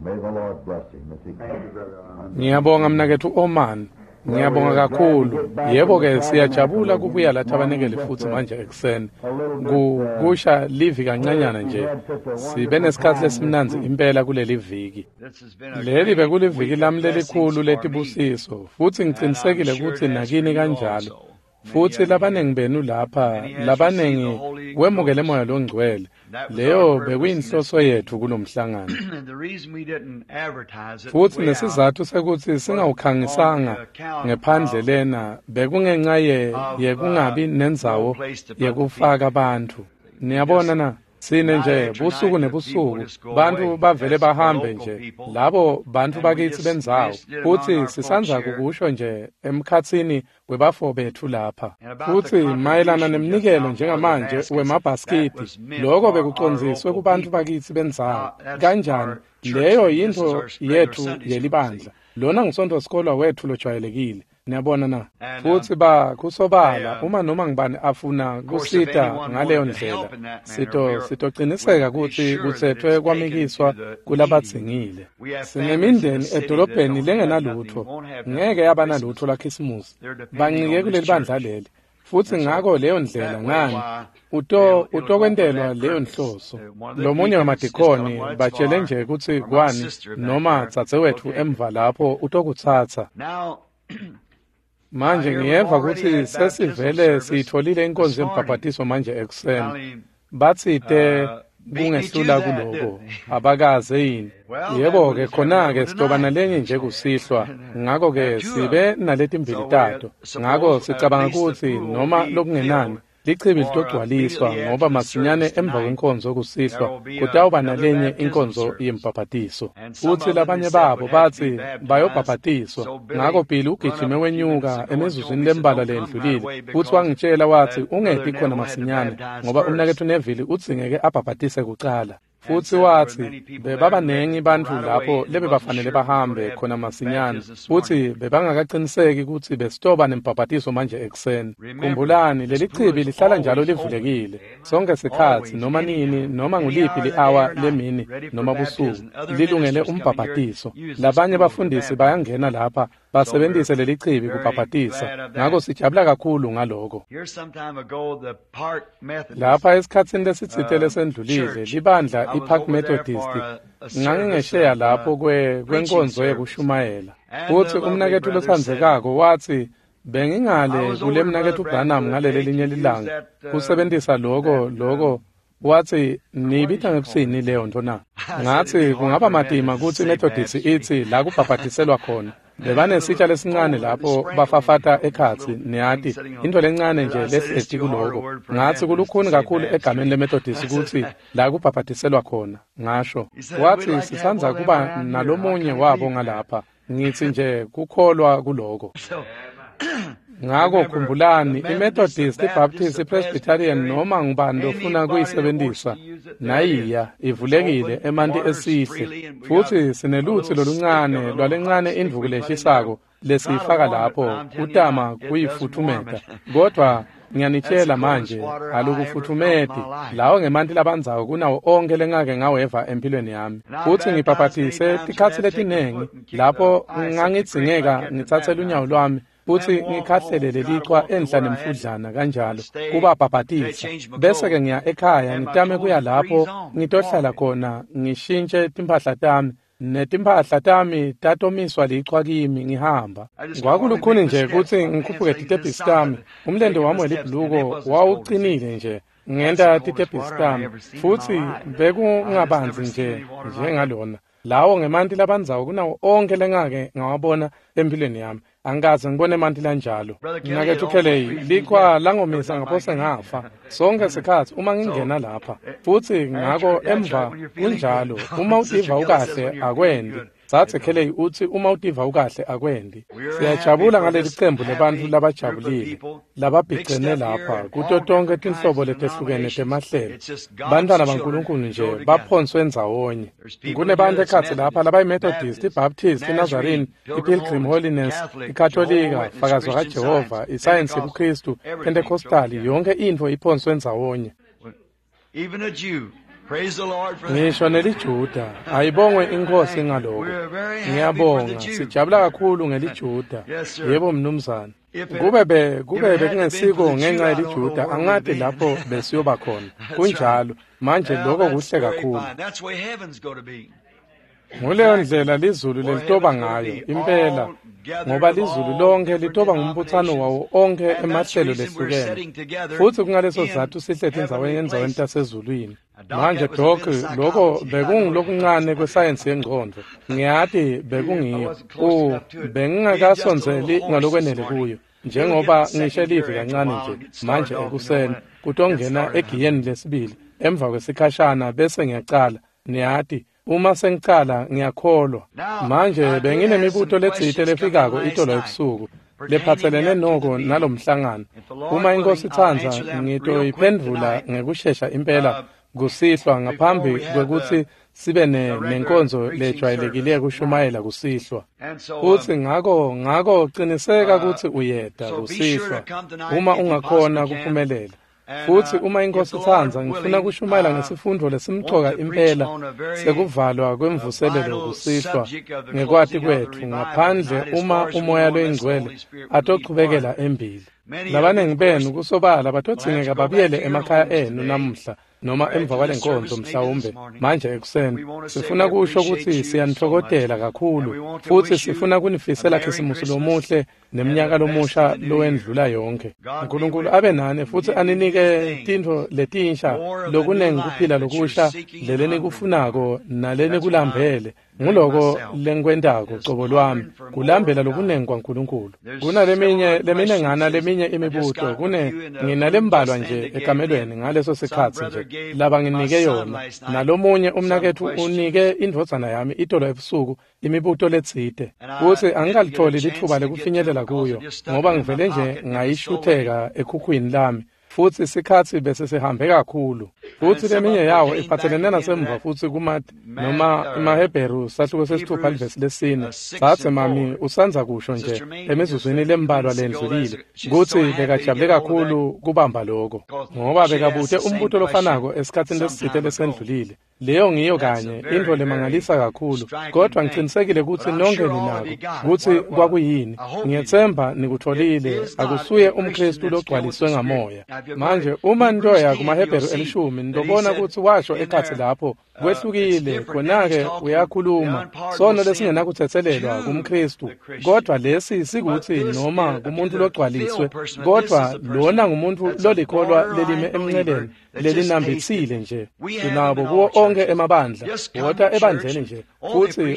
May the Lord bless him as he comes. Ngiyabonga mnaketfu Oman. Ngiyabonga kakhulu. Yebo-ke siyajabula kubuya la thabanekele futhi manje ekuseni. Kusha livi kancanyana nje. Sibe nesikhathi lesimnandzi impela kuleli viki. Leli bekuliviki lami lelikhulu letibusiso futhi ngicinisekile ukuthi nakini kanjalo. Futhi labaningi benu lapha, labaningi wemukele moya longcwele. Leyo bekuyinhloso yethu kulomhlangano. Futhi nesizathu sekuthi singawukhangisanga ngephandle lena bekungenxa yekungabi nendzawo yekufaka bantfu. Niyabona na? Sine nje busuku nebusuku bantfu bavele bahambe nje labo bantfu bakithi bendzawo futhi sisanza kukusho nje emkhatsini webafo bethu lapha. Futhi mayelana nemnikelo njengamanje wemabhaskidi, lokho bekucondziswe kubantfu bakithi bendzawo. Kanjani? Leyo yintfo yethu yelibandla. Lona ngusontfo sikolwa wethu lojwayelekile. Niyabona na? Futhi kusobala uma noma ngibani afuna kusita ngaleyo ndlela, sitociniseka kutsi kutsetfwe kwamikiswa kulabadzingile. Sinemindeni edolobheni lengenalutfo, ngeke yaba nalutfo laKhisimusi. Bancike kuleli bandla leli. Futhi ngako leyo ndlela ngani utokwentelwa leyo nhloso. Lomunye wemadikhoni batshele nje kutsi kwani noma dzadzewetfu emva lapho utokutsatsa. Manje ngiyeva kutsi sesivele siyitfolile inkonzo yembhabhatiso manje ekuseni. Batsite kungehlula kuloko, abakaze yini? Yebo-ke khona-ke sitoba nalenye nje kusihlwa, ngako-ke sibe naletimbili tato. Ngako sicabanga kutsi noma lokungenani lichibi litogcwaliswa ngoba masinyane emva kwenkonzo kusihlwa kutawuba nalenye inkonzo yembhabhatiso. Futhi labanye babo batsi bayobhabhatiswa. Ngako Billy ugijime wenyuka emizuzwini lembalwa lendlulile futhi wangitshela wathi ungeti khona masinyane ngoba umnaketfu Neville udzingeke abhabhatise kucala. Futhi wathi bebabanengi bantfu lapho lebebafanele bahambe khona masinyane futhi bebangakaqiniseki kutsi besitoba nembhabhatiso manje ekuseni. Khumbulani leli chibi lihlala njalo livulekile sonke sikhatsi, noma nini, noma nguliphi li-awa lemini noma busuku, lilungele umbhabhatiso. Labanye bafundisi bayangena lapha basebenzise leli chibi kubhabhatisa, ngako sijabula kakhulu ngaloko. Lapha esikhatsini lesitsite lesendlulile, libandla iPark Methodist ngangingesheya lapho kwenkonzo yekushumayela. Futhi umnaketfu lotsandzekako wathi bengingale kule mnaketfu Branham ngaleli linye lilanga kusebentisa loko wathi niyibita ngekutsini leyo nto na? Ngathi kungaba matima kutsi iMethodist itsi la kubhabhatiselwa khona. Bebanesitsha lesincane lapho bafafata ekhatsi, niyati, into lencane nje lehleti kuloko. Ngathi kulukhuni kakhulu egameni leMethodist kutsi la kubhabhatiselwa khona, ngasho. Wathi sisandza kuba nalomunye wabo ngalapha. Ngitsi nje kukholwa kuloko. Ngako khumbulani, iMethodist, iBaptist, iPresbyterian noma ngubani lofuna kuyisebenzisa, nayiya ivulekile emanti esihle. Futhi sinelutsi loluncane lwalencane indvuku leshisako lesiyifaka lapho kutama kuyifuthumeta. Kodwa ngiyanitshela manje, alukufuthumeti. Lawo ngemanti labandzako kunawo onke lengake ngaweva empilweni yami. Futhi ngibhabhatise tikhatsi letinengi lapho ngangidzingeka ngitsatse lunyawo lwami futhi ngikhahlele lelichwa enhla nemfudlana kanjalo kubabhabhatisa. Bese-ke ngiya ekhaya ngitame kuya lapho ngitohlala khona ngishintshe timphahla tami netimphahla tami tatomiswa lichwa kimi ngihamba. Kwakulukhuni nje kutsi ngikhuphuke titebhisi tami. Umlente wami welibhuluko wawucinile nje ngenta titebhisi tami futhi bekungabanzi nje njengalona. Lawo ngemanti labandzawo kunawo onke lengake ngawabona empilweni yami. Angikaze ngibone emanti lanjalo. Mnaketfu Kelly, lichwa langomisa ngaphose ngafa sonke sikhatsi uma ngingena lapha. Futhi ngako emva kunjalo, uma utiva ukahle akwendi. Dzadze Kelly utsi uma utiva ukahle akwendi. Siyajabula ngaleli cembu lebantfu labajabulile lababhicene lapha kuto tonkhe tinhlobo letehlukene temahlelo. Bantfwana baNkulunkulu nje baphonswe ndzawonye. Kunebantfu ekhatsi lapha labayiMethodist, iBaptist, iNazarene, iPilgrim Holiness, iKatolika, Fakazi wakaJehova, isayensi yebuKhristu, Pentecostal, yonke intfo iphonswe ndzawonye. Even a Jew. Ngisho neliJuda, ayibongwe inkosi ngaloko. Ngiyabonga, sijabula kakhulu ngeliJuda. Yebo mnumzane. Kube bekungesiko ngenxa yeliJuda, angati lapho besiyoba khona. Kunjalo, manje lokho kuhle kakhulu. Nguleyo ndlela lizulu lelitoba ngayo, impela, ngoba lizulu lonke litoba ngumbutsano wawo onke emahlelo lehlukene. Futsi kungaleso sizatfu sihleti endzaweni tasezulwini. Manje Doc, lokho bekungulokuncane kwesayensi yengcondvo. Ngiyati bekungiyo. Bengingakasondzeli ngalokwenele kuyo. Njengoba ngisho livi kancane nje manje ekuseni kutongena egiyeni lesibili emva kwesikhashana bese ngiyacala. Niyati, uma sengicala ngiyakholwa. Manje benginemibuto letsite lefikako itolo ebusuku lephatselene noko nalomhlangano. Uma inkosi itsandza ngitoyiphendvula ngekushesha impela kusihlwa ngaphambi kwekutsi sibe nenkonzo lejwayelekile kushumayela kusihlwa. Futsi ngako qiniseka kutsi uyeta kusihlwa uma ungakhona kuphumelela. Futsi uma inkosi itsandza ngifuna kushumayela ngesifundvo lesimcoka impela sekuvalwa kwemvuselelo kusihlwa ngekwati kwetfu ngaphandle uma umoya loyingcwele atochubekela embili. Labanengi benu kusobala batodzingeka babuyele emakhaya enu namuhla noma emva kwalenkonzo mhlawumbe manje ekuseni. Sifuna kusho kutsi siyanitfokotela kakhulu futsi sifuna kunifisela Khisimusi lomuhle neminyaka lomusha lowendlula yonke. Nkulunkulu abe nani futsi aninike tintfo letinsha lokunengi kuphila lokusha lelenikufunako nalenikulambele. Nguloko lengikwentako cobo lwami kulambela lokunengi kwaNkulunkulu. Kunaleminye leminengana leminye imibuto kune nginalembalwa nje ekamelweni ngaleso sikhatsi nje laba nginike yona. Nalomunye umnaketfu unike indvodzana yami itolo ebusuku imibuto letsite futsi angikalitholi litfuba lekufinyelela kuyo ngoba ngivele nje ngayishutheka ekhukhwini lami. Futsi sikhatsi bese sihambe kakhulu. Futsi leminye yawo iphatselene nasemva futsi noma emaHebheru sahluko sesithupha livesi lesine. Satsi mami usandza kusho nje emizuzwini lembalwa lendlulile kutsi bekajabule kakhulu kubamba loko ngoba bekabute umbuto lofanako esikhatsini lesitsite lesendlulile. Leyo ngiyo kanye intfo lemangalisa kakhulu, kodwa ngicinisekile kutsi nonke ninako kutsi kwakuyini. Ngiyetsemba nikutfolile, akusuye umKhristu logcwaliswe ngamoya. Manje uma nitoya kumaHebheru elishumi nitobona kutsi washo ekhatsi lapho kwehlukile, khona-ke uyakhuluma sono lesingenakutsetselelwa kumKhristu, kodwa lesi sikutsi noma kumuntu logcwaliswe, kodwa lona ngumuntu lolikholwa lelime emnceleni lelinambitsile nje. Sinabo kuwo onke emabandla, wota ebandleni nje futsi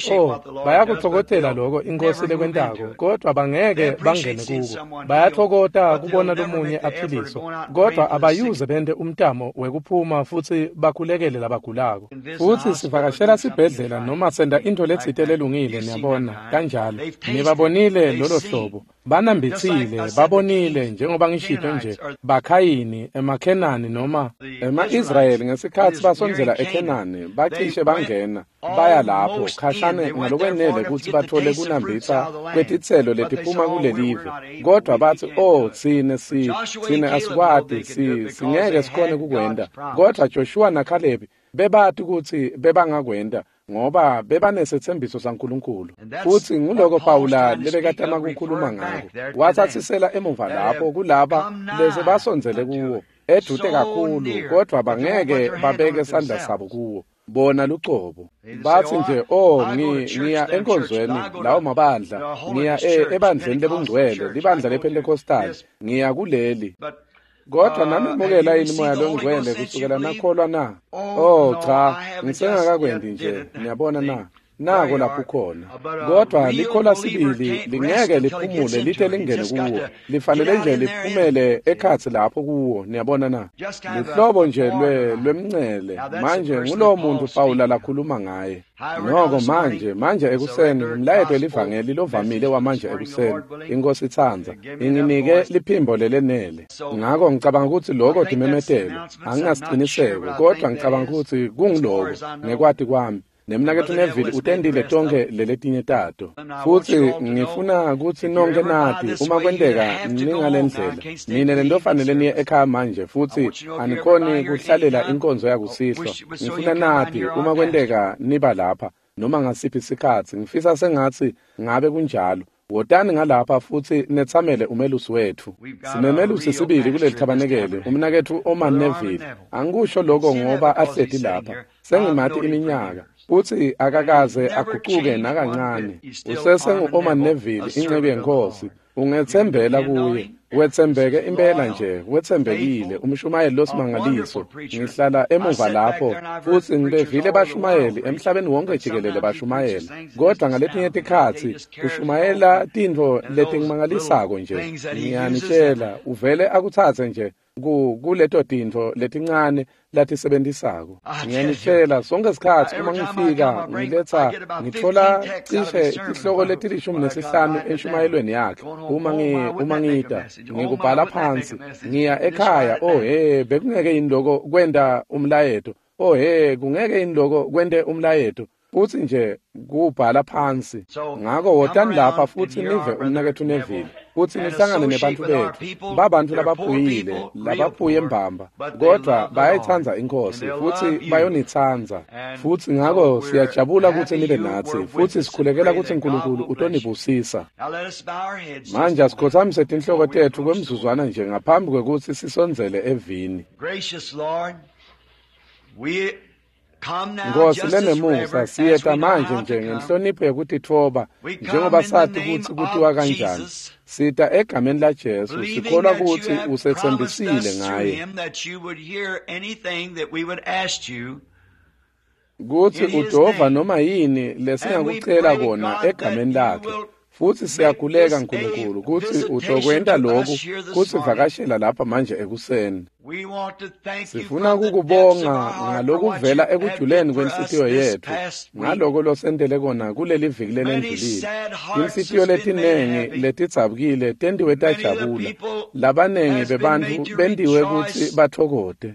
bayakutfokotela loko inkosi lekwentako, kodwa bangeke bangene kuko. Bayatfokota kubona lomunye aphiliswa, kodwa abayuze bente umtamo wekuphuma futsi bakhulekele labagulako. Futsi sivakashela sibhedlela noma senta intfo letsite lelungile, niyabona kanjalo. Nibabonile lolo hlobo, banambitsile, babonile njengoba ngishito nje bakhayini emaKhenani noma ema-Israyeli ngesikhatsi basondzela eKhenani bacishe bangena baya lapho khashane ngalokwenele kutsi bathole kunambitsa kwetitselo letiphuma kulelive, kodwa batsi tsine asikwati, singeke sikhone kukwenta. Kodwa Joshua naKhalebi bebati kutsi bebangakwenta ngoba bebanesetsembiso saNkulunkulu. Futsi nguloko Pawula lebekatama kukhuluma ngako. Watsatsisela emuva lapho kulaba lese basondzele kuwo edute kakhulu, kodwa bangeke babeke sandla sabo kuwo bona lucobo. Batsi nje ngiya enkonzweni lawo mabandla, ngiya ebandleni lebungcwele, libandla lePentecostal, ngiya kuleli. Kodwa namemukela yini moya longcwele kusukela nakholwa na? Cha, ngisengakakwenti nje, niyabona na? Nako lapho khona. Kodwa likholwa sibili lingeke liphumule lite lingene kuwo, lifanele nje liphumele ekhatsi lapho kuwo, niyabona na? Luhlobo nje lwemncele. Manje ngulowo muntu Pawula lakhuluma ngaye. Noko manje ekuseni umlayeto elivangeli lovamile wamanje ekuseni, inkosi itsandza inginike liphimbo lelenele. Ngako ngicabanga kutsi loko timemetelo, anginasiqiniseko, kodwa ngicabanga kutsi kungiloko ngekwati kwami. Nemnaketfu Neville utendile tonke leletinye tato. Futsi ngifuna kutsi nonke nati uma kwenteka ningalendlela. Nine lentofanele niye ekhaya manje futsi anikhoni kuhlalela inkonzo yakusihlwa. Ngifuna nati uma kwenteka niba lapha noma ngasiphi sikhatsi ngifisa sengatsi ngabe kunjalo. Wotani ngalapha futsi netsamele umelusi wetfu. Sinemelusi sibili kuleli thabanekele, umnaketfu Orman Neville. Angikusho lokho ngoba ahleti lapha. Sengimati iminyaka. Futsi akakaze agucuke nakancane. Usesengu-Orman Neville, inceku yeNkhosi. Ungetsembela kuye. Wetsembeke impela nje, wetsembekile, umshumayeli losimangaliso. Ngihlala emuva lapho futsi ngibevile bashumayeli emhlabeni wonke jikelele bashumayela. Kodwa ngaletinye tikhatsi ushumayela tintfo letingimangalisako nje. Ngiyanitshela, uvele akutsatse nje kuleto tintfo letincane latisebentisako. Ngiyanitshela, sonke sikhatsi uma ngifika ngiletsa ngitfola cishe tihloko leti-15 enshumayelweni yakhe. Uma ngita ngikubhala phansi, ngiya ekhaya, oh he, bekungeke yini lokho kwenta umlayeto? Oh he, kungeke yini lokho kwente umlayeto? Futsi nje kubhala phansi. Ngako wotani lapha futsi nive umnaketfu Neville, futsi nihlangane nebantfu betfu. Babantfu labaphuyile, labaphuye mbamba, kodvwa bayayitsandza iNkhosi futsi bayonitsandza. Futsi ngako siyajabula kutsi nibe natsi, futsi sikhulekela kutsi Nkulunkulu utonibusisa. Manje asikhotsamise tinhloko tetfu kwemzuzwana nje ngaphambi kwekutsi sisondzele evini. Nkosi lenemusa, siyeta manje nje ngenhlonipho yekutitfoba njengoba sati kutsi kutiwa kanjani. Sita egameni la Jesu, sikholwa kutsi usetsembisile ngaye kutsi udova noma yini lesingakucela kona egameni lakhe. Futsi siyakhuleka Nkulunkulu kutsi utokwenta lokhu kusivakashela lapha manje ekuseni. Sifuna kukubonga ngalokuvela ekujuleni kwenhlitiyo yetfu ngaloko losentele kona kuleli viki lelendlulile. Tinhlitiyo letinengi letidzabukile tentiwe tajabula. Labanengi bebantfu bentiwe kutsi batfokote.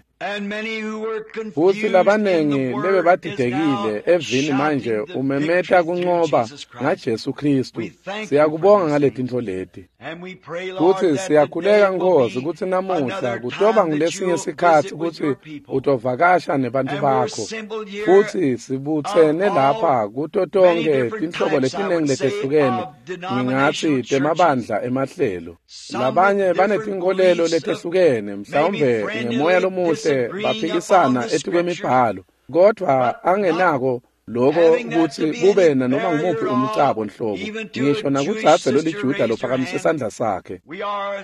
Futsi labanengi lebebadidekile evini manje umemeta kuncoba ngaJesu Khristu. Siyakubonga ngaletintfo leti. Futsi siyakhuleka Nkhosi kutsi namuhla kutoba ngulesinye sikhatsi kutsi utovakasha nebantfu bakho. Futsi sibutsene lapha kuto tonkhe tinhlobo letinengi letehlukene, ngingatsi temabandla emahlelo. Labanye banetinkolelo letehlukene, mhlawumbe ngemoya lomuhle baphikisana etikwemibhalo, kodvwa angenako lokho kutsi kube nanoma ngumuphi umcabo nhlobo, ngisho nakudzadze loliJuda lophakamise sandla sakhe.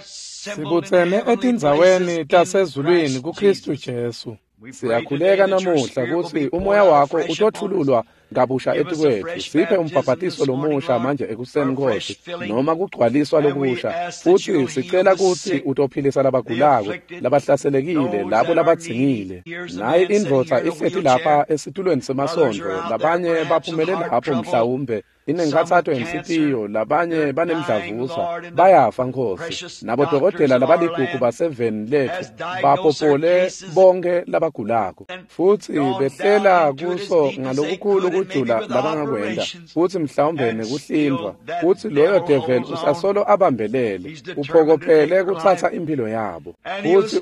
Sibutsene etindzaweni tasezulwini kuKhristu Jesu. Siyakhuleka namuhla kutsi umoya wakho utotfululwa kabusha etikwetfu. Siphe umbhabhatiso lomusha manje ekuseni Nkosi, noma kugcwaliswa lokusha. Futsi sicela kutsi utophilisa labagulako, labahlaselekile, labo labadzingile. Nayi indvodza ihleti lapha esitulweni semasondvo, labanye baphumele lapho mhlawumbe inenkhatsato yenhlitiyo, labanye banemdlavuza, bayafa Nkosi. Nabodokotela labaligugu baseveni letfu bapopole bonke labagulako, futsi behlela kuso ngalokukhulu kujula labangakwenta, futsi mhlawumbe nekuhlindvwa. Futsi loyo devil usasolo abambelele, uphokophele kutsatsa imphilo yabo. Futsi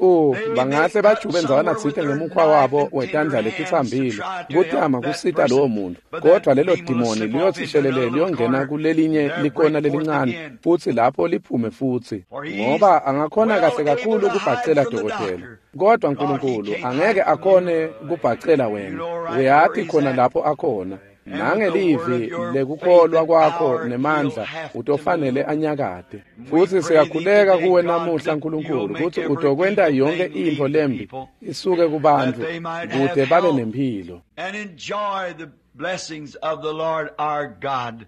bangahle bajube ndzawana tsite ngemukhwa wabo wetandla letitsambile kutama kusita lowo muntu, kodvwa lelo dimoni liyotsi liyongena kulelinye likona lelincane futsi lapho liphume futsi, ngoba angakhona kahle kakhulu kubhacela dokotela, kodwa Nkulunkulu angeke akhone kubhacela wena. Uyati khona lapho akhona. Nangelivi lekukholwa kwakho nemandla utofanele anyakate. Futsi siyakhuleka kuwe namuhla Nkulunkulu kutsi utokwenta yonke intfo lembi isuke kubantfu kute babe nemphilo. Blessings of the Lord our God.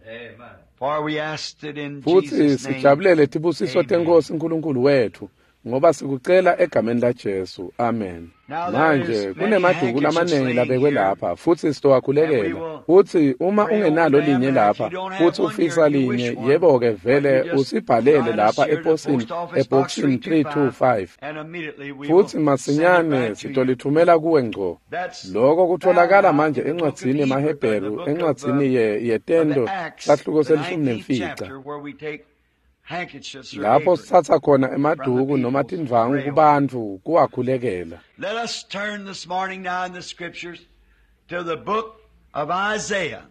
For we asked it in Futsi Jesus' name. sijabulele tibusiso teNkhosi Nkulunkulu wetfu, Ngoba sikucela egameni laJesu. Amen. Manje kunemaduku lamaningi labekwe lapha futsi sitowakhulekela. Futsi uma ungenalo linye lapha futsi ufisa linye, yebo-ke vele usibhalele lapha eposini ebhokisini 325. Futsi masinyane sitolithumela kuwe ngco. Lokho kutholakala manje encwadzini yemaHebheru, encwadzini yeTento, sahluko se-15. Lapho sitsatsa khona emaduku noma tindvwangu kubantfu kuwakhulekela. Let us turn this morning now in the scriptures to the book of Isaiah.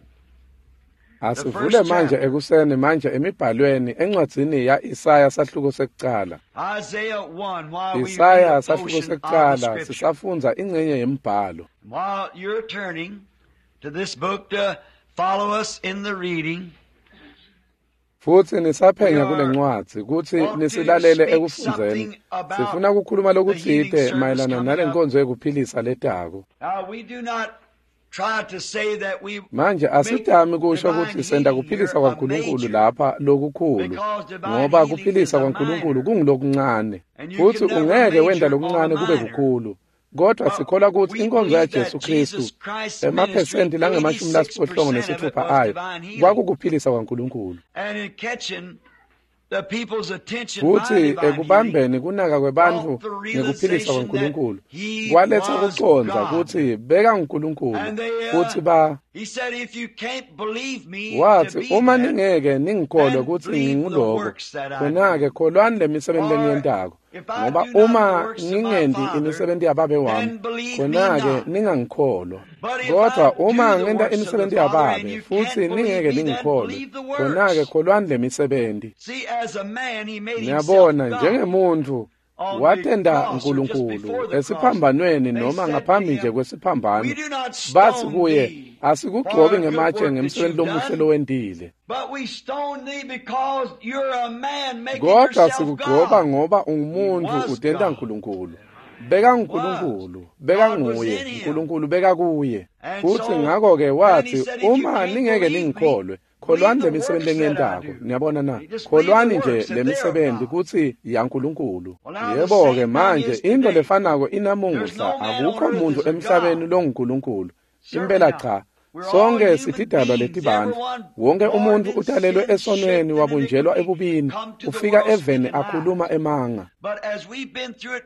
Asivule manje ekuseni manje emibhalweni encwadzini ya-Isaya sahluko sekucala. Isaiah 1, while we read Isaya a sahluko portion of the sekucala scripture. sisafundza ingcenye yembhalo. While you're turning to this book to follow us in the reading, Futsi nisaphenya kule ncwadzi kutsi nisilalele ekufundzeni. Sifuna kukhuluma lokutsite mayelana nale nkonzo yekuphilisa letako. now we do not try to say that we Manje asitami kusho kutsi senta kuphilisa kwaNkulunkulu lapha lokukhulu, ngoba kuphilisa kwaNkulunkulu kungulokuncane, futsi ungeke wenta lokuncane kube kukhulu. Kodwa sikholwa kutsi inkonzo yaJesu Khristu emaphesenti langama-86 ayo kwakukuphilisa kwaNkulunkulu. and in catching the people's attention by Futsi divine healing, ekubambeni kunaka kwebantfu ngekuphilisa kwaNkulunkulu kwaletsa kucondza kutsi beka nguNkulunkulu futsi ba he said, if you can't believe me to wathi be uma that, ningeke ningikholwe kutsi nginguloko, khona-ke kholwani le misebenzi lengiyentako, ngoba uma ngingenti imisebenti yababe wami, khona-ke ningangikholwa. Kodwa uma ngenta imisebenzi yababe futsi ningeke ningikholwe, khona-ke kholwani le misebenti. see, as a man, he made himself Niyabona, God. njengemuntfu watenta uNkulunkulu esiphambanweni noma ngaphambi nje kwesiphambano, We do not bathi stone kuye, thee asikugcobi for the good ngematshe work that ngemsebenzi you've lomuhle done, lowentile, but we stone thee because you're a man making kodwa yourself sikugcoba God. ngoba ungumuntu utenta uNkulunkulu. Beka nguNkulunkulu, beka nguye, uNkulunkulu beka kuye. Futsi ngakho-ke wathi, uma ningeke ningikholwe, kholwani le misebenzi lengiyentako. Niyabona na? Kholwani nje le misebenzi kutsi yaNkulunkulu. Yebo-ke manje into lefanako inamuhla, akukho muntu emhlabeni longuNkulunkulu. Impela cha. Sonke sitidalwa letibantfu. Wonke umuntfu utalelwe esonweni wabunjelwa ebubini, ufika eveni akhuluma emanga. But as we've been through it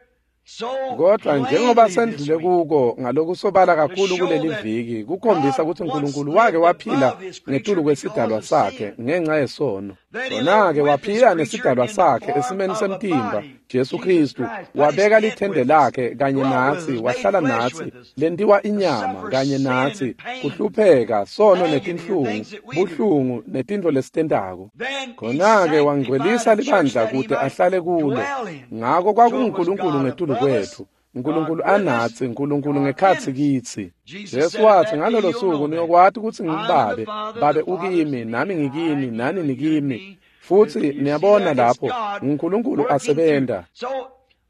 so Kodwa njengoba plainly this sendlule week, kuko ngalokusobala kakhulu kuleli viki, kukhombisa kutsi uNkulunkulu wake waphila ngetulu kwesidalwa sakhe ngenxa yesono. Khona-ke waphila nesidalwa sakhe esimeni semtimba, Jesu Khristu, wabeka lithende lakhe kanye natsi, wahlala natsi, lentiwa inyama kanye natsi, kuhlupheka, sono netinhlungu, buhlungu netintfo lesitentako. then he Khona-ke wangcwelisa sanctified the church libandla that he kute might ahlale kulo. dwell in. Ngako kwakunguNkulunkulu ngetulu kwetfu, uNkulunkulu anatsi, uNkulunkulu ngekhatsi kitsi. Jesu wathi ngalolo suku niyokwati kutsi nginguBabe, Babe ukimi, nami ngikini, nani nikimi. Futsi niyabona lapho uNkulunkulu asebenta. So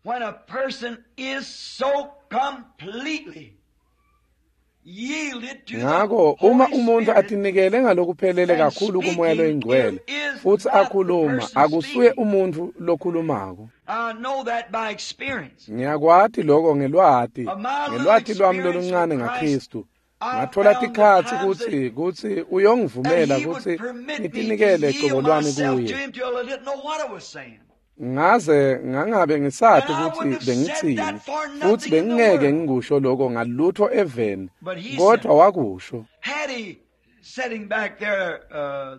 when a person is so completely yielded to the Ngako uma Holy umuntu Spirit, atinikele ngalokuphelele kakhulu kuMoya loyiNgcwele futsi akhuluma, akusuye umuntfu lokhulumako. I know that by experience. Ngiyakwati lokho ngelwati, ngelwati lwami loluncane ngaKristu. Ngathola tikhatsi kutsi That uyongivumela he would kutsi permit me to ngitinikele yield cobo lwami myself to kuye. him till I didn't know what I was saying. Ngaze ngangabe ngisati And I kutsi wouldn't have said bengitsini, that for nothing futsi in the bengingeke world. ngikusho lokho ngalutho eveni, But he kodwa said, wakusho. had he sitting back there,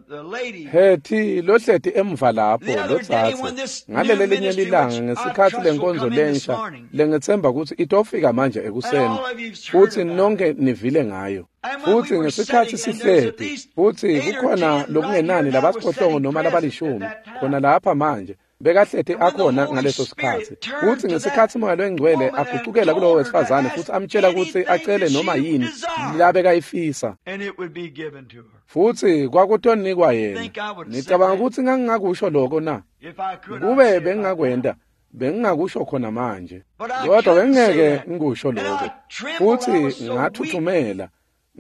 the lady, Hethi lohleti emva lapho The other day when lotsatse this new ngalele linye ministry, lilanga which I ngesikhatsi trust will lenkonzo come in this lensha morning, lengitsemba kutsi itofika manje and ekuseni all of you've heard futsi about it. nonke nivile ngayo. And when Futsi we were ngesikhatsi sitting, and there's at sihleti least futsi 8 or kukhona 10 right here lokungenani now was labasiphohlongo sitting noma present at labalishumi that time. khona lapha manje bekahleti And when the akhona Holy ngaleso Spirit sikhatsi. turned Futsi to that ngesikhatsi Moya loyiNgcwele woman and agucukela told kulowo her to wesifazane ask futsi amtjela kutsi anything acele that noma she yini desired, labekayifisa. and it would be given to her. Futsi kwakutonikwa yena. Think I would have said Nicabanga that? kutsi ngangingakusho lokho na? If I could, I'd say Kube it right now. bengingakwenta, bengingakusho khona manje. But I Kodwa couldn't say bengingeke that. ngikusho And lokho. I trembled. I Futsi was so weak. ngathuthumela.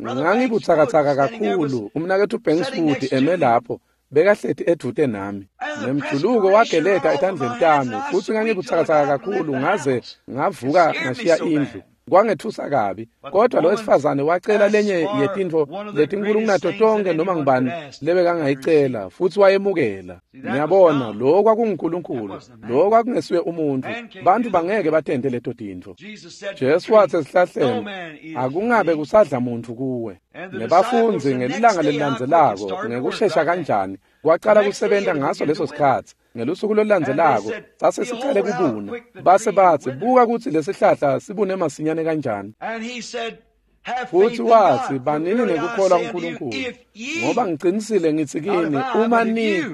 Brother Banks Wood Ngangibutsakatsaka standing there was kakhulu. Umnaketfu Banks sitting Wood next to eme me. lapho Bekahleti edvute nami. Nemjuluko wageleta etandleni tami futsi ngangibutsakatsaka kakhulu ngaze ngavuka ngashiya indlu. Kwangethusa kabi, kodwa lo wesifazane wacela lenye yetintfo letinkulu kunato tonke noma ngubani lebekangayicela futsi wayemukela. Niyabona, lo kwakunguNkulunkulu, lo kwakungesuye umuntfu. Bantfu bangeke batente leto tintfo. Jesu watsi esihlahleni, akungabe kusadla muntfu kuwe. Nebafundzi ngelilanga lelilandzelako ngekushesha kanjani kwacala kusebenta ngaso leso sikhatsi. Ngelusuku lolulandzelako sase sicale kubuna. Base batsi, buka kutsi lesihlahla sibune masinyane kanjani. Futhi watsi, banini nekukholwa kuNkulunkulu, ngoba ngicinisile ngitsi kini, uma ni,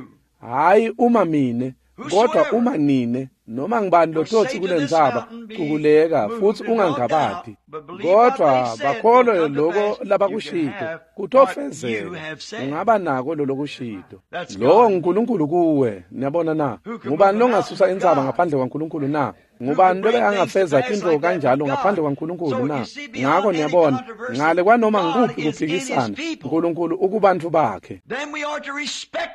hhayi uma mine, kodwa uma nine, noma ngibani lototsi kulentsaba, kukuleka futsi ungangabati, kodwa bakholwe loko labakushito, kutofezeka, ungaba nako lolokushito. Lowo nguNkulunkulu kuwe, niyabona na? Ngubani longasusa intsaba ngaphandle kwaNkulunkulu na? Ngubani lobe angafeza tintfo kanjalo ngaphandle kwaNkulunkulu na? Ngako niyabona, ngale kwanoma ngikuphi kuphikisana, uNkulunkulu ukubantfu bakhe.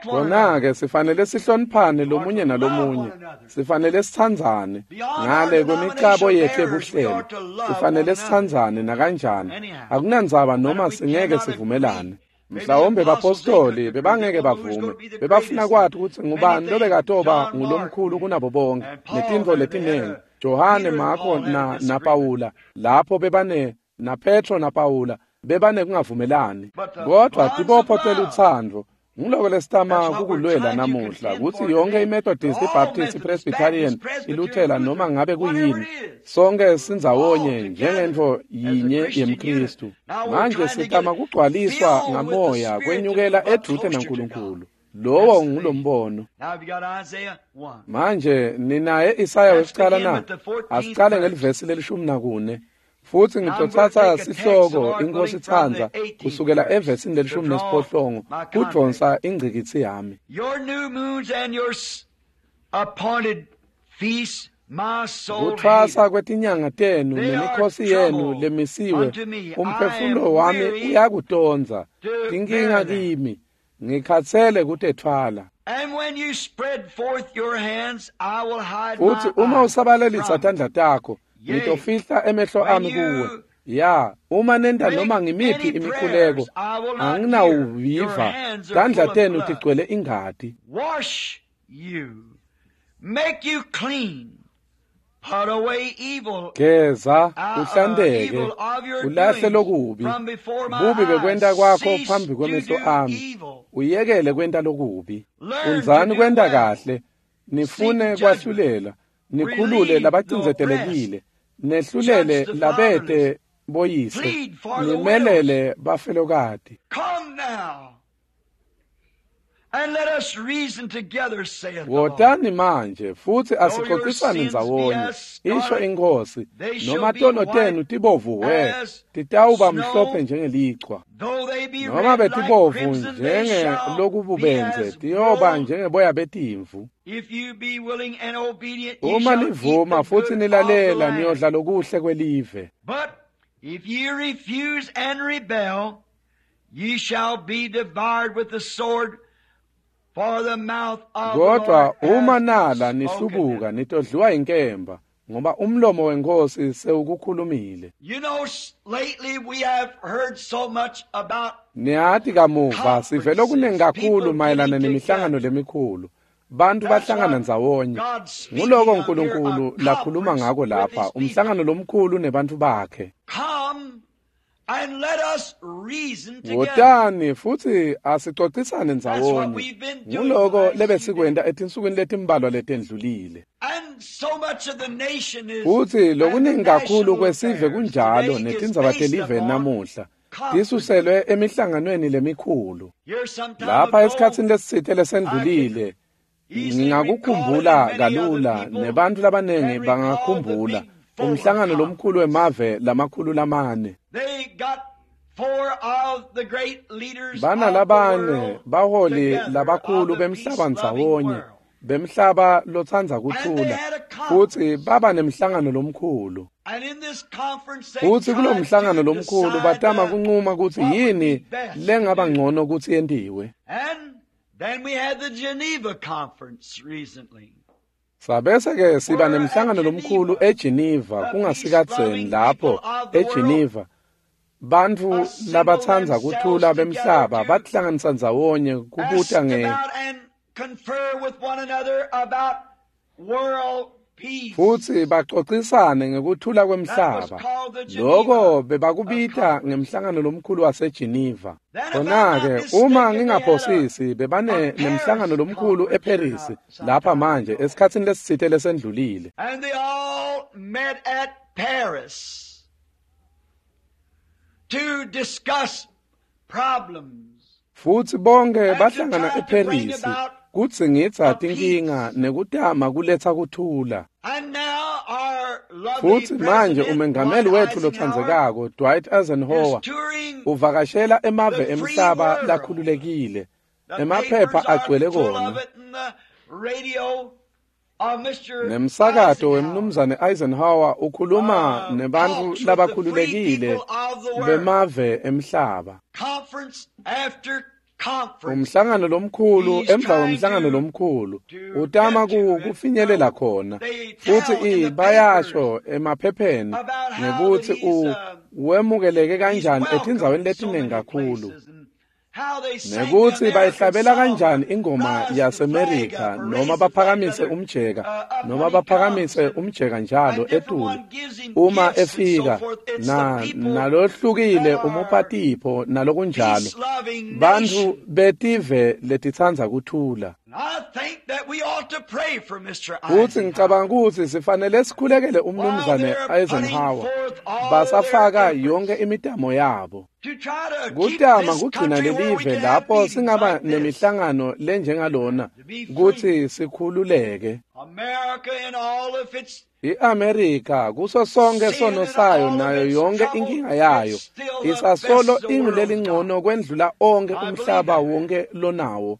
Kona-ke sifanele sihloniphane lomunye nalomunye, sifanele sitsandzane ngale kwemicabo yethu yebuhlelo, sifanele sitsandzane nakanjani, akunandzaba noma singeke sivumelane. Mhlawumbe bapostoli bebangeke bavume, bebafuna kwati kutsi ngubani lobekatoba ngulomkhulu kunabo bonke, netintfo letinengi. Johane, Marko na Pawula, lapho bebane na Petro na Pawula bebane kungavumelani. Kodwa tibopho telutsandvo nguloko lesitama kukulwela namuhla, kutsi yonke iMethodist, iBaptist, iPresbyterian, iLuthela noma ngabe kuyini, sonke sindzawonye njengentfo yinye yemKhristu. Manje sitama kugcwaliswa ngamoya kwenyukela edvute naNkulunkulu. Lowo ngulombono. Manje ninaye Isaya wesicala na? Asicale ngelivesi leli-14. Futsi ngitotsatsa sihloko iNkosi itsandza kusukela evesini leli-18 kudvonsa ingcikitsi yami. Kuthwasa kwetinyanga tenu nemikhosi yenu lemisiwe, umphefumulo wami uyakutondza, tinkinga kimi, ngikhatsele kutetfwala. Futsi uma usabalelisa tandla takho, ngitofihla emehlo ami kuwe. Ya, uma nenta noma ngimiphi imikhuleko, anginawuviva, tandla tenu tigcwele ingati. Wash you, make you clean, put away evil, Geza, uhlanteke, ulahle lokubi, bubi bekwenta kwakho phambi kwemehlo ami, uyekele kwenta lokubi. Fundzani kwenta kahle, nifune kwahlulela, nikhulule labacindzetelekile, nehlulele labete boyise, nimelele bafelokati. Come now, and let us reason together, saith the Lord. Wotani manje futsi asixoxisane ndzawonye, isho iNkhosi, noma tono tenu tibovu hhe, titawuba mhlophe njengelichwa, Though they be noma red like betibovu crimson, they shall be njengelokububendze, as tiyoba wool. njengeboya betimvu. If you be willing and obedient, ye Uma shall eat nivuma the futsi good of the nilalela, land. niyodla lokuhle kwelive. But if ye refuse and rebel, ye shall be devoured with the sword, for the mouth of the Kodwa Lord uma hath nala spoken nihlubuka it. nitodliwa inkemba, ngoba umlomo weNkhosi sewukukhulumile. You know, lately we have heard so much about Niyati kamuva sive lokuningi kakhulu people mayelana getting nemihlangano together. lemikhulu. Bantu That's bahlangana what ndzawonye. God's speaking Nguloko of here, uNkulunkulu a lakhuluma conference ngako with lapha, his people. umhlangano lomkhulu nebantfu bakhe. Come and let us reason together. Wotani futsi asixoxisane That's what ndzawonye. we've been doing the Nguloko last few days. lebesikwenta etinsukwini letimbalwa letendlulile. And so much of the nation is Futsi and the lokuningi kakhulu national kwesive affairs kunjalo today is netindzaba based telive upon namuhla conferences. tisuselwe emihlanganweni lemikhulu. Here some time Lapha ago, esikhatsini lesitsite I can lesendlulile, easily recall it, and ngingakukhumbula many other kalula people nebantu labanengi can recall the bangakhumbula big Fuller umhlangano lomkhulu conference. wemave lamakhulu lamane. They got four of the great leaders of the Banalabane world baholi together of labakhulu the bemhlaba peace-loving ndzawonye, world. bemhlaba lotsandza And they kuthula, had a futsi conference. baba nemhlangano lomkhulu. And in this conference they Futsi kulo tried mhlangano to lomkhulu decide batama kuncuma kutsi what would be yini best to lengaba do. ngcono kutsi yentiwe. And Then we had the Geneva Conference recently. Sabese ke siba nemhlangano lomkhulu eGeneva kungasikadzeni lapho eGeneva bantfu labatsandza kuthula bemhlaba batihlanganisa ndzawonye kubuta nge futsi baxoxisane ngekuthula kwemhlaba. Loko bebakubita ngemhlangano lomkhulu waseGeneva. Khona-ke uma ngingaphosisi bebane nemhlangano lomkhulu eParis lapha manje esikhatsini lesitsite lesendlulile. And they all met at Paris to discuss problems. Futsi bonke bahlangana eParis kudzingidza tinkinga nekutama kuletsa kuthula. Futsi manje umengameli wetfu lotsandzekako Dwight Eisenhower uvakashela emave emhlaba lakhululekile. Emaphepha agcwele kona. Nemsakato wemnumzane Eisenhower ukhuluma nebantfu labakhululekile bemave emhlaba. Umhlangano lomkhulu emva kwemhlangano lomkhulu utama kufinyelela khona futsi bayasho emaphepheni ngekutsi wemukeleke kanjani etindzaweni letiningi kakhulu nekutsi bayihlabela kanjani ingoma yaseMerika noma baphakamise umjeka noma baphakamise umjeka njalo etulu uma efika nalohlukile umupha tipho nalokunjalo bantfu betive letitsandza kuthula. Futsi ngicabanga kutsi sifanele sikhulekele umnumzane Eisenhower basafaka yonke imitamo yabo kutama kugcina lelive lapho singaba nemihlangano lenjengalona kutsi sikhululeke. I-Amerika kuso sonke sono sayo nayo yonke inkinga yayo isasolo ingulelingcono kwendlula onke umhlaba wonke lonawo.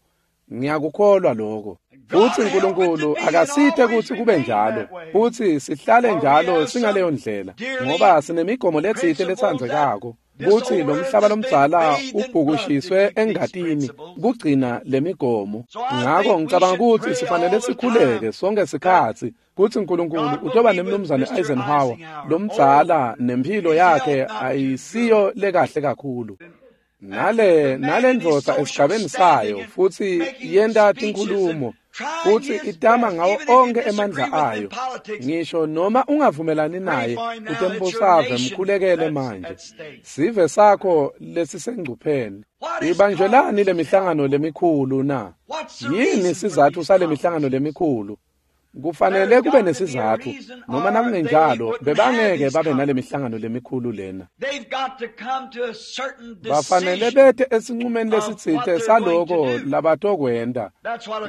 Ngiyakukholwa lokho. Futsi uNkulunkulu akasithe kutsi kube njalo futsi sihlale njalo singaleyo ndlela ngoba sinemigomo letsite letsandzekako kutsi lo mhlaba lomdzala ubhukushiswe engatini kugcina lemigomo. Ngako ngicabanga kutsi sifanele sikhuleke sonke sikhatsi kutsi uNkulunkulu utoba nemnumzane Eisenhower lomdzala nemphilo yakhe ayisiyo lekahle kakhulu. Nale ndvodza esigabeni sayo futsi yenta tinkhulumo futsi itama ngawo onke emandla ayo ngisho noma ungavumelani naye utembusave mkhulekele manje sive sakho lesisengcupheni. Ibanjwelani lemihlangano lemikhulu na? Yini sizatfu sale mihlangano lemikhulu? Kufanele kube nesizatfu noma nakungenjalo bebangeke babe nale mihlangano lemikhulu lena. Bafanele bete esincumeni lesitsite saloko labatokwenta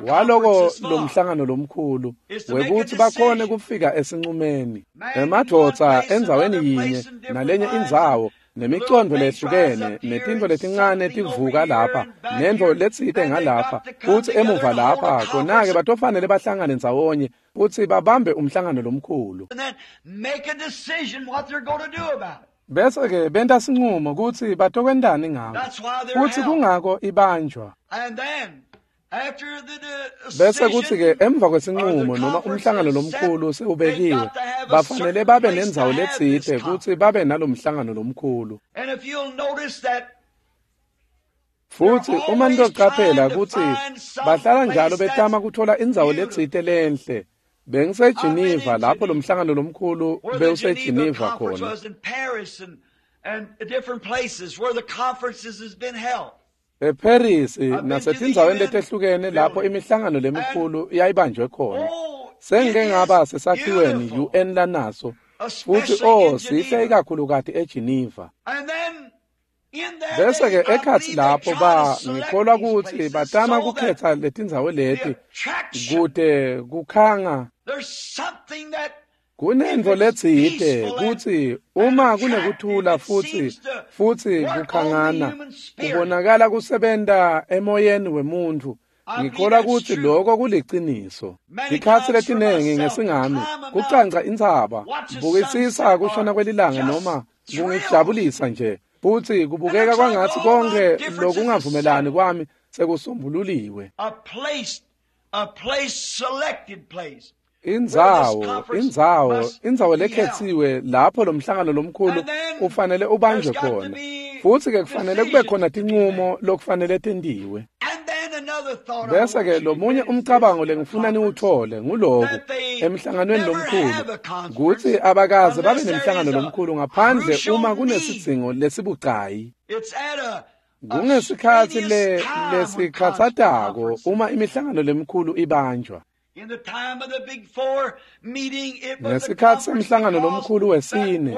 waloko lo mhlangano lomkhulu wekutsi bakhone kufika esincumeni. Emadvodza endzaweni yinye nalenye indzawo nemicondvo lehlukene netintfo letincane tivuka lapha nentfo letsite ngalapha futsi emuva lapha khona-ke batofanele bahlangane ndzawonye futsi babambe umhlangano lomkhulu. Bese-ke benta sincumo kutsi batokwentani ngako futsi kungako ibanjwa. Bese kutsi-ke emva kwesinqumo noma umhlangano lomkhulu sewubekiwe bafanele babe nendzawo letsite kutsi babe nalomhlangano lomkhulu. Futsi uma nitocaphela kutsi bahlala njalo betama kuthola indzawo letsite lenhle. BengiseGeneva lapho lomhlangano lomkhulu bewuseGeneva khona. eParis nasetindzaweni letehlukene lapho imihlangano lemikhulu yayibanjwe khona. Sengike ngaba sesakhiweni UN lanaso futsi sihle ikakhulukati eGeneva. Bese-ke ekhatsi lapho ngikholwa kutsi batama kukhetsa letindzawo leti kute kukhanga. Kunentfo letsite kutsi uma kunekuthula futsi kukhangana kubonakala kusebenta emoyeni wemuntfu. Ngikholwa kutsi lokho kuliciniso. Tikhatsi letinengi ngesingami kucanca intsaba, bukisisa kushona kwelilanga noma kungijabulisa nje Futhi kubukeka kwangathi konke lokungavumelani kwami sekusombululiwe. Indzawo lekhetsiwe lapho lo mhlangano lomkhulu ufanele ubanjwe khona. Futhi ke kufanele kube khona tinqumo lokufanele tentiwe. Bese ke lomunye umcabango lengifuna niwuthole nguloku emhlanganweni lomkhulu kutsi abakaze babe nemhlangano lomkhulu ngaphandle uma kunesidzingo lesibucayi. Kungesikhatsi lesikhatsatako uma imihlangano lemikhulu ibanjwa. Ngesikhatsi semhlangano lomkhulu wesine,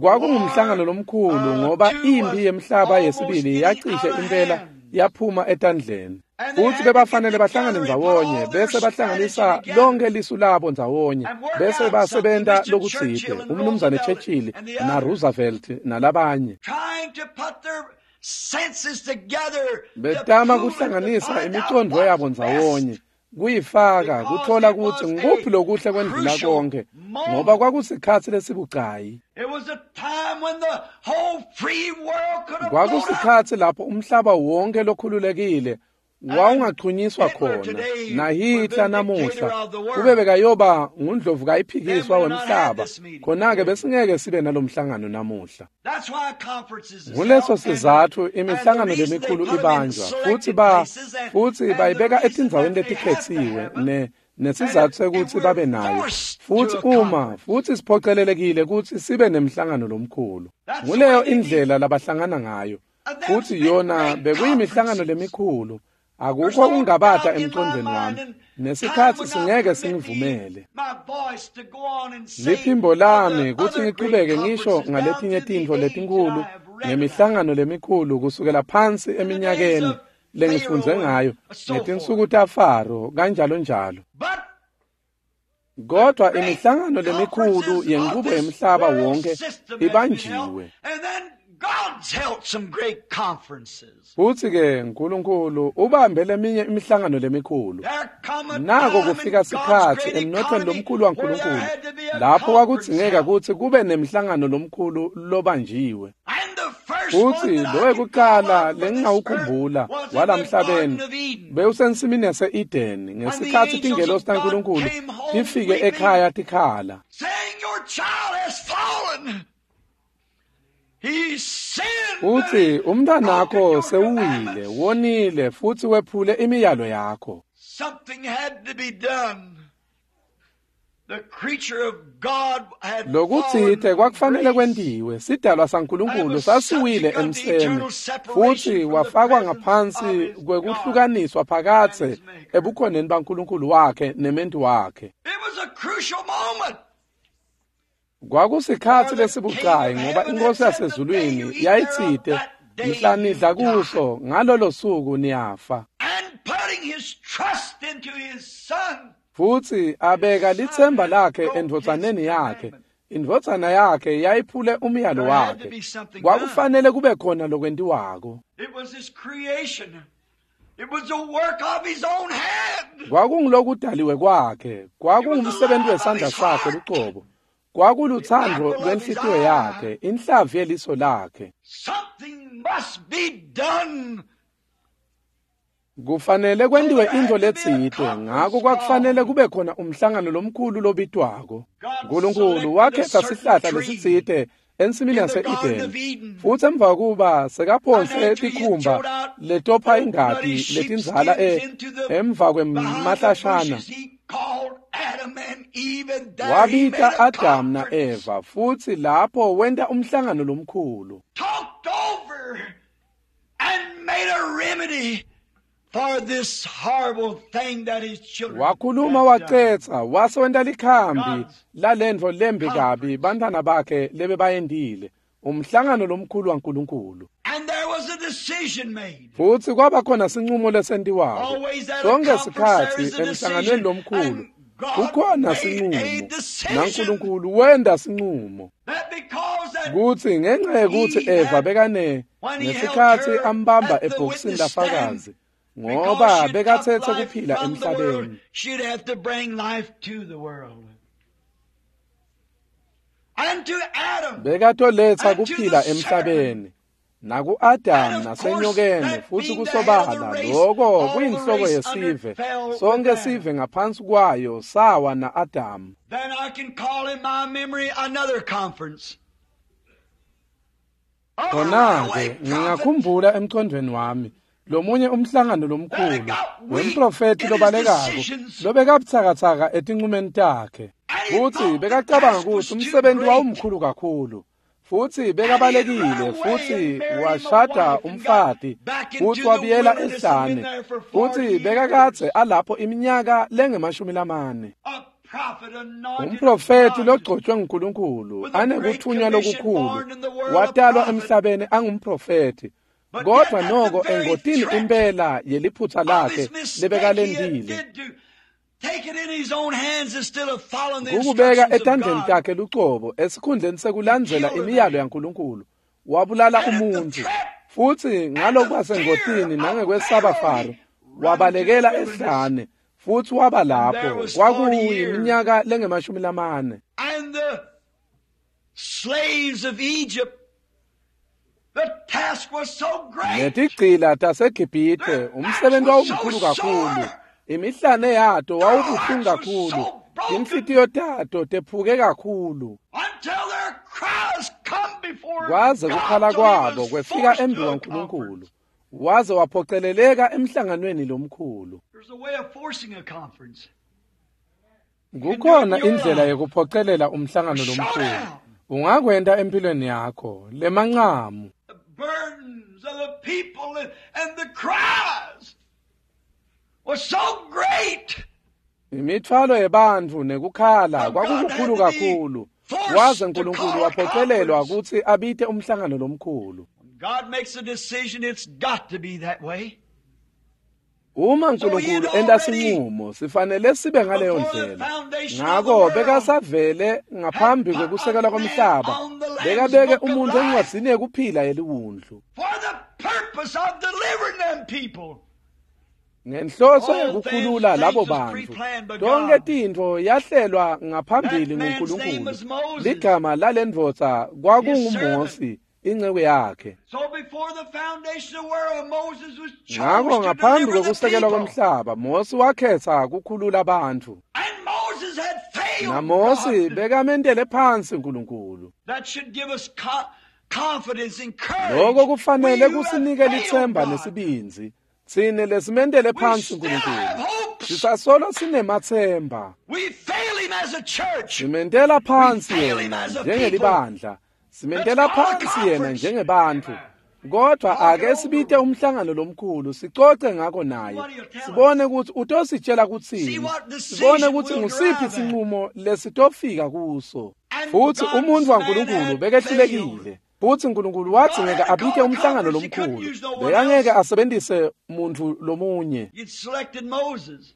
kwakungumhlangano lomkhulu ngoba impi yemhlaba yesibili yacishe impela yaphuma etandleni. Futhi bebafanele bahlangane ndzawonye bese bahlanganisa lonke lisu labo ndzawonye bese basebenta lokutsite, umnumzane Churchill na Roosevelt nalabanye. Betama kuhlanganisa imicondvo yabo ndzawonye, kuyifaka kuthola kutsi ngikuphi lokuhle kwendlula konke, ngoba kwakusikhatsi lesibucayi. Kwakusikhatsi lapho umhlaba wonke lokhululekile wawungachunyiswa khona, naHitler namuhla kube bekayoba ngundlovu kayiphikiswa wemhlaba, khona-ke besingeke sibe nalomhlangano namuhla. Nguleso sizatfu imihlangano lemikhulu ibanjwa, futhi bayibeka etindzaweni letikhetsiwe nesizatfu sekutsi babe nayo. Futhi uma futhi siphocelelekile kutsi sibe nemhlangano lomkhulu. Nguleyo indlela labahlangana ngayo. Futhi yona bekuyimihlangano lemikhulu. Akukho kungabata emcondweni wami, nesikhatsi singeke singivumele. Liphimbo lami kutsi ngichubeke ngisho ngaletinye tintfo letinkhulu ngemihlangano lemikhulu kusukela phansi eminyakeni lengifundze ngayo ngetinsuku taFaro kanjalo njalo. Kodwa imihlangano lemikhulu yenqubo yemhlaba wonke ibanjiwe. Futhi ke uNkulunkulu ubambe leminye imihlangano lemikhulu. Nako kufika sikhatsi emnothweni lomkhulu waNkulunkulu lapho kwakudzingeka kutsi kube nemhlangano lomkhulu lobanjiwe. Futhi lowekuqala lengingawukhumbula walamhlabeni bewusensimini yase-Eden ngesikhatsi tingelosi taNkulunkulu tifike ekhaya tikhala. Uthi umntanakho sewuwile, wonile futhi wephule imiyalo yakho. Lokutsite kwakufanele kwentiwe, sidalwa saNkulunkulu sasiwile emseni futhi wafakwa ngaphansi kwekuhlukaniswa phakathe ebukhoneni baNkulunkulu wakhe nementi wakhe. Kwakusikhatsi lesibucayi ngoba inkosi yasezulwini yayitsite mhla nidla kuso ngalolo suku niyafa. Futhi abeka lithemba lakhe endvodzaneni yakhe. Indvodzana yakhe yayiphule umyalo wakhe. Kwakufanele kube khona lokwentiwako. Kwakungulokudaliwe kwakhe, kwakungumsebenzi wesandla sakhe lucobo. Kwakuluthando lwenhlitiyo yakhe, inhlavu yeliso lakhe. Kufanele kwentiwe intfo letsite, ngako kwakufanele kube khona umhlangano lomkhulu lobitwako. Nkulunkulu wakhetsa sihlahla lesitsite ensimini yase-Eden, futhi emva kuba sekaphonse tikhumba letopha ingati letindzala emva kwemahlashana, wabita Adam na-Eva futhi lapho wenta umhlangano lomkhulu. Wakhuluma wacetsa wase wenta likhambi lalentfo lembi kabi bantfwana bakhe lebebayentile, umhlangano lomkhulu waNkulunkulu. Futhi kwaba khona sinqumo lesentiwako. Sonke sikhatsi emhlanganweni lomkhulu kukhona sinqumo, naNkulunkulu wenta sinqumo kutsi ngenxa yekutsi Eva bekane ngesikhatsi ambamba ebhokisini lafakazi, ngoba bekatsetse kuphila emhlabeni. Bekatoletsa kuphila emhlabeni. Naku-Adamu nasenyokeni futsi kusobala loko kuyinhloko yesive. Sonke sive ngaphansi kwayo sawa na-Adamu. Then I can call in my memory another conference. Khona-ke ngingakhumbula emcondweni wami lomunye umhlangano lomkhulu wemprofethi lobalekako lobekabutsakatsaka etincumeni takhe, futsi bekacabanga kutsi umsebenzi wawumkhulu kakhulu, futsi bekabalekile futsi washada umfati futsi wabuyela ehlane, futsi bekakadze alapho iminyaka lengemashumi lamane. Umprofethi logcotshwe nguNkulunkulu anekuthunywa lokukhulu watalwa emhlabeni angumprofethi, kodwa noko engotini impela yeliphutsa lakhe lebekalendile kukubeka etandleni takhe lucobo esikhundleni sekulandzela imiyalo yaNkulunkulu, wabulala umuntfu, futsi ngalokwasengotini nangekwesaba Faro wabalekela ehlane futsi waba lapho kwakuyiminyaka lengemashumi lamane. And the slaves of Egypt, the task was so great. Netigcila taseGibhithe, umsebenzi wawumkhulu kakhulu, imihlane yato wawubuhlungu kakhulu, inhlitiyo tato tephuke kakhulu, Until their cries come before kwaze God, kukhala till he kwabo was kwefika forced to a embi kwaNkulunkulu, conference. waze waphoceleleka emhlanganweni lomkhulu. There's a way of forcing a conference. Kukhona indlela yekuphocelela umhlangano lomkhulu. Ungakwenta empilweni yakho lemancamu. The burdens of the people and the cries was so great. Imithwalo yebantfu nekukhala kwakukukhulu kakhulu, waze Nkulunkulu waphocelelwa kutsi abite umhlangano lomkhulu. When God makes a decision, it's got to be that way. Uma Nkulunkulu enta sinqumo, sifanele sibe ngaleyo ndlela. Ngako bekasavele ngaphambi kwekusekela komhlaba bekabeke umuntu encwadzini yekuphila yeliwundlu For the purpose of delivering them people. ngenhloso yekukhulula labo bantfu. Tonke tintfo yahlelwa ngaphambili nguNkulunkulu. Ligama lalendvodza kwakunguMosi, inceku yakhe. So before the foundation of the world, Moses was chose Ngako to ngaphambi deliver the kwekusekelwa people. komhlaba, Mosi wakhetha kukhulula bantfu. And Moses had failed NaMosi God. bekamentele phansi uNkulunkulu. That should give us confidence and courage. Lokho kufanele We who have kusinike failed litsemba God, nesibindzi. Tsine lesimentele we phansi still uNkulunkulu, have hopes. sisasolo sinemathemba. We fail him as a church. Simentela phansi We fail him yena as a njengelibandla, simentela Let's call a phansi yena conference. njengebantfu, kodwa ake sibite umhlangano lomkhulu sicoce ngako naye, sibone ukuthi utositshela See kutsini, what decision sibone ukuthi we'll ngusiphi arrive at. sinqumo lesitofika kuso. And Futsi God's umuntfu man waNkulunkulu had bekehlulekile, failed. futsi Nkulunkulu wathi God ngeke had to abite call a umhlangano conference. He couldn't lomkhulu, use no one bekangeke else. asebentise muntfu lomunye. He'd selected Moses.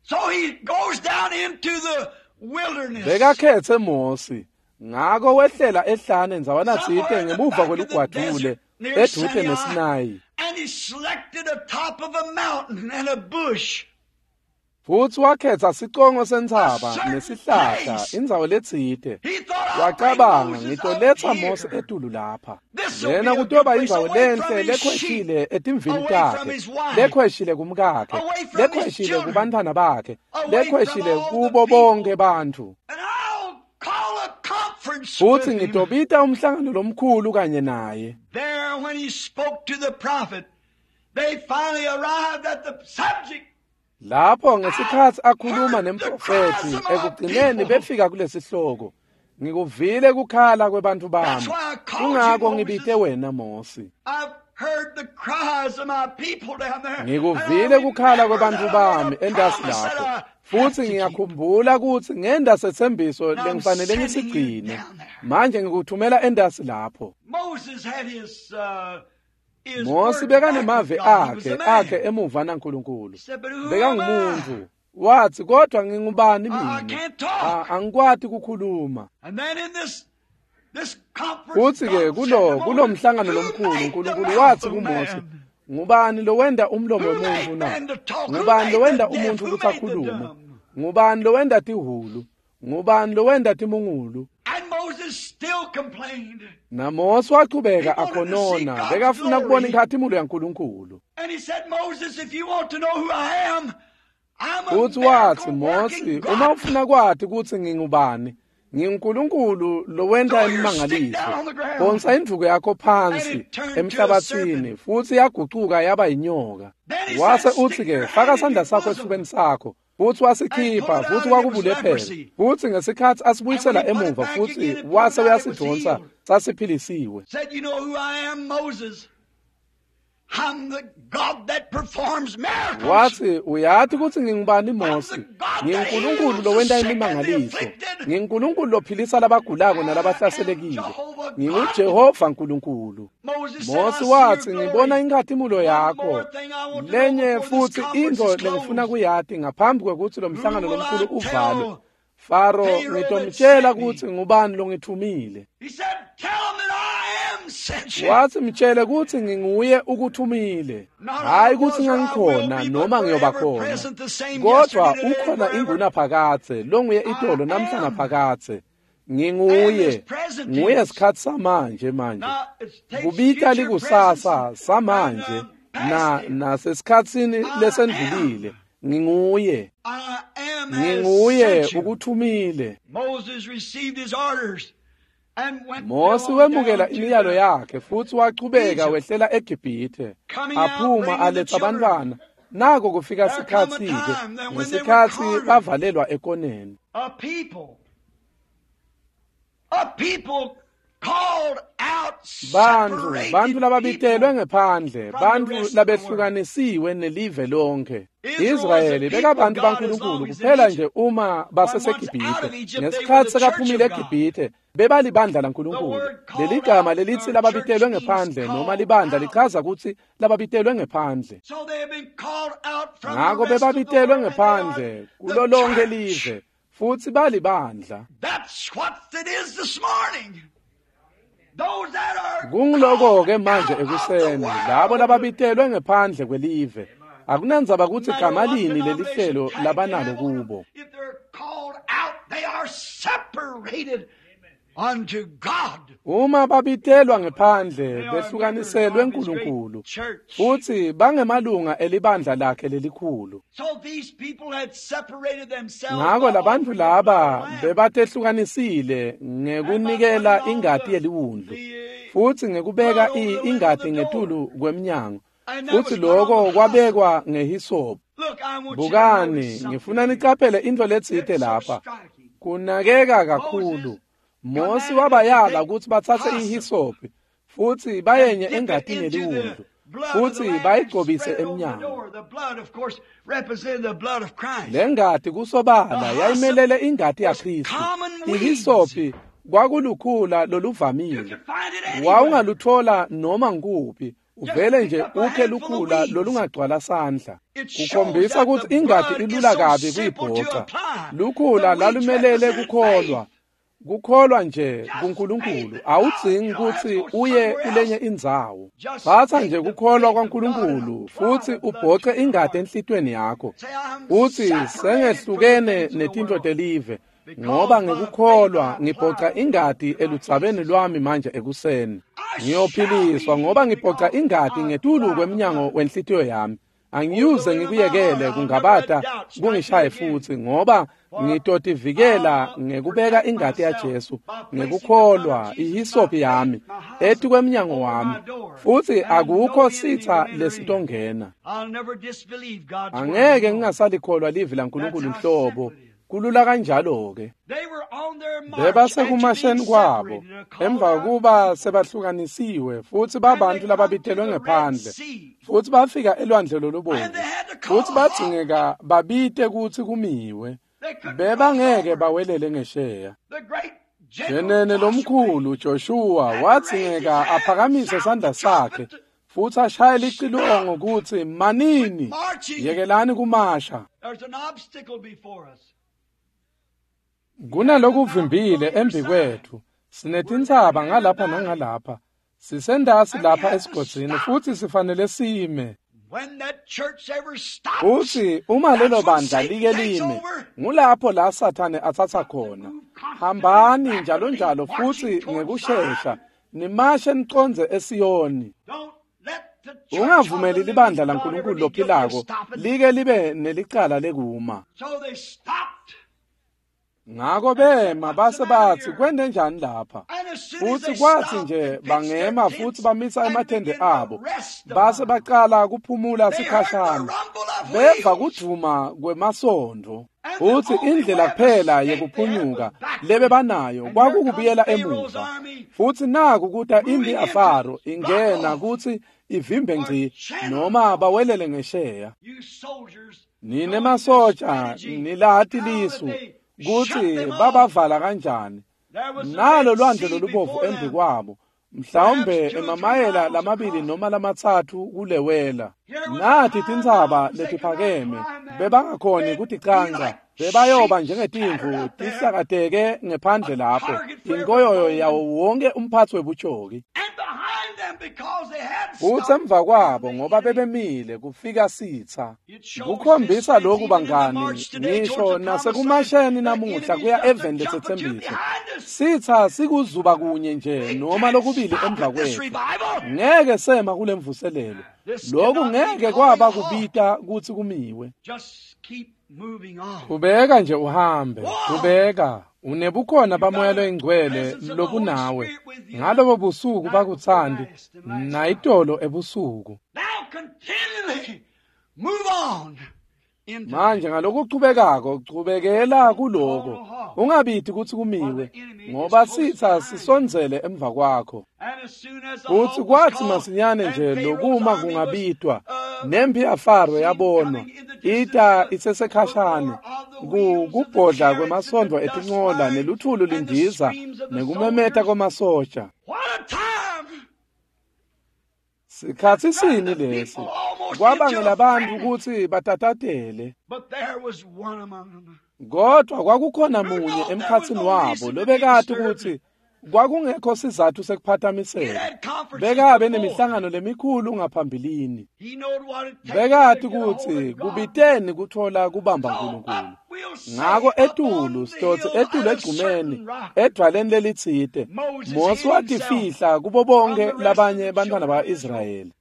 So he goes down into the wilderness. Bekakhethe Mosi, ngako wehlela ehlane ndzawana Somewhere tsite in the ngemuva back of the kwelugwadvule desert near edvute Sinai. neSinayi, And he selected a top of a mountain and a bush. futsi wakhetsa sicongo sentsaba A certain nesihlahla, place. indzawo letsite. He thought, I'll bring Wacabanga, Moses up ngitoletsa Mosi here. etulu lapha. This'll Lena be a good kutoba place indzawo away from lenhle his sheep, lekhweshile etimvini away from takhe, his wife, lekhweshile kumkakhe, away from his lekhweshile children, kubantfwana bakhe, away from lekhweshile all the kubo people. bonke bantfu. And I'll call a conference Futsi with him. ngitobita umhlangano lomkhulu kanye naye. There, when he spoke to the prophet, they finally arrived at the subject. Lapho ngesikhatsi akhuluma Heard the nemprofethi, cries of my ekugcineni people. befika kulesihloko. Ngikuvile kukhala kwebantfu That's bami. why I called you, Kungako Moses. ngibite wena Mosi. I've heard the cries of my people down there. And I Ngikuvile kukhala remember kwebantfu that I made bami a entasi promise that lapho. I have Futsi to keep. ngiyakhumbula kutsi ngenda setsembiso Now I'm lengifanele sending you ngisigcine. down there. Manje ngikuthumela entasi lapho. Moses had his Mosi word back with bekanemavi God. He was akhe a man. akhe emuva naNkulunkulu. He said, but who am I? Bekangumuntu. Wathi, kodwa ngingubani I mina? can't talk. Angikwati kukhuluma. And then in this conference, Futsi ke God said to kulo Moses, kulomhlangano who lomkhulu made the uNkulunkulu mouth wathi of kuMosi, man? ngubani lowenda umlomo Who wemuntfu made na? man to talk? Who Ngubani made the lowenda deaf? umuntfu Who kutsi made the akhulume? dumb? Ngubani lowenda tihhulu? Ngubani lowenda timungulu? And Moses NaMose wachubeka akhonona, bekafuna kubona inkhatimulo yaNkulunkulu. Futhi wathi, Mose, uma ufuna kwati kutsi ngingubani, nginguNkulunkulu lowenta imimangaliso. Phonsa indvuku yakho phansi emhlabathini, futhi yagucuka yaba yinyoka. Wase uthi-ke, faka sandla sakho esifubeni sakho. Futhi wasikhipha, futhi kwakubulephelo. Futhi ngesikhathi asibuyisela emuva, futhi wase uyasidonsa, sasiphilisiwe. Wathi, uyathi kutsi ngingubani Mose? NginguNkulunkulu lowenta imimangaliso. NginguNkulunkulu lophilisa labagulako nalabahlaselekile. NginguJehova Nkulunkulu. Mose wathi, ngibona inkhatimulo yakho. Lenye futhi intfo lengifuna kuyati ngaphambi kwekutsi lo mhlangano lomkhulu uvalwe. Faro, ngitomtshela kutsi ngubani longithumile. Wathi, mtshele kutsi nginguye ukuthumile. Hayi kutsi ngangikhona noma ngiyoba khona, kodwa ukhona ingunaphakadze longuye itolo namhla naphakadze. Nginguye, nguye sikhatsi samanje manje. Kubita likusasa samanje na nasesikhatsini lesendlulile. Nginguye. Nginguye ukuthumile. Mose wemukela imiyalo yakhe futhi wachubeka wehlela eGibhithe, aphuma aletha abantwana. Nako kufika sikhatsi-ke, ngesikhatsi bavalelwa ekoneni. Bantfu lababitelwe ngephandle, bantfu labehlukanisiwe nelive lonke. Israyeli bekabantu baNkulunkulu kuphela nje uma baseseGibhithe. Ngesikhatsi sekaphumile eGibhithe, bebalibandla laNkulunkulu. Leligama lelitsi lababitelwe ngephandle noma libandla lichaza kutsi lababitelwe ngephandle. Ngako bebabitelwe ngephandle kulo lonke live, futhi balibandla. Kungiloko-ke manje ekuseni, labo lababitelwe ngephandle kwelive. Akunandzaba kutsi gama lini lelihlelo labanalo kubo. Uma babitelwa ngephandle, behlukaniselwe nkulunkulu, futhi bangemalunga elibandla lakhe lelikhulu. Ngako labantfu laba bebatehlukanisile ngekunikela ingati yeliwundlu, futhi ngekubeka ingati ngetulu kwemnyango, futhi lokho kwabekwa ngehisophu. Bukani, ngifuna nicaphele intfo letsite lapha. Kunakeka kakhulu. Mose wabayala kutsi batsatse ihisophi futhi bayenye engatini yeliwundlu futhi bayigcobise emnyango. Le ngati kusobala yayimelele ingati yaKristu. Ihisophi kwakulukhula loluvamile, wawungaluthola noma nguphi, uvele nje ukhe lukhula lolungagcwala sandla. Kukhombisa kutsi ingati ilula kabi kuyibhoca. Lukhula lalumelele kukholwa. Kukholwa nje kuNkulunkulu, awudzingi kutsi uye kulenye indzawo. Tsatsa nje kukholwa kwaNkulunkulu futhi ubhoce ingati enhlitiyweni yakho. Uthi, sengehlukene netintfo telive, ngoba ngikukholwa ngibhoca ingati eludzabeni lwami manje ekuseni. Ngiyophiliswa ngoba ngibhoca ingati ngetulu kwemnyango wenhlitiyo yami. Angiyuze ngikuyekele kungabata kungishaye futhi, ngoba ngitotivikela ngekubeka ingati yaJesu ngekukholwa ihisophi yami etikwemnyango wami, futhi akukho sitha lesitongena. Angeke ngingasalikholwa livi laNkulunkulu nhlobo. Kulula kanjalo-ke. Bebasekumasheni kwabo emva kuba sebahlukanisiwe futhi babantu lababitelwe ngephandle, futhi bafika elwandle lolubomvu, futhi badzingeka babite kutsi kumiwe. Bebangeke bawelele ngesheya. Jenene lomkhulu Joshua wadzingeka aphakamise sandla sakhe futhi ashaye licilongo kutsi manini, yekelani kumasha. Kunalokuvimbile embi kwethu, sinetintsaba ngalapha nangalapha, sisendasi lapha esigodzini futhi sifanele sime. Futsi uma lelo bandla like lime, ngulapho la Sathane atsatsa khona. Hambani njalo njalo futsi ngekushesha nimashe nicondze eSiyoni. Ungavumeli libandla laNkulunkulu lophilako like libe nelicala lekuma. Ngako bema base batsi kwente njani lapha? Futsi kwatsi nje bangema futsi bamisa emathende abo, base bacala kuphumula sikhashana. Beva kudvuma kwemasondo. Futsi indlela kuphela yekuphunyuka lebebanayo kwakukubuyela emuva. Futsi naku kuta imphi yaFaro ingena kutsi ivimbe ngci noma bawelele ngesheya. Nine masoja nilati lisu kutsi babavala kanjani. Nalo lwandle lolubovu embi kwabo, mhlawumbe emamayela 2 noma 3 kulewela. Nathi tintsaba letiphakeme bebangakhoni kuticanca, bebayoba njengetimvu tihlakateke ngephandle lapho, inkoyoyo yawo wonke umphatsi webutjoki. Futsi emva kwabo ngoba bebemile kufika sitsa. Kukhombisa lokhu bangani, ngisho nasekumasheni namuhla kuya eveni lesetsembiso. Sitsa sikuzuba kunye nje noma lokubili emva kwethu. Ngeke sema kule mvuselelo. Lokhu ngeke kwaba kubita kutsi kumiwe. Qhubeka nje uhambe, qhubeka. Unebukhona bamoya loyingcwele lobunawe ngalobo busuku bakutsandi nayitolo ebusuku. Manje ngalokuchubekako chubekela kuloko, ungabiti kutsi kumiwe, ngoba sitsa sisondzele emva kwakho. Futsi kwatsi masinyane nje lokuma kungabitwa, nemphi yaFaro yabonwa ita isesekhashane, kubhodla kwemasondo etincola neluthulu lindiza nekumemeta kwemasoja. Sikhatsi sini lesi kwabangela bantfu kutsi batatatele. Kodwa kwakukhona munye emkhatsini wabo lobekati kutsi kwakungekho sizatfu sekuphatamiseka. Bekabe nemihlangano lemikhulu ngaphambilini. Bekati kutsi kubiteni kutfola kubamba Nkulunkulu. Ngako etulu sitotsi etulu egcumeni edvwaleni lelitsite, Mosi watifihla kubo bonke labanye bantfwana ba-Israyeli.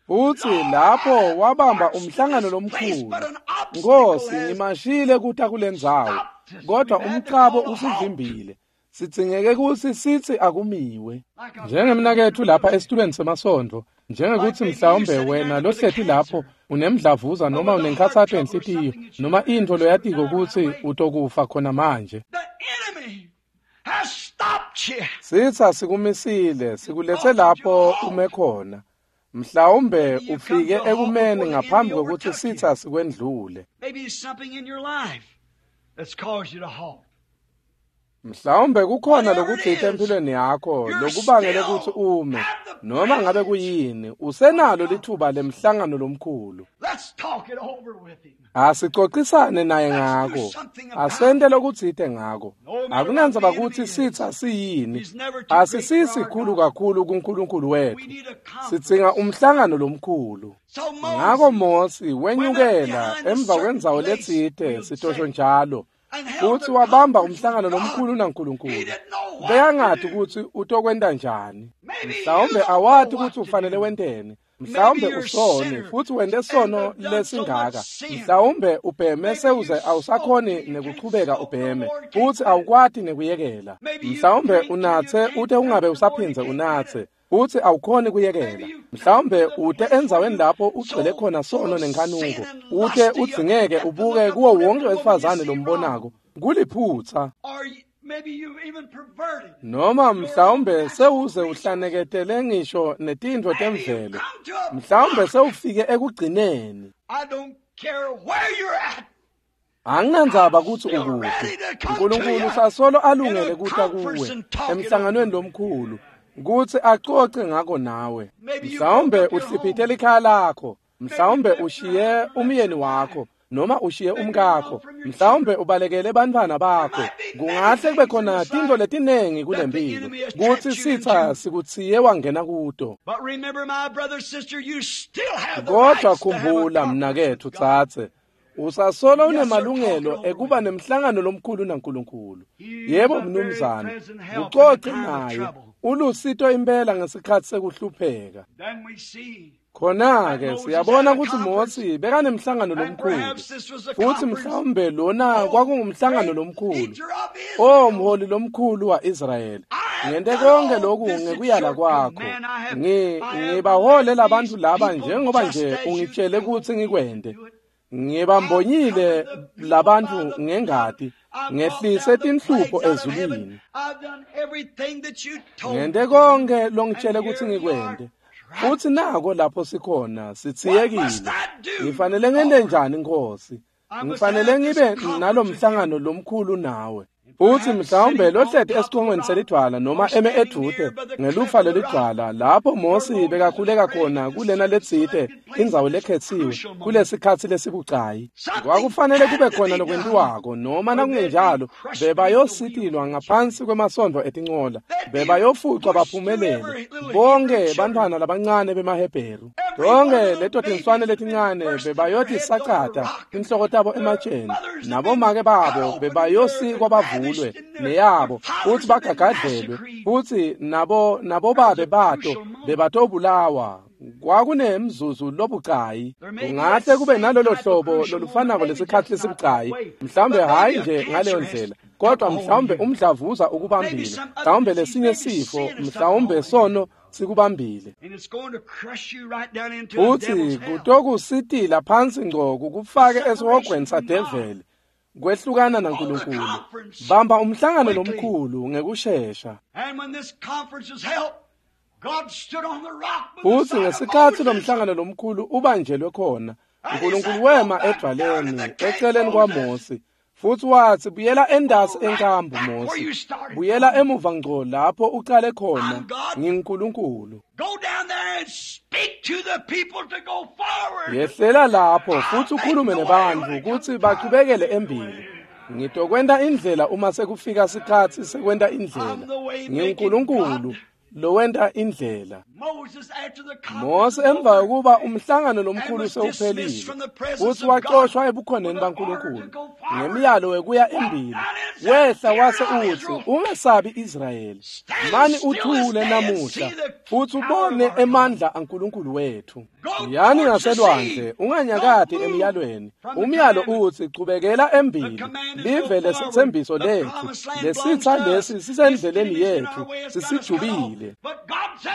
Futsi lapho wabamba umhlangano lomkhulu. Nkosi, ngimashile kuta kulendzawo, kodwa umcabo usivimbile. Sidzingeke kutsi sitsi akumiwe. Njengemnaketfu lapha esitulweni semasondo, njengekuthi mhlawumbe wena lohleti lapho unemdlavuza noma unenkhatsato yenhlitiyo noma intfo loyatiko kutsi utokufa khona manje. Sitsa sikumisile, sikuletse lapho ume khona. Mhlawumbe ufike ekumeni ngaphambi kwekutsi sitsa sikwendlule. Mhlawumbe kukhona lokutsite empilweni yakho lokubangele kutsi ume, noma ngabe kuyini, usenalo lithuba lemhlangano lomkhulu. Asicocisane naye ngako, asente lokutsite ngako. Akunandzaba kutsi sitsa siyini, asisisikhulu kakhulu kuNkulunkulu wetfu. Sidzinga umhlangano lomkhulu. Ngako Mosi wenyukela emva kwendzawo letsite sitosho njalo, futsi wabamba umhlangano lomkhulu naNkulunkulu. Bekangati kutsi utokwenta njani. Mhlawumbe awati kutsi ufanele wenteni. Mhlawumbe usone futsi wente sono lesingaka. Mhlawumbe ubheme sewuze awusakhoni nekuchubeka ubheme futsi awukwati nekuyekela. Mhlawumbe unatse ute ungabe usaphindze unatse futsi awukhoni kuyekela. Mhlawumbe ute endzaweni lapho ugcwele khona sono nenkhanuko, ute udzingeke ubuke kuwo wonke wesifazane lombonako. Kuliphutsa. Noma mhlawumbe sewuze uhlaneketele ngisho netintfo temvelo. Mhlawumbe sewufike ekugcineni. Anginandzaba kutsi ukuphi. Nkulunkulu sasolo alungele kuta kuwe emhlanganweni lomkhulu kutsi acoce ngako nawe. Mhlawumbe uhliphite likhaya lakho, mhlawumbe ushiye umyeni wakho, noma ushiye umkakho, mhlawumbe ubalekele bantfwana bakho. Kungahle kube khona tintfo letinengi kulempilo kutsi sitsa sikutsiye wangena kuto. Kodwa khumbula mnaketfu tsatse, usasolo unemalungelo ekuba nemhlangano lomkhulu naNkulunkulu. Yebo mnumzane, ucoce naye, ulusito impela ngesikhatsi sekuhlupheka. Khona-ke siyabona kutsi Mosi bekanemhlangano lomkhulu, futsi mhlawumbe lona kwakungumhlangano lomkhulu. O mholi lomkhulu wa-Israyeli, ngente konke lokhu ngekuyala kwakho. Ngibahole labantfu laba njengoba nje ungitshele kutsi ngikwente. Ngibambonyile labantfu ngengati, ngehlise tinhlupho ezulwini. Ngente konke longitshele kutsi ngikwente. Futsi nako lapho sikhona sitsiyekile. Ngifanele ngente njani Nkosi? Ngifanele ngibe nalomhlangano lomkhulu nawe. Futsi mhlawumbe lohleti esicongweni selidvwala noma eme edvute ngelufa lelidvwala lapho Mosi bekakhuleka khona kulena letsite indzawo lekhetsiwe kulesikhatsi lesibucayi. Kwakufanele kube khona lokwentiwako, noma nakungenjalo bebayositilwa ngaphansi kwemasondo etincola, bebayofucwa baphumelele bonke bantfwana labancane bemaHebheru. Tonke leto tinswane letincane bebayotisacata tinhloko tabo ematsheni, nabomake babo bebayosikwa bavulwe neyabo futsi bagagadlelwe, futsi nabobabe bato bebatobulawa. Kwakunemzuzu lobucayi. Kungahle kube nalolo hlobo lolufanako lesikhatsi lesibucayi, mhlawumbe hhayi nje ngaleyo ndlela, kodwa mhlawumbe umdlavuza ukubambile, mhlawumbe lesinye sifo, mhlawumbe sono sikubambile, futsi kutokusitila phansi ngco kukufake esihogweni sadeveli. Kwehlukana naNkulunkulu. Bamba umhlangano lomkhulu ngekushesha. Futsi ngesikhatsi lomhlangano lomkhulu ubanjelwe khona, uNkulunkulu wema edvwaleni eceleni kwaMosi, futsi watsi, buyela endasi enkambu Mosi, buyela emuva ngco lapho ucale khona, nginguNkulunkulu. Yehlela lapho futsi ukhulume nebantfu kutsi bachubekele embili. Ngitokwenta indlela uma sekufika sikhatsi sekwenta indlela. NginguNkulunkulu lowenta indlela. Mose emva kokuba umhlangano lomkhulu sewuphelile, futsi waxoshwa ebukhoneni baNkulunkulu ngemiyalo wekuya embili, wehla wase utsi, ungesabi Israyeli, mani uthule namuhla futsi ubone emandla aNkulunkulu wethu. Yani ngaselwandle, unganyakati emiyalweni. Umyalo utsi chubekela embili, live lesitsembiso lethu, lesitsa lesi sisendleleni yethu, sisijubile.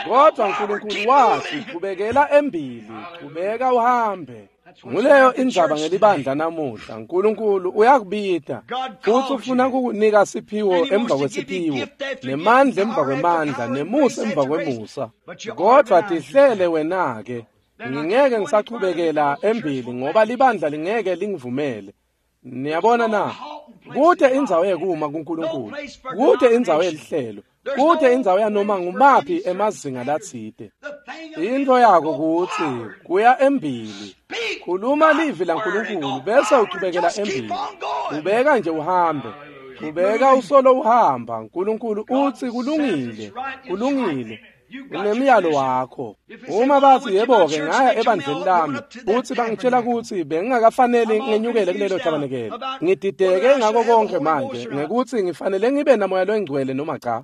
Kodwa uNkulunkulu wathi chubekela embili, chubeka uhambe. Nguleyo indzaba ngelibandla namuhla. uNkulunkulu uyakubita futsi ufuna kukunika siphiwo emva kwesiphiwo, nemandla emva kwemandla, nemusa emva kwemusa. Kodwa tihlele wena-ke. Ngingeke ngisachubekela embili ngoba libandla lingeke lingivumele. Niyabona na? Kute indzawo yekuma kuNkulunkulu, kute indzawo yelihlelo, kute indzawo yanoma ngumaphi emazinga latsite. Into yako kutsi kuya embili, khuluma livi laNkulunkulu bese uchubekela embili. Ubeka nje uhambe, ubeka usolo uhamba. uNkulunkulu utsi kulungile, kulungile. Unemiyalo wakho. Uma bathi yebo-ke ngaya ebandleni lami futsi bangitshela kutsi bengingakafaneli ngenyukele kulelo tabanekele, ngidideke ngako konke manje ngekutsi ngifanele ngibe namoya longcwele noma cha.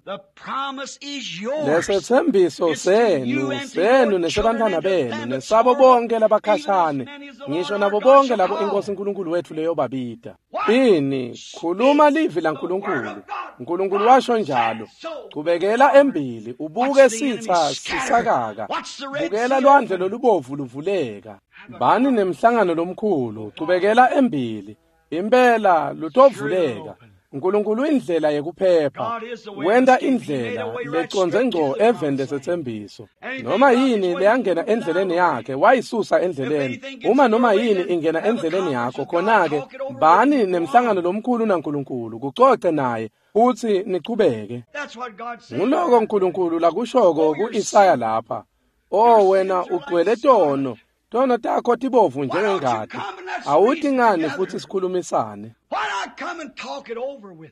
Lesetsembiso senu, senu nesebantfwana benu, nesabo bonke labakhashane, ngisho nabo bonke labo iNkosi uNkulunkulu wethu leyobabita. Ini, khuluma livi laNkulunkulu. uNkulunkulu washo njalo. Chubekela embili, ubuke sitsa sisakaka. Bukela lwandle lolubovu luvuleka. Bani nemhlangano lomkhulu, chubekela embili. Impela lutovuleka. uNkulunkulu indlela yekuphepha, wenta indlela lecondze ngco eveni lesetsembiso. Noma yini leyangena endleleni yakhe wayisusa endleleni. Uma noma yini ingena endleleni yakho, khona-ke bani nemhlangano lomkhulu naNkulunkulu, kucoce naye futsi nichubeke. Nguloko uNkulunkulu lakushoko ku-Isaya lapha. O wena ugcwele tono, Tono takho tibovu njengengati. Awuthi ngani futhi sikhulumisane?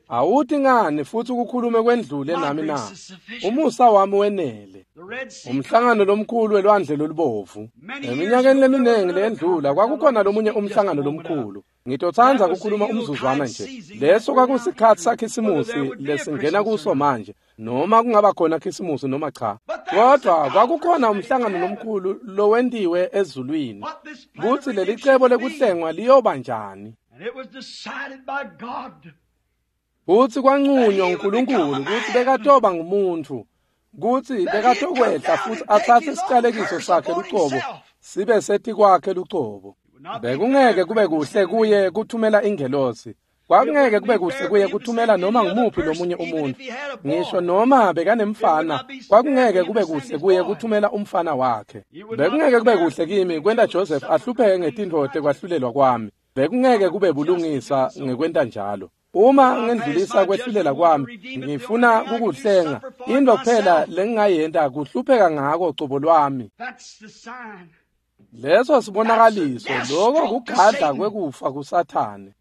Awuthi ngani futhi ukukhulume kwendlule nami na? Umusa wami wenele. Umhlangano lomkhulu welwandle lolubovu. Eminyakeni leminingi leyendlula kwakukhona lomunye umhlangano lomkhulu. Ngitotsandza ukukhuluma umzuzwana nje. Leso kwakusikhathi saKhisimusi lesingena kuso manje, noma kungaba khona Khisimusi noma cha. Kodwa kwakukhona umhlangano lomkhulu lowentiwe ezulwini kutsi leli cebo lekuhlengwa liyoba njani. Kutsi kwancunywa uNkulunkulu kutsi bekatoba ngumuntfu, kutsi bekatokwehla futhi atsatse isicalekiso sakhe lucobo sibe setikwakhe lucobo. Bekungeke kube kuhle kuye kuthumela ingelosi. Kwakungeke kube kuhle kuye kuthumela noma ngumuphi lomunye umuntu. Ngisho noma bekanemfana, kwakungeke kube kuhle kuye kuthumela umfana wakhe. Bekungeke kube kuhle kimi kwenta Joseph ahlupheke ngetintfo tekwahlulelwa kwami. Bekungeke kube bulungisa ngekwenta njalo. Uma ngendlulisa kwehlulela kwami, ngifuna kukuhlenga. Into kuphela lengingayenta kuhlupheka ngako cobo lwami. Leso sibonakaliso, lokho kugadla kwekufa kuSathane.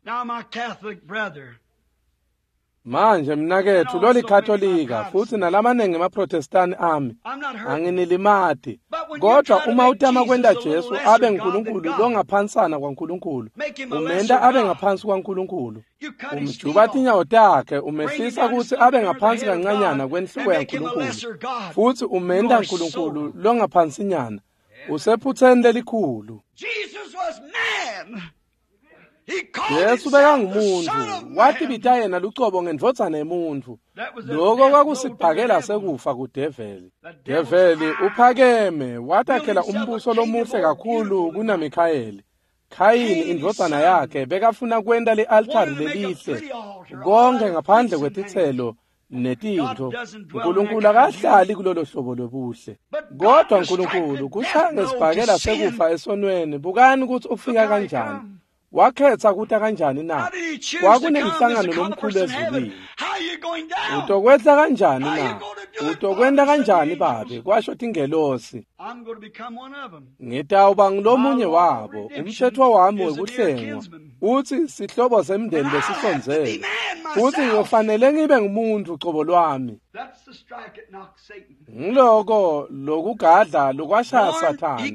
Manje mnaketfu lolikatolika futhi nalamanengi emaprotestani ami, anginilimati. Kodwa uma utama kwenta Jesu abe nguNkulunkulu longaphansana kwaNkulunkulu, umenta abe ngaphansi kwaNkulunkulu. Umjuba tinyawo takhe, umehlisa kutsi abe ngaphansi kancanyana kwenhloko yaNkulunkulu, futhi umenta Nkulunkulu longaphansinyana. Usephutheni lelikhulu. Jesu bekangumuntu, watibita yena lucobo ngendvodzana yemuntfu. Lokho kwakusibhakela sekufa kudeveli. Develi uphakeme, watakhela umbuso lomuhle kakhulu kunaMikhayeli. Khayini indvodzana yakhe bekafuna kwenta li-altari lelihle, konke ngaphandle kwetitselo netintfo. Nkulunkulu akahlali kulolo hlobo lwebuhle. Kodwa Nkulunkulu kushaya ngesibhakela sekufa esonweni. Bukani kutsi ufika kanjani. Wakhetha kuta kanjani na? Kwakunemhlangano lomkhulu ezulwini. Utokwehla kanjani na? Utokwenta kanjani babe? Kwasho tingelosi. Ngitawuba ngulomunye wabo. Umthetho wami wekuhlengwa uthi sihlobo semndeni lesisondzele. Futhi ngiyofanele ngibe ngumuntu cobo lwami. Ngiloko lokugadla lokwashaya Sathane.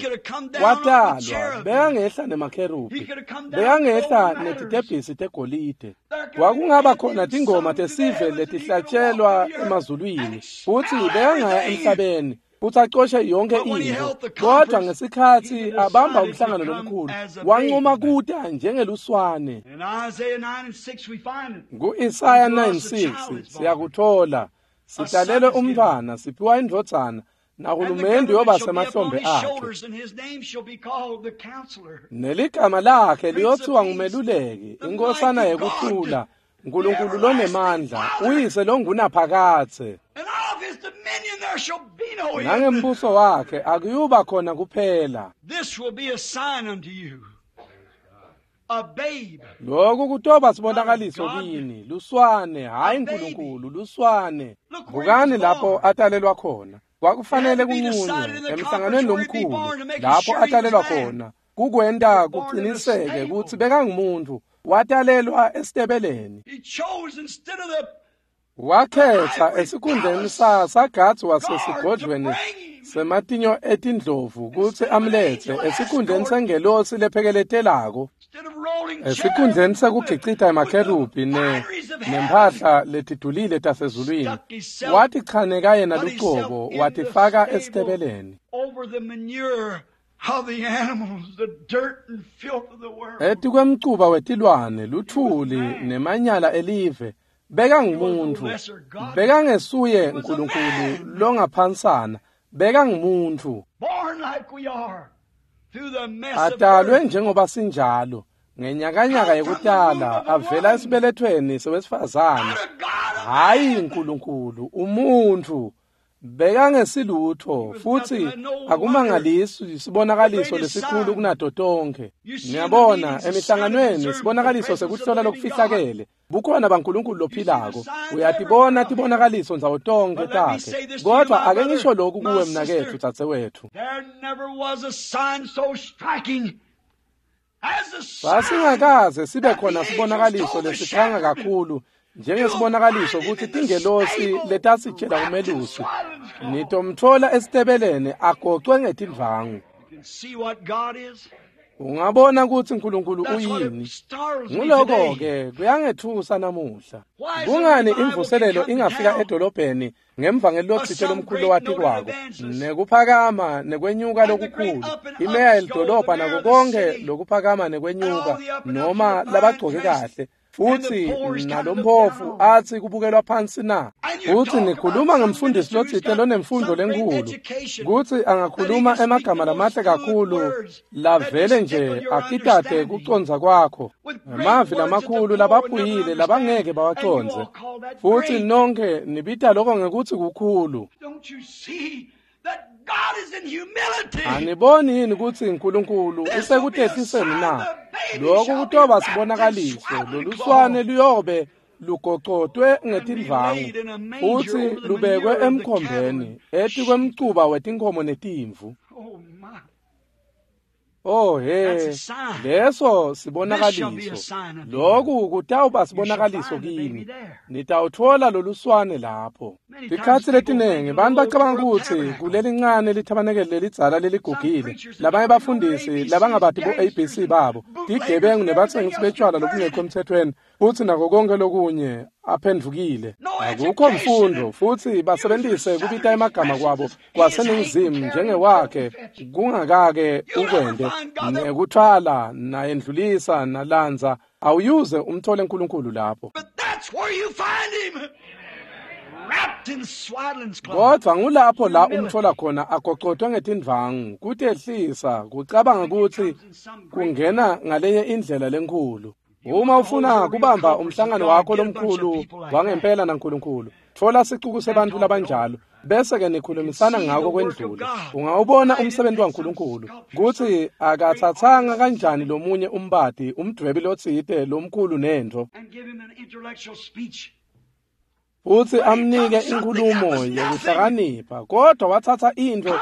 Watalwa bekangehla nemakherubi, bekangehla netitebhisi tegolide. Kwakungaba khona tingoma tesive letihlatshelwa emazulwini, futhi bekangaya emhlabeni futhi acoshe yonke into. Kodwa ngesikhathi abamba umhlangano lomkhulu, wanquma kuta njengeluswane. Ku-Isaya 9:6 siyakuthola. Sitalelwe umntwana, siphiwa indvodzana, nahulumende uyoba semahlombe akhe. Neligama lakhe liyothiwa ngumeluleki, inkosana yekuthula, Nkulunkulu lonemandla, uyise longunaphakadze. Nangembuso wakhe akuyuba khona kuphela. Lokhu kutoba sibonakaliso kini, luswane, hayi Nkulunkulu, luswane. Bukani lapho atalelwa khona. Kwakufanele kunqunywe emhlanganweni lomkhulu lapho atalelwa khona, kukwenta kuqiniseke kutsi bekangumuntu. Watalelwa esitebeleni. Wakhetha esikhundleni sagadzi wasesigodlweni sematinyo etindlovu kutsi amlethe esikhundleni sengelosi lephekeletelako, esikhundleni sekugicita emakherubhi nemphahla letidulile tasezulwini. Watichaneka yena lucobo, watifaka esitebeleni. Etikwemcuba wetilwane, luthuli nemanyala elive, bekangumuntu. Bekangesuye Nkulunkulu longaphansana, bekangumuntu. Atalwe njengoba sinjalo, ngenyakanyaka yekutala, avela esibelethweni sewesifazane. Hayi Nkulunkulu, umuntu. Bekangesilutho futhi akumangalisi sibonakaliso lesikhulu kunato tonke. Niyabona emihlanganweni sibonakaliso sekuhlola lokufihlakele bukhona baNkulunkulu lophilako. Uyatibona tibonakaliso ndzawo tonke takhe. Kodwa ake ngisho lokhu kuwe mnaketfu dzadzewethu. Sasingakaze sibe khona sibonakaliso lesikhanga kakhulu njengesibonakaliso kutsi tingelosi letasitshela umelusi nitomtfola esitebeleni agocwe ngetindvangu. Ungabona kutsi uNkulunkulu uyini. Nguloko-ke kuyangethusa namuhla. Kungani imvuselelo ingafika edolobheni ngemvangeli lotsite lomkhulu lowatikwako nekuphakama nekwenyuka lokukhulu, imeya yelidolobha nako konke lokuphakama nekwenyuka, noma labagcoke kahle futhi nalomphofu athi kubukelwa phansi na? Futhi nikhuluma ngemfundisi lotsite lonemfundo lenkhulu kutsi angakhuluma emagama lamahle kakhulu lavele nje akitate kucondza kwakho, emavi lamakhulu labaphuyile labangeke bawacondze, futhi nonke nibita lokho ngekutsi kukhulu. Aniboni yini kutsi uNkulunkulu usekutehliseni na? Lokhu kutoba sibonakaliso, loluswane luyobe lugocotwe ngetindvangu futsi lubekwe emkhombeni etikwemcuba wetinkhomo netimvu. Oh he, leso sibonakaliso. Lokhu kutawuba sibonakaliso kini. Nitawutfola loluswane lapho. Tikhatsi letinengi bantu bacabanga kutsi kulelincane lithabanekele lelidzala leligugile, labanye bafundisi labangabati bo-ABC babo, tigebengu nebatsengisi betshwala lobungekho emthethweni, futsi nako konke lokunye aphendvukile. Akukho mfundo futhi basebenzise kubita emagama kwabo kwaseningizimu njengewakhe kungakake ukwente nekuthwala nayendlulisa nalandza. Awuyuze umthole uNkulunkulu lapho. Kodwa ngulapho la umthola khona agocotwe ngetindvangu, kutehlisa, kucabanga kutsi kungena ngalenye indlela lenkhulu. Uma ufuna kubamba umhlangano wakho lomkhulu wangempela naNkulunkulu, tfola sicuku sebantfu labanjalo bese ke nikhulumisana ngako kwendlule. Ungawubona umsebenzi waNkulunkulu kutsi akatsatsanga kanjani lomunye umbati, umdvwebi lotsite lomkhulu nentfo, futsi amnike inkhulumo yekuhlakanipha, kodwa watsatsa intfo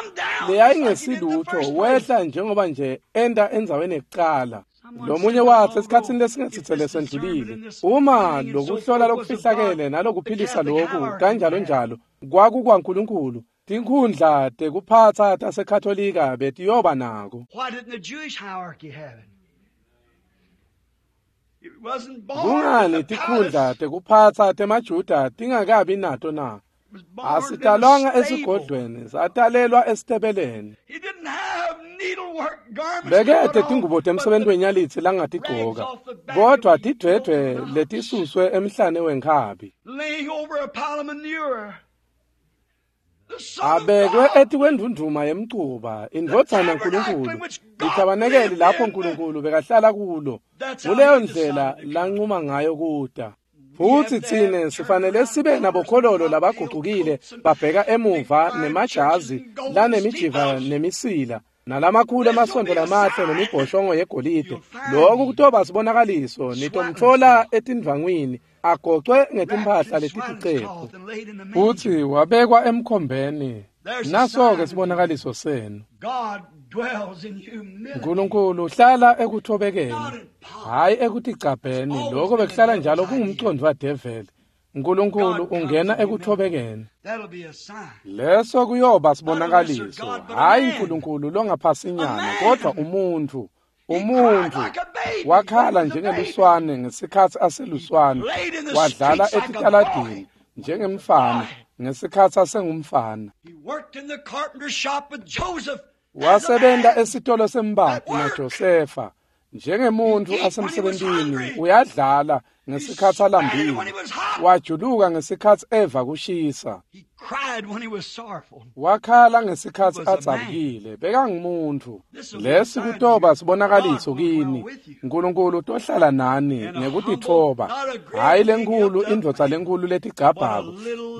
leyayingesilutho wehla njengoba nje enta endzaweni yekucala. Lomunye watsi esikhatsini lesingesitse lesendlulile, uma lokuhlola lokufihlakele nalokuphilisa lokhu kanjalo njalo kwakukwaNkulunkulu, tinkhundla tekuphatsa taseKatolika betiyoba nako. Kungani tikhundla tekuphatsa temaJuda tingakabi nato na? Asitalwanga esigodlweni, satalelwa esitebeleni. Bekete tingubo temsebenti wenyalitsi langatigcoka, kodwa tidvwedvwe letisuswe emhlane wenkhabi. Abekwe etikwendvundvuma yemcuba, indvodzana Nkulunkulu, lithabanekeli lapho Nkulunkulu bekahlala kulo. Kuleyo ndlela lancuma ngayo kuta. Futsi tsine sifanele sibe nabokhololo labagucukile babheka emuva nemajazi lanemijiva nemisila nalamakhulu emasondo lamahle nemibhoshongo yegolide. Lokhu kutoba sibonakaliso, nitomtfola etindvangwini agocwe ngetimphahla letiticephu futsi wabekwa emkhombeni. Naso-ke sibonakaliso senu. Nkulunkulu uhlala ekuthobekeni, hhayi ekuticabheni. Lokho bekuhlala njalo kungumcondvo wadeveli. Nkulunkulu ungena ekuthobekeni. Leso kuyoba sibonakaliso, hhayi Nkulunkulu longaphasinyana, kodwa umuntfu. Umuntfu wakhala njengeluswane ngesikhatsi aseluswane, wadlala etitaladini njengemfana ngesikhatsi asengumfana. Wasebenta esitolo sembati naJosefa njengemuntfu asemsebentini, uyadlala ngesikhatsi alambile, wajuluka ngesikhatsi eva kushisa, wakhala ngesikhatsi adzabukile. Bekangumuntu. Lesi kutoba sibonakaliso kini. Nkulunkulu utohlala nani ngekutitfoba, hhayi lenkhulu indvodza lenkhulu letigcabhako,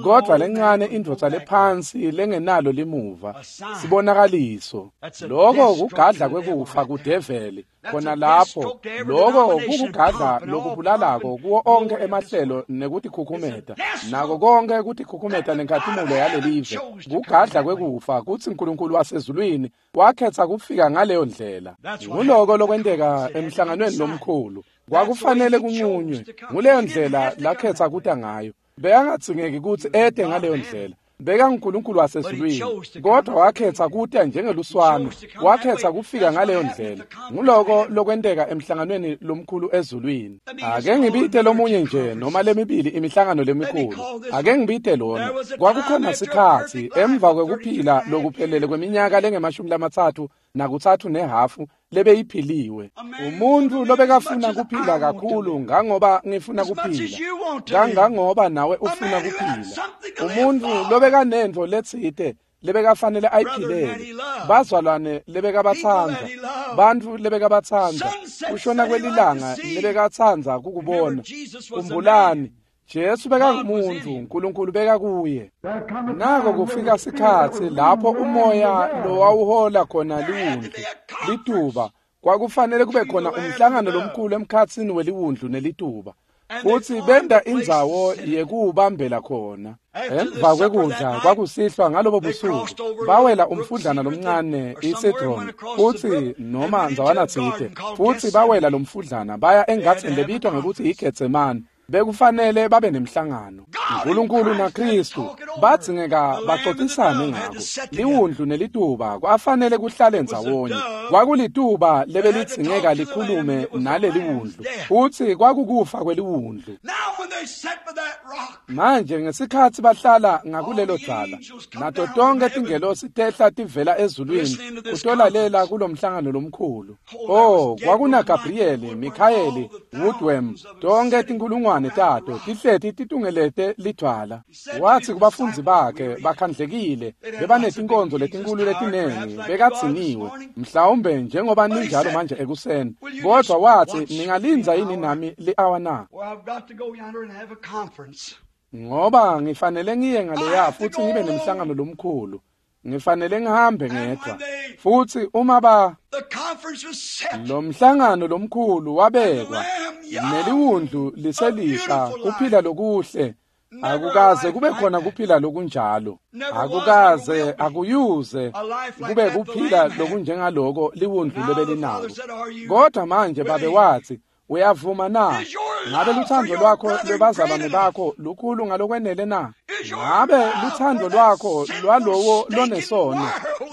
kodvwa lencane indvodza lephansi lengenalo limuva. Sibonakaliso. Loko kugadla kwekufa kudeveli khona lapho. Loko kukugadla lokubulalako kuwo onke emahlelo nekutikhukhumeta, nako konke kutikhukhumeta nenkhatimulo yalelive. Kugadla kwekufa kutsi Nkulunkulu wasezulwini wakhetsa kufika ngaleyo ndlela. Nguloko lokwenteka emhlanganweni lomkhulu. Kwakufanele kunqunywe. Nguleyo ndlela lakhetsa kuta ngayo. Bekangadzingeki kutsi ete ngaleyo ndlela. BekanguNkulunkulu wasezulwini, kodwa wakhetsa kuta njengeluswane, wakhetsa kufika ngaleyo ndlela. Nguloko lokwenteka emhlanganweni lomkhulu ezulwini. Ake ngibite lomunye nje noma lemibili imihlangano lemikhulu. Ake ngibite lona. Kwakukhona sikhatsi emva kwekuphila lokuphelele kweminyaka lengemashumi-33.5 lebeyiphiliwe. Umuntu lobekafuna kuphila kakhulu ngangoba ngifuna kuphila, kangangoba nawe ufuna kuphila. Umuntu lobekanentfo letsite lebekafanele ayiphilele, bazalwane lebekabatsandza, bantfu lebekabatsandza, kushona kwelilanga lebekatsandza kukubona. Khumbulani, Jesu bekangumuntu, Nkulunkulu bekakuye. Nako kufika sikhatsi lapho umoya lowawuhola khona liwundlu, lituba. Kwakufanele kube khona umhlangano lomkhulu emkhatsini weliwundlu nelituba, futsi benta indzawo yekuwubambela khona. Emva kwekudla kwakusihlwa ngalobo busuku, bawela umfudlana lomncane iSidron, futsi noma ndzawana tsite, futsi bawela lomfudlana baya engadzeni lebitwa ngekutsi iGetsemane. Bekufanele babe nemhlangano. Nkulunkulu naKristu badzingeka baxoxisane ngako. Liwundlu nelituba kwafanele kuhlale ndzawonye. Kwakulituba lebelidzingeka likhulume naleliwundlu, futsi kwakukufa kweliwundlu. Manje ngesikhatsi bahlala ngakulelo dzala, nato tonkhe tingelosi tehla tivela ezulwini kutolalela kulomhlangano lomkhulu. Oh, kwakuna Gabrieli, Mikhayeli, Woodworm, tonkhe tinkulungwane tato tihleti titungelete lidvwala. Watsi kubafundzi bakhe bakhandlekile, bebanetinkonzo letinkulu letinengi, bekadziniwe, mhlawumbe njengoba ninjalo manje ekuseni. Kodwa watsi, ningalindza yini nami li-awa na? Ngoba ngifanele ngiye ngaleya futsi ngibe nemhlangano lomkhulu. Ngifanele ngihambe ngedvwa. Futsi uma ba lo mhlangano lomkhulu wabekwa, neliwundlu liselisha kuphila lokuhle. Akukaze kube khona kuphila lokunjalo. Akukaze akuyuze kube kuphila lokunjengaloko liwundlu lebelinako. Kodwa manje babe watsi, uyavuma na? Ngabe luthando lwakho lwebazalwane bakho lukhulu ngalokwenele na? Ngabe luthando lwakho lwalowo lonesono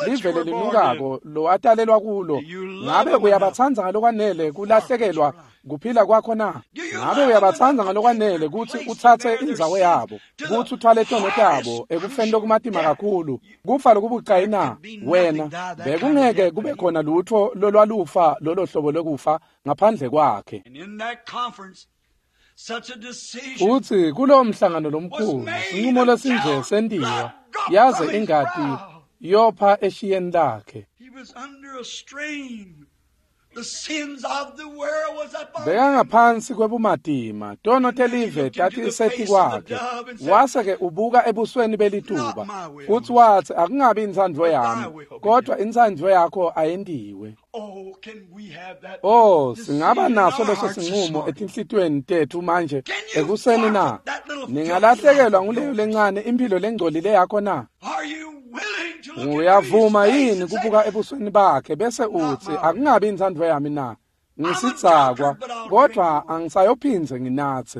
livele linukako lowatalelwa kulo, ngabe uyabatsandza ngalokwanele kulahlekelwa kuphila kwakho na? Ngabe uyabatsandza ngalokwanele kutsi utsatse indzawo yabo, kutsi uthwale tono tabo ekufeni lokumatima kakhulu, kufa lokubucayi na? Wena bekungeke kube khona lutfo lolwalufa lolo hlobo lwekufa ngaphandle kwakhe. Futsi kulowo mhlangano lomkhulu, sinqumo lesinje sentiwa, yaze ingati yopha eshiyeni lakhe. Bekangaphansi kwebumatima, tono telive tatisetikwakhe. Wase-ke ubuka ebusweni belituba, futsi watsi, akungabi intsandvo yami, kodwa intsandvo yakho ayentiwe. Oh, singaba naso leso sinqumo etinhlitiyweni tetfu manje ekuseni na? Ningalahlekelwa nguleyo lencane imphilo lengcolile yakho na? Uyavuma yini kubuka ebusweni bakhe bese utsi, akungabi intsandvo yami na? Ngisidzakwa, kodwa angisayophindze nginatse.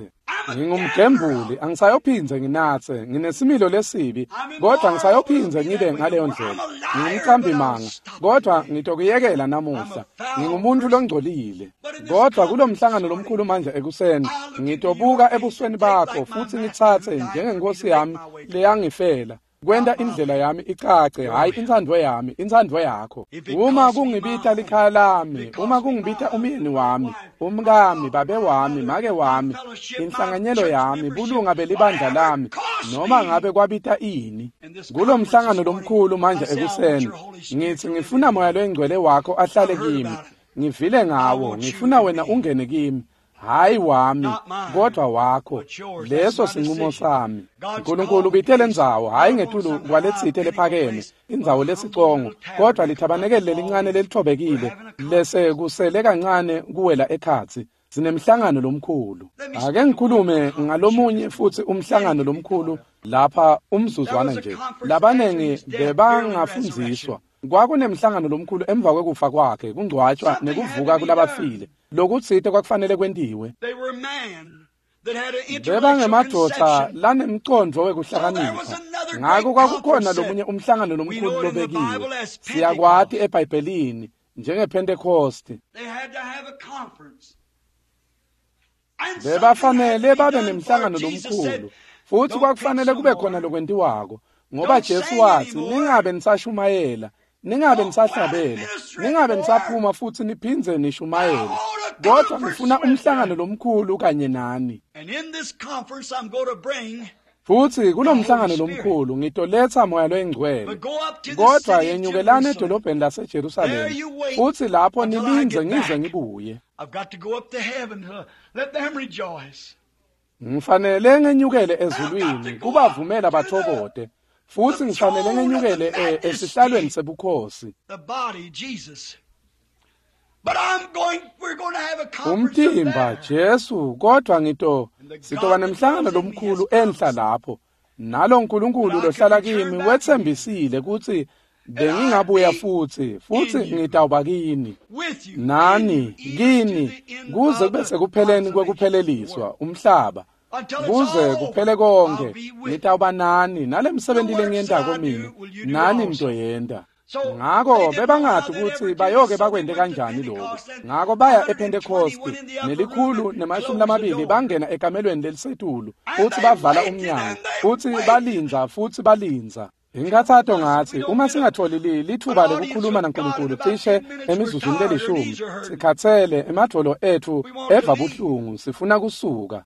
Ngingumgembuli, angisayophindze nginatse. Nginesimilo lesibi, kodwa ngisayophindze ngibe ngaleyo ndlela. Ngingumqambimanga, kodwa ngitokuyekela namuhla. Ngingumuntu longcolile. Kodwa kulomhlangano lomkhulu manje ekuseni, ngitobuka ebusweni bakho futsi ngitsatse njengenkosi yami leyangifela. Kwenta indlela yami icace, hhayi intsandvo yami, intsandvo yakho. Uma kungibita likhaya lami, uma kungibita umyeni wami, umkami, babe wami, make wami, inhlanganyelo yami, bulunga belibandla lami, noma ngabe kwabita ini. Kulo mhlangano lomkhulu manje ekuseni, ngithi ngifuna Moya loyiNgcwele wakho ahlale kimi. Ngivile ngawo, ngifuna wena ungene kimi. Hayi wami, kodwa wakho. Leso sinqumo sami. uNkulunkulu ubitele indzawo, hayi ngetulu kwaletsite lephakeme, indzawo lesicongo, kodwa lithabanekele lelincane lelithobekile, lese kusele kancane kuwela ekhatsi. Sinemhlangano lomkhulu. Ake ngikhulume ngalomunye futhi umhlangano lomkhulu lapha umzuzwana nje. Labanengi bebangafundziswa. Kwakunemhlangano lomkhulu emva kwekufa kwakhe, kungcwatshwa nekuvuka kulabafile. Lokutsite kwakufanele kwentiwe. Bebangemadvodza lanemcondvo wekuhlakanipha. Ngako kwakukhona lomunye umhlangano lomkhulu lobekiwe. Siyakwati eBhayibhelini njengePhentekosti. Bebafanele babe nemhlangano lomkhulu, futsi kwakufanele kube khona lokwentiwako, ngoba Jesu watsi, ningabe nisashumayela, ningabe nisahlabela, ningabe nisaphuma futhi niphindze nishumayele, kodwa ngifuna umhlangano lomkhulu kanye nani. Futsi kulomhlangano lomkhulu ngitoletsa Moya loyiNgcwele, kodwa yenyukelani edolobheni laseJerusalema, futsi lapho nilindze ngize ngibuye. Ngifanele ngenyukele ezulwini kubavumela bathokote, futsi ngifanele ngenyukele esihlalweni sebukhosi. Umtimba Jesu, kodwa sitoba nemhlangano lomkhulu enhla lapho. Nalo uNkulunkulu lohlala kimi wetsembisile kutsi bengingabuya futsi ngitawuba kini, nani kini, kuze kube sekupheleni kwekupheleliswa umhlaba, kuze kuphele konke. Ngitawuba nani, nalemsebenti lengiyentako mina nani nitoyenta. Ngako bebangathi ukuthi bayoke bakwente kanjani lokho. Ngako baya ePhentekosti 120 bangena ekamelweni lelisetulu, futhi bavala umnyango, futhi balindza, futhi balindza. Inkathato ngathi uma singatholi lithuba lokukhuluma naNkulunkulu cishe emizuzwini lelishumi, sikhatsele, emadvolo ethu eva buhlungu, sifuna kusuka.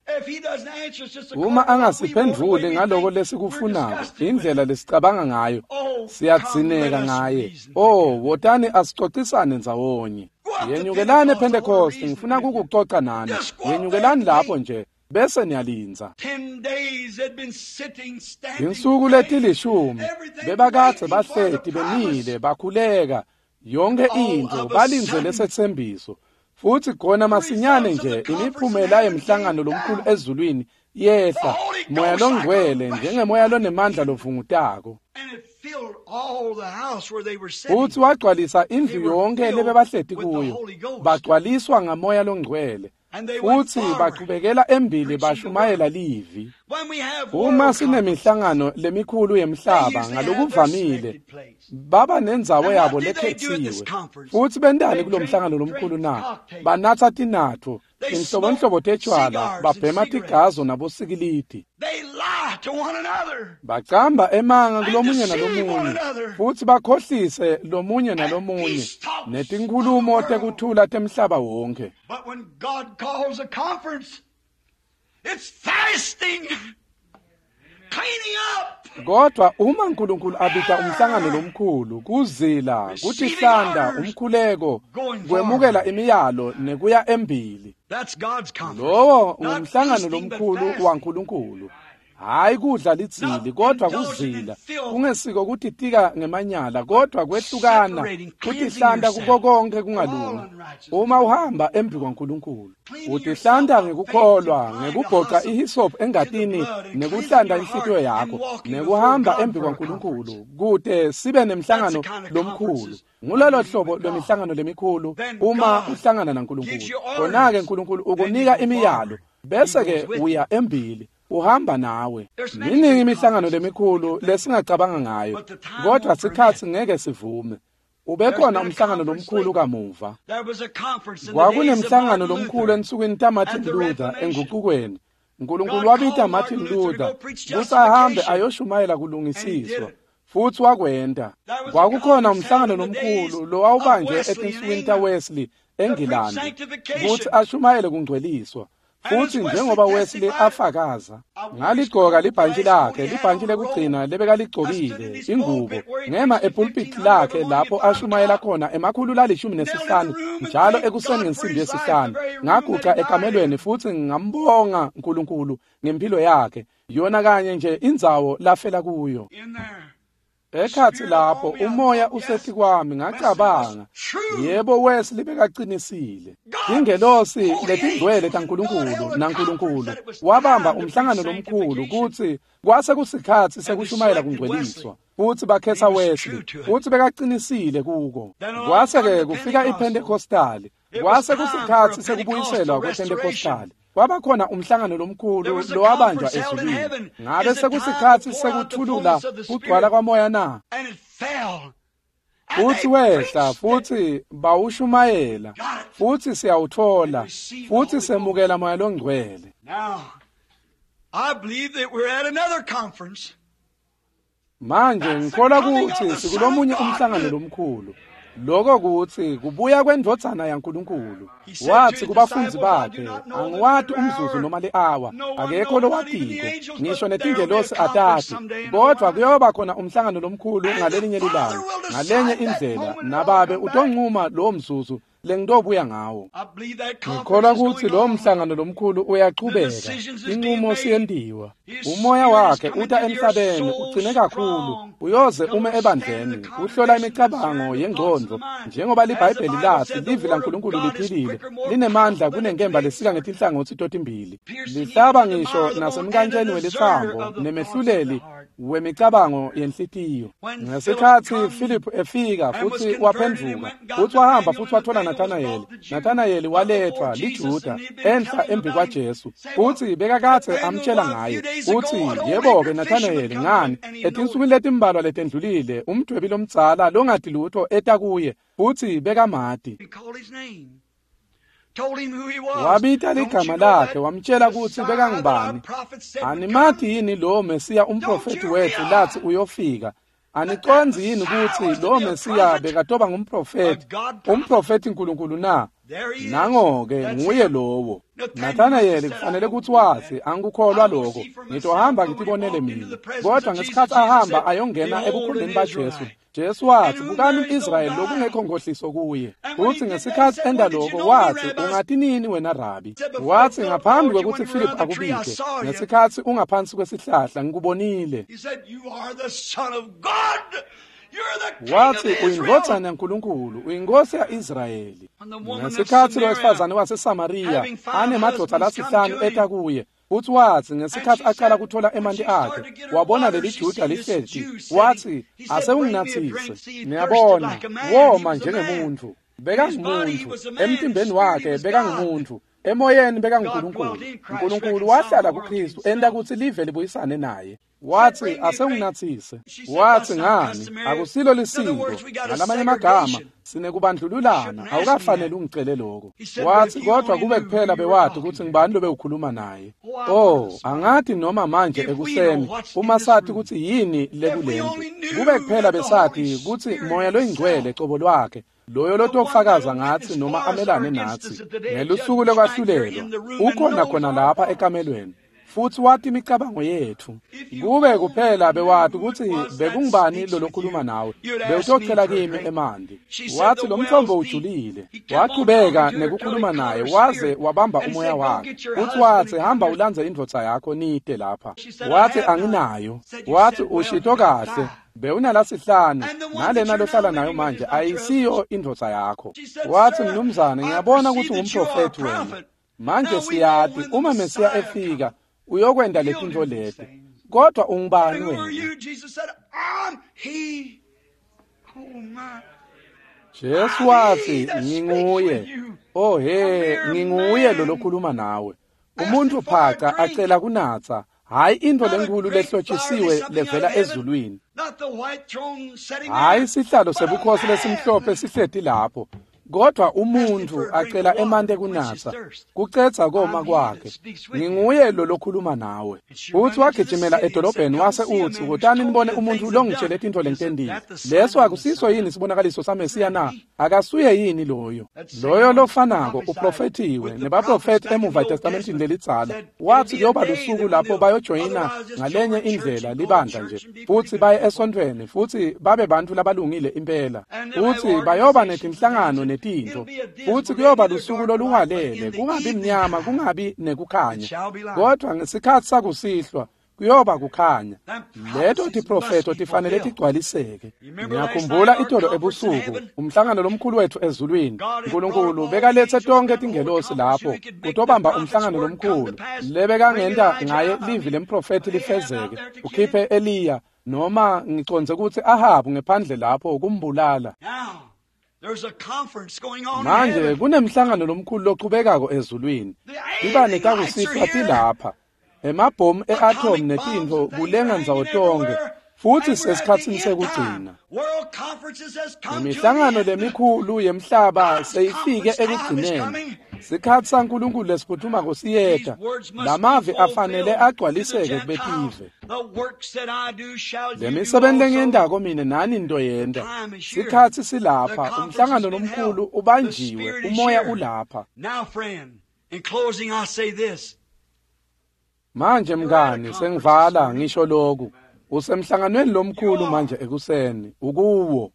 Uma angasiphendvuli ngaloko lesikufunako, indlela lesicabanga ngayo, siyadzineka ngaye. Oh, wotani asicocisane ndzawonye. Yenyukelani ePhentekosti, ngifuna kukucoca nani. Yenyukelani lapho nje, bese niyalindza. Insuku letilishumi bebakadze bahleti bemile bakhuleka yonke intfo, balindze lesetsembiso. Futsi khona masinyane nje imiphumela yemhlangano lomkhulu ezulwini yehla, Moya loNgcwele njengemoya lonemandla lovungutako, futsi wagcwalisa indlu yonke lebebahleti kuyo. Bagcwaliswa ngaMoya loNgcwele, futsi bachubekela embili bashumayela livi. Uma sinemihlangano lemikhulu yemhlaba ngalokuvamile baba nendzawo yabo lekhetsiwe. Futsi bentani kulomhlangano lomkhulu na? Banatsa tinatfo, tinhlobonhlobo tetshwala, babhema tigazo nabosikilidi. Bacamba emanga kulomunye nalomunye, futsi bakhohlise lomunye nalomunye, netinkhulumo tekuthula temhlaba wonke. Kodwa uma uNkulunkulu abita umhlangano lomkhulu, kuzila, kutihlanda, umkhuleko, kwemukela imiyalo nekuya embili, lowo ngumhlangano lomkhulu waNkulunkulu. Hayi kudla lidzili, kodwa kuzila, kungesiko kutitika ngemanyala, kodwa kwehlukana, kutihlanta kuko konke kungalungi. Uma uhamba embi kwaNkulunkulu, utihlanta ngekukholwa, ngekubhoca ihisophu engatini, nekuhlanta inhlitiyo yakho, nekuhamba embi kwaNkulunkulu, kute sibe nemhlangano lomkhulu. Ngulolo hlobo lwemihlangano lemikhulu uma uhlangana naNkulunkulu. Khona-ke uNkulunkulu ukunika imiyalo, bese-ke uya embili, uhamba nawe. Miningi imihlangano lemikhulu lesingacabanga ngayo, kodwa sikhatsi ngeke sivume. Ubekhona umhlangano lomkhulu kamuva. Kwakunemhlangano lomkhulu ensukwini taMartin Luther enguqukweni. Nkulunkulu wabita Martin Luther kutsi ahambe ayoshumayela kulungisiswa, futsi wakwenta. Kwakukhona umhlangano lomkhulu lowawubanjwe etinsukwini taWesley eNgilandi kutsi ashumayele kungcweliswa. Futsi njengoba Wesley afakaza, ngaligcoka libhantshi lakhe, libhantshi lekugcina lebekaligcokile, ingubo, ngema epulpit lakhe lapho ashumayela khona 115 njalo ekuseni ngensimbi yesihlanu. Ngaguca ekamelweni futsi ngambonga uNkulunkulu ngempilo yakhe, yona kanye nje indzawo lafela kuyo. Ekhatsi lapho umoya usetikwami, ngacabanga, yebo, Wesley bekacinisile. Ingelosi letingcwele taNkulunkulu naNkulunkulu wabamba umhlangano lomkhulu kutsi kwase kusikhatsi sekushumayela kungcweliswa, futsi bakhetha Wesley, futsi bekacinisile kuko. Kwase-ke kufika iPentecostali, kwase kusikhatsi sekubuyiselwa kwePentecostali. Kwabakhona umhlangano lomkhulu lowabanjwa ezulwini. Ngabe sekusikhatsi sekuthulula kugcwala kwamoya na? Futsi wehla, futsi bawushumayela, futsi siyawutfola, futsi semukela Moya loNgcwele. Manje ngikholwa kutsi sikulomunye umhlangano lomkhulu. Lokho kutsi kubuya kwendvodzana yaNkulunkulu. Wathi kubafundzi bakhe, angiwati umzuzu noma li-awa, akekho lowatiko, ngisho netingelosi atati, kodvwa kuyoba khona umhlangano lomkhulu ngalelinye lilanga, ngalenye indlela, nababe utoncuma lowo mzuzu lengitobuya ngawo. Ngikholwa kutsi lowo mhlangano lomkhulu uyachubeka, inqumo siyentiwa. Umoya wakhe uta emhlabeni ugcine kakhulu, uyoze ume ebandleni, uhlola imicabango yengcondvo, njengoba liBhayibheli lathi livi laNkulunkulu liphilile, linemandla kunenkemba lesika ngetinhlangotsi totimbili, lihlaba ngisho nasemkantsheni welitsambo nemehluleli wemicabango yenhlitiyo. Ngesikhatsi Philip efika futsi waphendvuka, futsi wahamba futsi wathola Nathanayeli. Nathanayeli walethwa liJuda enhla embi kwaJesu, futsi bekakadze amtshela ngaye. Utsi, yebo-ke Nathanayeli, ngani, etinsukwini letimbalwa letendlulile umdwebi lomdzala longati lutho eta kuye, futsi bekamati. Wabita ligama lakhe, wamtshela kutsi bekangubani. Animati yini lowo Mesiya umprofethi wethu lathi uyofika? Anicondzi yini kutsi lowo Mesiya bekatoba ngumprofethi, umprofethi Nkulunkulu na? Nango-ke nguye lowo. Nathanayeli kufanele kutsi wathi, angikukholwa lokho, ngitohamba ngitibonele mina. Kodwa ngesikhatsi ahamba ayongena ebukhoneni baJesu, Jesu wathi, bukani umIsrayeli lokungekho nkohliso kuye. Futsi ngesikhatsi enda lokho wathi, ungati nini wena Rabi? Wathi, ngaphambi kwekutsi Philip akubite, ngesikhatsi ungaphansi kwesihlahla ngikubonile. Wathi, uyindvodzana yaNkulunkulu, uyinkosi ya-Israyeli. Ngesikhatsi lowesifazane waseSamariya anemadvodza lasihlanu eta kuye, futsi wathi ngesikhatsi aqala kuthola emanti akhe, wabona leli Juda lihleti, wathi, asewunginathise. Niyabona, woma njengemuntfu, bekangumuntu, emtimbeni wakhe bekangumuntu, emoyeni bekanguNkulunkulu. Nkulunkulu wahlala kuKristu enta kutsi live libuyisane naye. Wathi, asewunginathise. Wathi, ngani, akusilo lisiko, ngalamanye amagama sinekubandlululana, awukafanele ungicele lokho. Wathi, kodwa kube kuphela bewati kutsi ngibani lobe ukhuluma naye. Oh, angati noma manje ekuseni uma sathi kutsi yini lekulendlu, kube kuphela besati kutsi Moya loyingcwele cobo lwakhe, loyo lotofakaza ngatsi noma amelane natsi ngelusuku lokwahlulelwa, ukhona khona lapha ekamelweni, futsi wati imicabango yetfu. Kube kuphela bewati kutsi bekungubani lolokhuluma nawe, bewutocela kimi emanti. Wathi lo mthombo ujulile. Wachubeka nekukhuluma naye waze wabamba umoya wakhe. Futsi wathi, hamba ulandze indvodza yakho nite lapha. Wathi, anginayo. Wathi, ushito kahle, bewunalasihlanu, nalena lohlala nayo manje ayisiyo indvodza yakho. Wathi, mnumzane, ngiyabona kutsi ungumprofethi wena. Manje siyati uma Mesiya efika uyokwenta letintfo leti, kodwa ungubani wena? Jesu wathi, nginguye. Oh he, nginguye lo lokhuluma nawe. Umuntu phaca acela kunatsa, hayi intfo lenkulu lehlotshisiwe levela ezulwini, hayi sihlalo sebukhosi lesimhlophe sihleti lapho, Kodwa umuntu acela emanti ekunatsa kucedza koma kwakhe. Nginguye lo lokhuluma nawe. Futhi wagijimela edolobheni wase utsi, "Wotani nibone umuntfu longitshele tintfo lengitentile. Leso akusiso yini sibonakaliso saMesiya na? Akasuye yini loyo?" Loyo lofanako uprofethiwe nebaprofethi emuva eTestamentini lelidzala. Wathi kuyoba lusuku lapho bayojoyina ngalenye indlela libandla nje, futhi baye esontfweni futhi babe bantfu labalungile impela, futhi bayoba netinhlangano netintfo, futhi kuyoba lusuku lolungalele, kungabi mnyama, kungabi nekukhanya, kodwa ngesikhatsi sakusihlwa kuyoba kukhanya. Leto tiprofeto tifanele tigcwaliseke. Ngiyakhumbula itolo ebusuku umhlangano lomkhulu wethu ezulwini. Nkulunkulu bekalethe tonke tingelosi lapho kutobamba umhlangano lomkhulu lebekangenta ngaye livi lemprofethi lifezeke, ukhiphe Eliya, noma ngicondze kutsi Ahabu ngephandle lapho kumbulala. Manje kunemhlangano lomkhulu lochubekako ezulwini. Tibane takusihlwa tilapha. Emabhomu e-atom netintfo kulenga ndzawo tonkhe, futhi sesikhatsini sekugcina. Imihlangano lemikhulu yemhlaba seyifike ekugcineni. Sikhatsi saNkulunkulu lesiphuthumako siyeta. Lamavi afanele agcwaliseke kubetive. Lemisebenti lengiyentako mine nani nitoyenta. Sikhatsi silapha, umhlangano lomkhulu ubanjiwe, umoya ulapha. Manje mngani, sengivala ngisho lokhu. Usemhlanganweni lomkhulu manje ekuseni, ukuwo.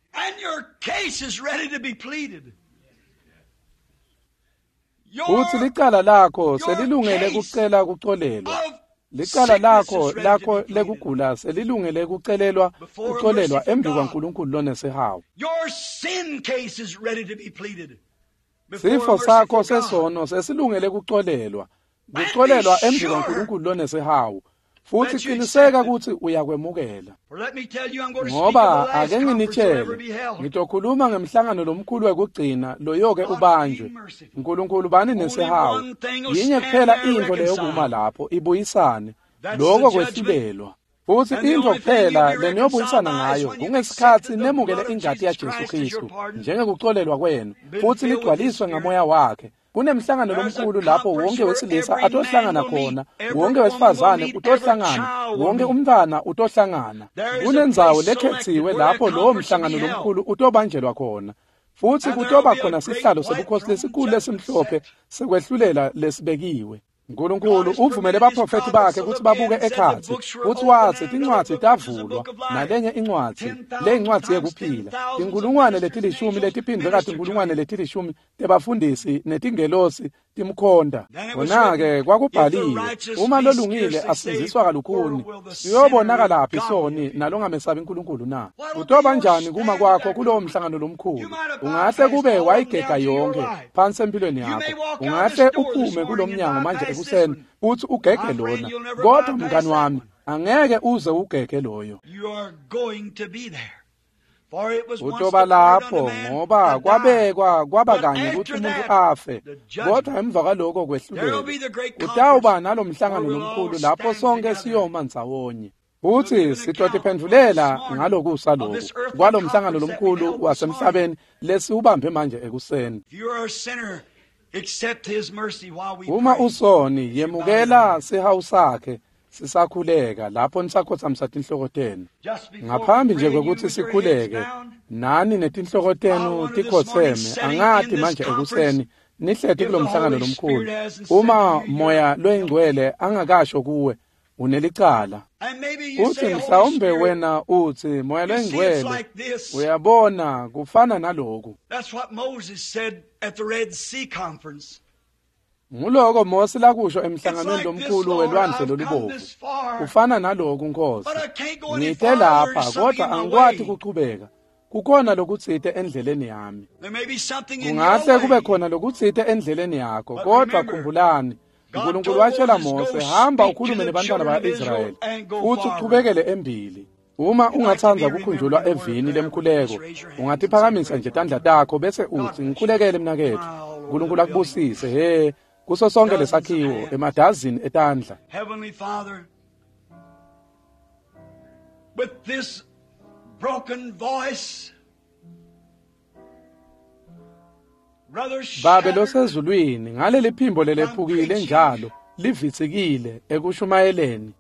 Futhi licala lakho selilungele kucela kucolelwa. Licala lakho lekugula selilungele kucelelwa kucolelwa embi kwaNkulunkulu lonesihawu. Sifo sakho sesono sesilungele kucolelwa. Kucolelwa embi kwaNkulunkulu lonesihawu. Futhi qiniseka ukuthi uyakwemukela. Ngoba ake nginitshele, ngitokhuluma ngemhlangano lomkhulu wekugcina loyoke ubanjwe. Nkulunkulu bani nesihawu. Yinye kuphela intfo leyokuma lapho ibuyisane, lokho kwehlulelwa. Futhi intfo kuphela leniyobuyisana ngayo kungesikhatsi nemukele ingati yaJesu Khristu njengekucolelwa kwenu, futhi nigcwaliswe ngamoya wakhe. Kunemhlangano lomkhulu lapho wonke wesilisa atohlangana khona, wonke wesifazane utohlangana, wonke umntwana utohlangana. Kunendzawo lekhetsiwe lapho lowo mhlangano lomkhulu utobanjelwa khona. Futhi kutoba khona sihlalo sebukhosi lesikhulu lesimhlophe sekwehlulela lesibekiwe. Nkulunkulu uvumele baprofethi bakhe ukuthi babuke ekhatsi, futhi watsi tincwadzi tavulwa, nalenye incwadzi, le incwadzi yekuphila. Tinkulungwane letilishumi letiphindvwe katinkulungwane letilishumi tebafundisi netingelosi timkhonta. Kona-ke kwakubhaliwe, uma lolungile asindziswa kalukhuni, siyobonakalaphi soni nalongamesabi Nkulunkulu na? Kutoba njani kuma kwakho kulowo mhlangano lomkhulu? Ungahle kube wayigega yonke phansi empilweni yakho. Ungahle uphume kulomnyango manje ekuseni futhi ugege lona, kodwa mngani wami, angeke uze ugege loyo. Utoba lapho ngoba kwabekwa kwaba kanye ukuthi umuntu afe, kodwa emva kwaloko kwehlulelwa. Kutawuba nalomhlangano lomkhulu lapho sonke siyoma ndzawonye. Futhi sitotiphendvulela ngalokusa lokhu kwalomhlangano lomkhulu wasemhlabeni lesiwubambe manje ekuseni. Uma usoni, yemukela sihawu sakhe sisakhuleka lapho nisakhothamisa tinhloko tenu. Ngaphambi nje kwekuthi sikhuleke, nani netinhloko tenu tikhotseme, angati manje ekuseni nihleti kulomhlangano lomkhulu. Uma moya loyingcwele angakasho kuwe, unelicala. Uthi mhlawumbe wena uthi moya loyingcwele, uyabona kufana naloku. Nguloko Mose lakusho emhlanganweni lomkhulu welwandle lolubovu. Kufana naloku Nkosi. Ngite lapha kodwa angikwati kuchubeka. Kukhona lokutsite endleleni yami. Kungahle kube khona lokutsite endleleni yakho, kodwa khumbulani, Nkulunkulu watshela Mose, hamba ukhulume nebantwana ba-Israyeli futhi uchubekele embili. Uma ungatsandza kukhunjulwa evini lemkhuleko, ungatiphakamisa nje tandla takho bese utsi, ngikhulekele mnaketfu. Nkulunkulu akubusise, he, kuso sonke lesakhiwo, emadazini etandla. Heavenly Father, with this broken voice, Babe losezulwini, ngaleli phimbo lelephukile njalo livitsikile ekushumayeleni.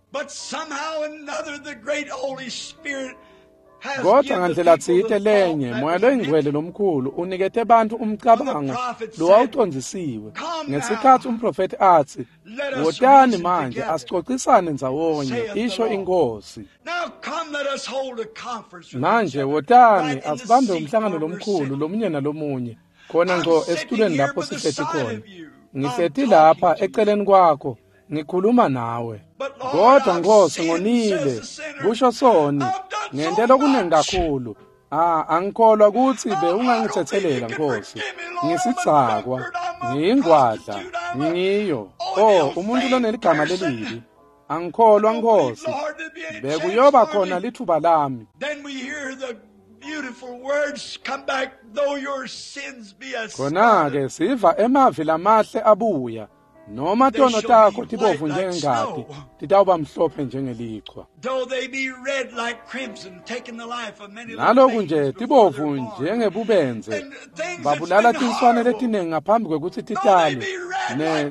Kodwa ngandlela tsite lenye, Moya loyingcwele lomkhulu unikete bantfu umcabango lowawucondzisiwe. Ngesikhatsi umprofethi atsi, "Wotani manje asicocisane ndzawonye," isho iNkhosi. Manje wotani asibambe umhlangano lomkhulu lomunye nalomunye, khona ngco esitulweni lapho sihleti khona. Ngihleti lapha eceleni kwakho, ngikhuluma nawe. Kodwa Nkosi, ngonile, kusho soni, ngente lokuningi kakhulu. Angikholwa kutsi bewungangithethelela Nkosi. Ngisidzakwa, ngiyingwadla, ngiyo. Oh, umuntu loneligama lelibi. Angikholwa Nkosi. Bekuyoba khona lithuba lami. Khona-ke siva emavi lamahle abuya. Noma tono takho tibovu njengengati, titawuba mhlophe njengelichwa. Naloku nje tibovu njengebubenze, babulala tinswane letiningi ngaphambi kwekutsi titalwe,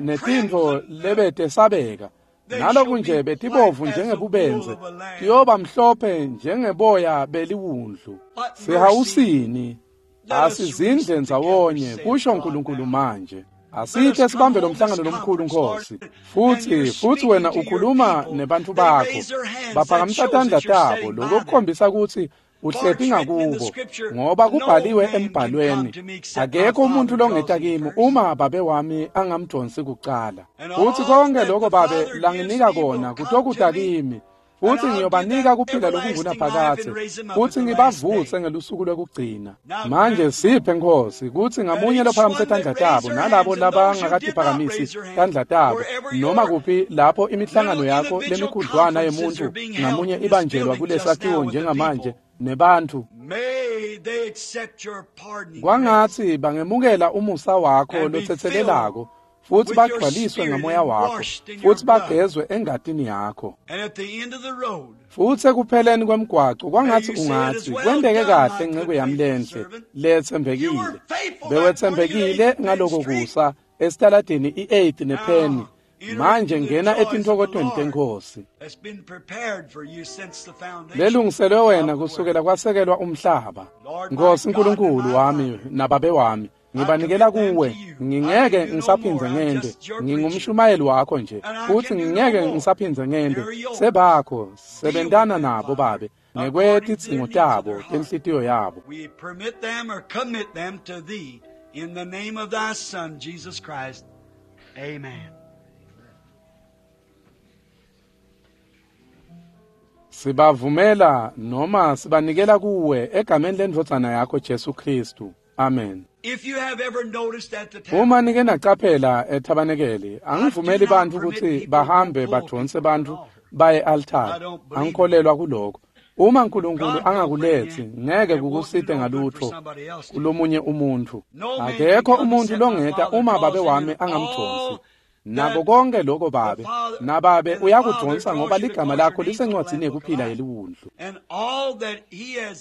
netintfo lebetesabeka. Naloku nje betibovu njengebubenze, tiyoba mhlophe njengeboya beliwundlu. Sihawusini, asizindle ndzawonye, kusho uNkulunkulu manje. Asithe sibambe lo mhlangano lomkhulu Nkosi. Futhi wena ukhuluma nebantfu bakho. Baphakamisa tandla tabo, lokho kukhombisa kutsi uhleti ngakubo, ngoba kubhaliwe embhalweni, akekho umuntu longeta kimi uma babe wami angamdonsi kucala. Futhi konke lokho babe langinika kona kutokuta kimi, futhi ngiyobanika kuphila lokungunaphakadze, futhi ngibavuse ngelusuku lwekugcina. Manje siphe Nkosi kutsi ngamunye lophakamise tandla tabo nalabo labangakatiphakamisi tandla tabo, noma kuphi lapho imihlangano yakho lemikhudlwana yemuntu ngamunye ibanjelwa kulesakhiwo njengamanje nebantfu, kwangatsi bangemukela umusa wakho lotsetselelako, futhi bagcwaliswe ngamoya wakho, futhi bagezwe engatini yakho. Futhi ekupheleni kwemgwaco kwangatsi ungatsi, kwenteke kahle nceko yami lenhle letsembekile. Bewetsembekile ngaloko kusa esitaladini i-8 nePenny. Manje ngena etintfokotweni teNkhosi lelungiselwe wena kusukela kwasekelwa umhlaba. Nkosi Nkulunkulu wami nababe wami, ngibanikela kuwe, ngingeke ngisaphindze ngente. Ngingumshumayeli wakho nje, futhi ngingeke ngisaphindze ngente. Sebakho, sebentana nabo babe ngekwetidzingo tabo tenhlitiyo yabo. We permit them or commit them to thee in the name of thy Son, Jesus Christ. Amen. Sibavumela noma sibanikela kuwe egameni lendvodzana yakho Jesu Kristu. Amen. Uma nike nacaphela ethabanekeli, angivumeli bantfu kutsi bahambe badonse bantfu baye altari. Angikholelwa kuloko. Uma uNkulunkulu angakuletsi, ngeke kukusite ngalutho kulomunye umuntfu. Akekho umuntfu longeta uma babe wami angamdonsi. Nako konke lokho babe, nababe uyakudonsa ngoba ligama lakho lisencwadzini yekuphila yeliwundlu.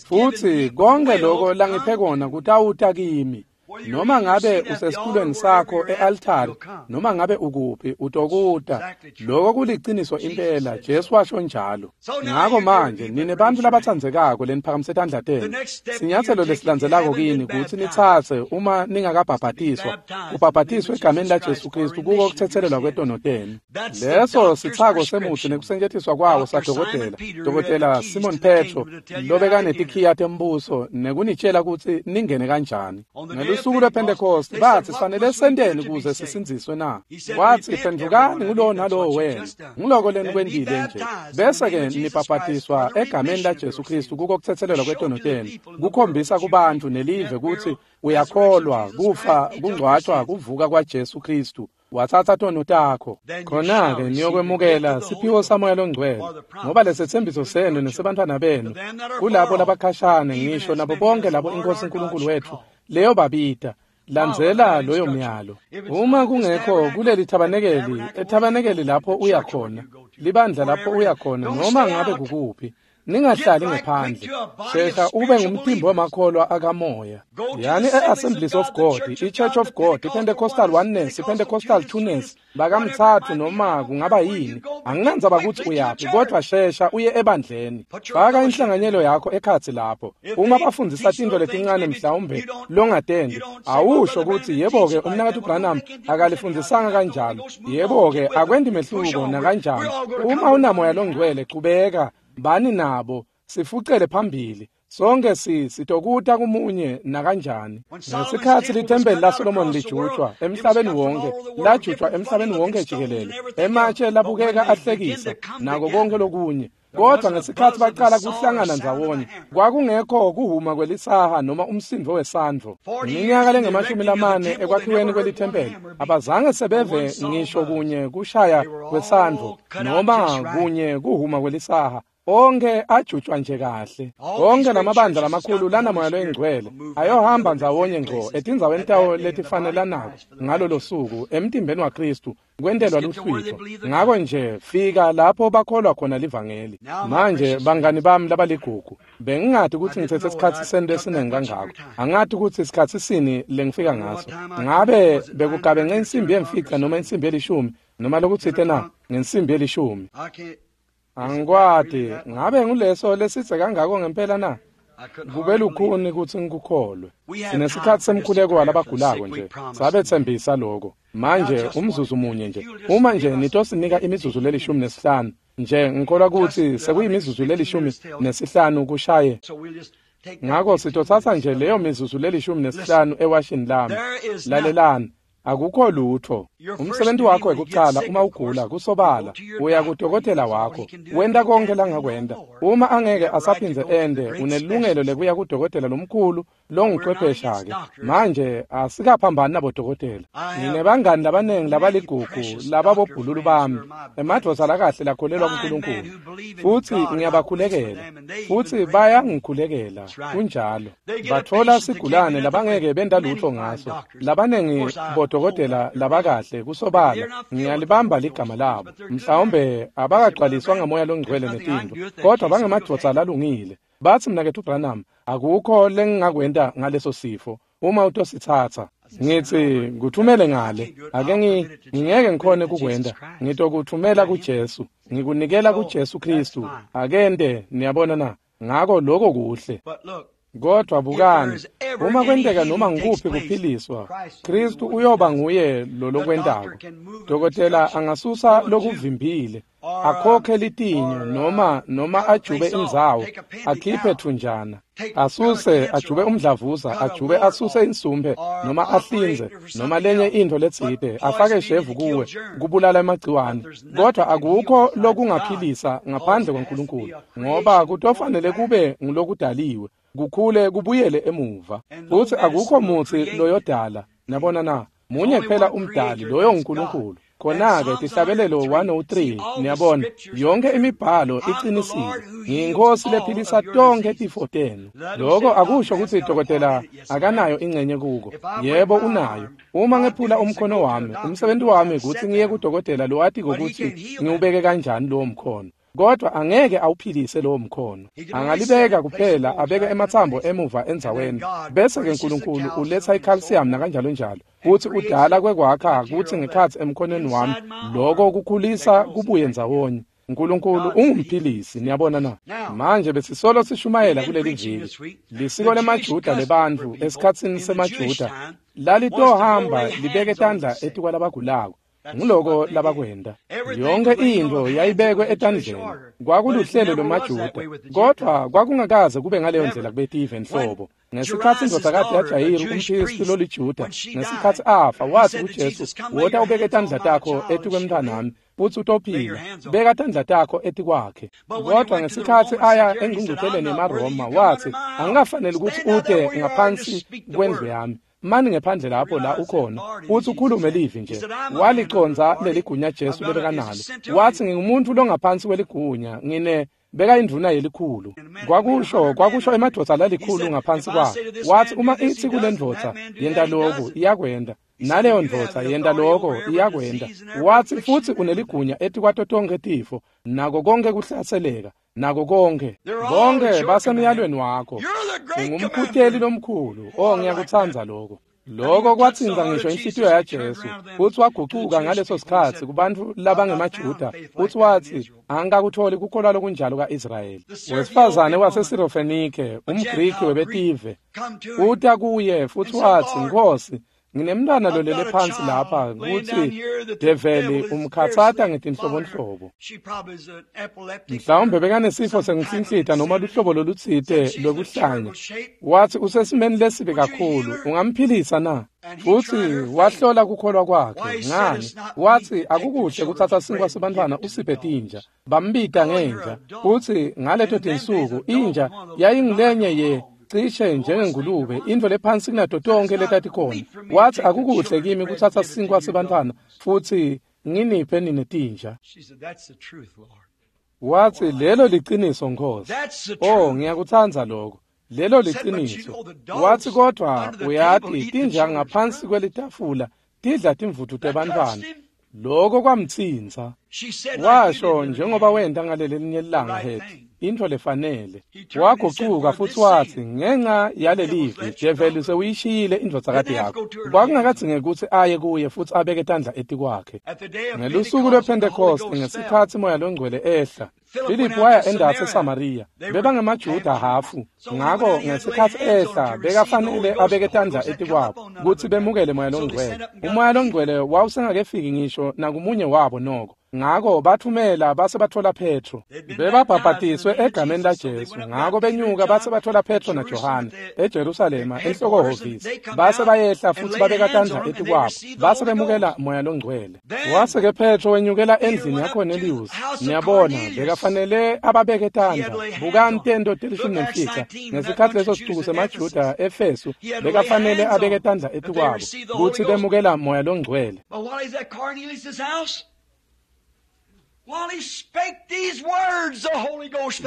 Futhi konke lokho langiphe kona kutawuta kimi. Noma ngabe usesitulweni sakho e-altari, noma ngabe ukuphi, utokuta. Lokho kuliciniso impela, Jesu washo njalo. Ngako manje nine bantfu labatsandzekako leniphakamise tandla tenu, sinyatselo lesilandzelako kini kutsi nitsatse uma ningakabhabhatiswa, kubhabhatiswe egameni la Jesu Kristu kuko kutsetselelwa kwetono tenu. Leso sitsako semutsi nekusetjentiswa kwawo sadokotela, Dokotela Simon Petro, lobekanetikhiya tembuso nekunitshela kutsi ningene kanjani. Ngelusuku lwePhentekoste bathi sifanele senteni ukuze sisindziswe na? Wathi phendukani ngulowo nalowo wenu, nguloko lenikwentile nje, bese-ke nibhabhatiswa egameni la Jesu Kristu kuko kutsetselelwa kwetono tenu, kukhombisa kubantfu nelive kutsi uyakholwa kufa, kungcwatshwa, kuvuka kwaJesu Kristu. Watsatsa tono takho. Khona-ke niyokwemukela siphiwo saMoya loNgcwele, ngoba lesetsembiso senu nesebantfwana benu, kulabo labakhashane, ngisho nabo bonke labo iNkosi uNkulunkulu wethu leyo babita. Landzela loyo myalo. Uma kungekho kuleli thabanekeli, ethabanekeli lapho uya khona, libandla lapho uya khona, noma ngabe kukuphi, Ningahlali ngephandle. Shesha ube ngumtimba wemakholwa akamoya. Yani e-Assemblies of God, i-Church of God, i-Pentecostal Oneness, i-Pentecostal Twoness, bakamthathu noma kungaba yini. Anginandzaba kutsi uyaphi, kodwa shesha uye ebandleni. Faka inhlanganyelo yakho ekhatsi lapho. Uma bafundzisa tintfo letincane mhlawumbe longatendi, awusho kutsi yebo-ke umnaketfu Branham akalifundzisanga kanjalo. Yebo-ke akwendi mehluko nakanjani. Uma unamoya longcwele, chubeka bani nabo, sifucele phambili. Sonke sitokuta kumunye nakanjani. Ngesikhatsi lithempeli laSolomon lijutshwa emhlabeni wonke, lajutshwa emhlabeni wonke jikelele, ematshe labukeka ahlekisa nako konke lokunye. Kodwa ngesikhatsi baqala kuhlangana ndzawonye, kwakungekho kuhuma kwelisaha noma umsindvo wesandvo. Iminyaka lengamashumi lamane ekwakhiweni kwelithempeli, abazange sebeve ngisho kunye kushaya kwesandvo noma kunye kuhuma kwelisaha. Onke ajutshwa nje kahle. Onke lamabandla lamakhulu lanamoya loyingcwele ayohamba ndzawonye ngco etindzaweni tawo letifanelanako ngalolo suku emtimbeni waKristu kwentelwa luhlwitfo. Ngako nje fika lapho bakholwa khona livangeli. Manje bangani bami labaligugu, bengingati kutsi ngitsetse sikhatsi sento esiningi kangako. Angati kutsi sikhatsi sini lengifika ngaso. Ngabe bekugabe insimbi yemfica noma insimbi yelishumi noma lokutsite na ngensimbi yelishumi. Angikwati, ngabe nguleso lesitse kangako ngempela na? Kube lukhuni kutsi ngikukholwe. Sinesikhatsi semkhuleko walabagulako nje, sabetsembisa lokho. Manje umzuzu munye nje, uma nje nitosinika imizuzu leli-15 nje, ngikholwa kutsi sekuyimizuzu leli-15 kushaye. Ngako sitotsatsa nje leyo mizuzu leli-15 ewashini lami. Lalelani. Akukho lutho. Umsebenzi wakho wekucala uma ugula kusobala, uya kudokotela wakho, wenta konke langakwenta. Uma angeke asaphindze ende, unelungelo lekuya kudokotela lomkhulu longuchwephesha-ke. Manje asikaphambani nabodokotela. Nginebangani labaningi labaligugu lababobhululu bami, emadvodza lakahle lakholelwa kuNkulunkulu, futsi ngiyabakhulekela, futsi bayangikhulekela. Kunjalo. Batfola sigulane labangeke benta lutho ngaso. Labaningi bodokotela labakahle kusobala, ngiyalibamba ligama labo. Mhlawumbe abakagcwaliswa ngamoya longcwele netintfo, kodwa bangemadvodza lalungile. Batsi mnaketfu Branham, akukho lengingakwenta ngaleso sifo uma utositsatsa. Ngitsi nguthumele ngale, ake ngingeke ngikhone kukwenta. Ngitokuthumela kuJesu, ngikunikela kuJesu Kristu. Akente, niyabona na? Ngako lokho kuhle. Kodwa bukani, uma kwenteka noma ngikuphi kuphiliswa, Kristu uyoba nguye lolokwentako. Dokotela angasusa lokuvimbile, akhokhe litinyo noma ajube indzawo, akhiphe thunjana, asuse ajube umdlavuza, ajube asuse insumbe noma ahlinze noma lenye intfo letsite, afake shevu kuwe kubulala emagciwane. Kodwa akukho lokungaphilisa ngaphandle kwaNkulunkulu, ngoba kutofanele kube ngulokudaliwe, kukhule kubuyele emuva. Futsi akukho mutsi loyodala, nabona na? Munye kuphela umdali, loyo nguNkulunkulu. Khona-ke Tihlabelelo 103, niyabona, yonke imibhalo iqinisile. Ngiyinkosi lephilisa tonkhe tifo tenu. Lokho akusho kutsi dokotela akanayo ingcenye kuko. Yebo unayo. Uma ngephula umkhono wami, umsebenzi wami kutsi ngiye kudokotela lowatiko kutsi ngiwubeke kanjani lowo mkhono. Kodwa angeke awuphilise lowo mkhono. Angalibeka kuphela, abeke ematsambo emuva endzaweni. Bese-ke uNkulunkulu uletha i-calcium nakanjalo njalo. Kutsi udala kwekwakha kutsi ngekhatsi emkhonweni wami, lokho kukhulisa kubuye ndzawonye. uNkulunkulu ungumphilisi, niyabona na? Manje besisolo sishumayela kuleli viki. Lisiko lemaJuda lebantfu esikhatsini semaJuda lalitohamba libeke tandla etikwalabagulako. Nguloko labakwenta. Yonke intfo yayibekwe etandleni. Kwakuluhlelo lwemaJuda, kodwa kwakungakaze kube ngaleyo ndlela kubetive nhlobo. Ngesikhatsi indvodzakati yaJayiru umphristi loliJuda, ngesikhatsi afa, watsi kuJesu, wota ubeke tandla takho etikwemntfwanami, futsi utophila. Beka tandla takho etikwakhe. Kodwa ngesikhatsi aya engqungqutheleni yemaRoma, watsi, angikafaneli kutsi ute ngaphansi kwendlu yami. Mani ngephandle lapho la ukhona, futsi ukhulume livi nje. Waliconza leligunya Jesu lebekanalo. Watsi ngingumuntu longaphansi kweligunya, ngine beka indvuna yelikhulu. Kwakusho emadvodza lalikhulu ngaphansi kwakhe. Watsi uma ithi kule ndvodza, yenta lokhu, iyakwenta. Naleyo ndvodza yenta lokho iyakwenta. Wathi futsi uneligunya etikwato tonkhe tifo, nako konke kuhlaseleka, nako konke. Bonke basemyalweni wakho. Ungumkhuteli lomkhulu. Oh, ngiyakutsandza lokho. Lokho kwatsinza ngisho inhlitiyo yaJesu, futsi wagucuka ngaleso sikhatsi kubantfu labangemaJuda, futsi watsi angikakutholi kukholwa lokunjalo ka-Israyeli. Wesifazane waseSirofenike, umGriki webetive, uta kuye futsi watsi, Nkhosi, nginemntwana lolele phansi lapha kutsi develi umkhatsata ngetinhlobonhlobo. Mhlawumbe bekanesifo senkuhlinhlita noma luhlobo lolutsite lwekuhlanya. Wathi usesimeni lesibi kakhulu, ungamphilisa na? Futsi wahlola kukholwa kwakhe. Ngani? Wathi akukuhle kutsatsa sinkwa sebantfwana usiphe tinja. Bambita ngenja. Futsi ngaleto tinsuku inja yayingulenye ye cishe njengengulube, intfo lephansi kunato tonkhe letatikhona. Wathi akukuhle kimi kutsatsa sinkwa sebantfwana futsi nginiphe nine tinja. Wathi lelo liciniso, Nkhosi. Oh, ngiyakutsandza lokho. Lelo liciniso. Wathi kodwa uyati tinja ngaphansi kwelitafula tidla timvutfu tebantfwana. Lokho kwamtsintsa. Washo njengoba wenta ngaleli langa hethi, intfo lefanele. Wagucuka futsi watsi ngenxa yalelivi develi sewuyishiyile indvodzakati yakho. Kwakungakadzingeki kutsi aye kuye futsi abeke tandla etikwakhe. Ngelusuku lwePhentekoste, ngesikhatsi Moya Longcwele ehla, Filiphu waya endasi eSamariya. Bebangemajuda hafu, ngako ngesikhatsi ehla bekafanele abeke tandla etikwabo kutsi bemukele Moya Longcwele. Umoya Longcwele wawusengakefiki ngisho nakumunye wabo noko. Ngako bathumela base bathola Petro. Bebabhabhatiswe egameni laJesu. Ngako benyuka base bathola Petro naJohane eJerusalema enhlokohhovisi. Base bayehla futsi babeka tandla etikwabo. Base bemukela Moya Longcwele. Wase ke Petro wenyukela endlini yaKornelius. Niyabona, bekafanele ababeke tandla. Bukani tento 15. Ngesikhatsi leso sicuku semaJuda eEfesu, bekafanele abeke tandla etikwabo kutsi bemukela Moya Longcwele.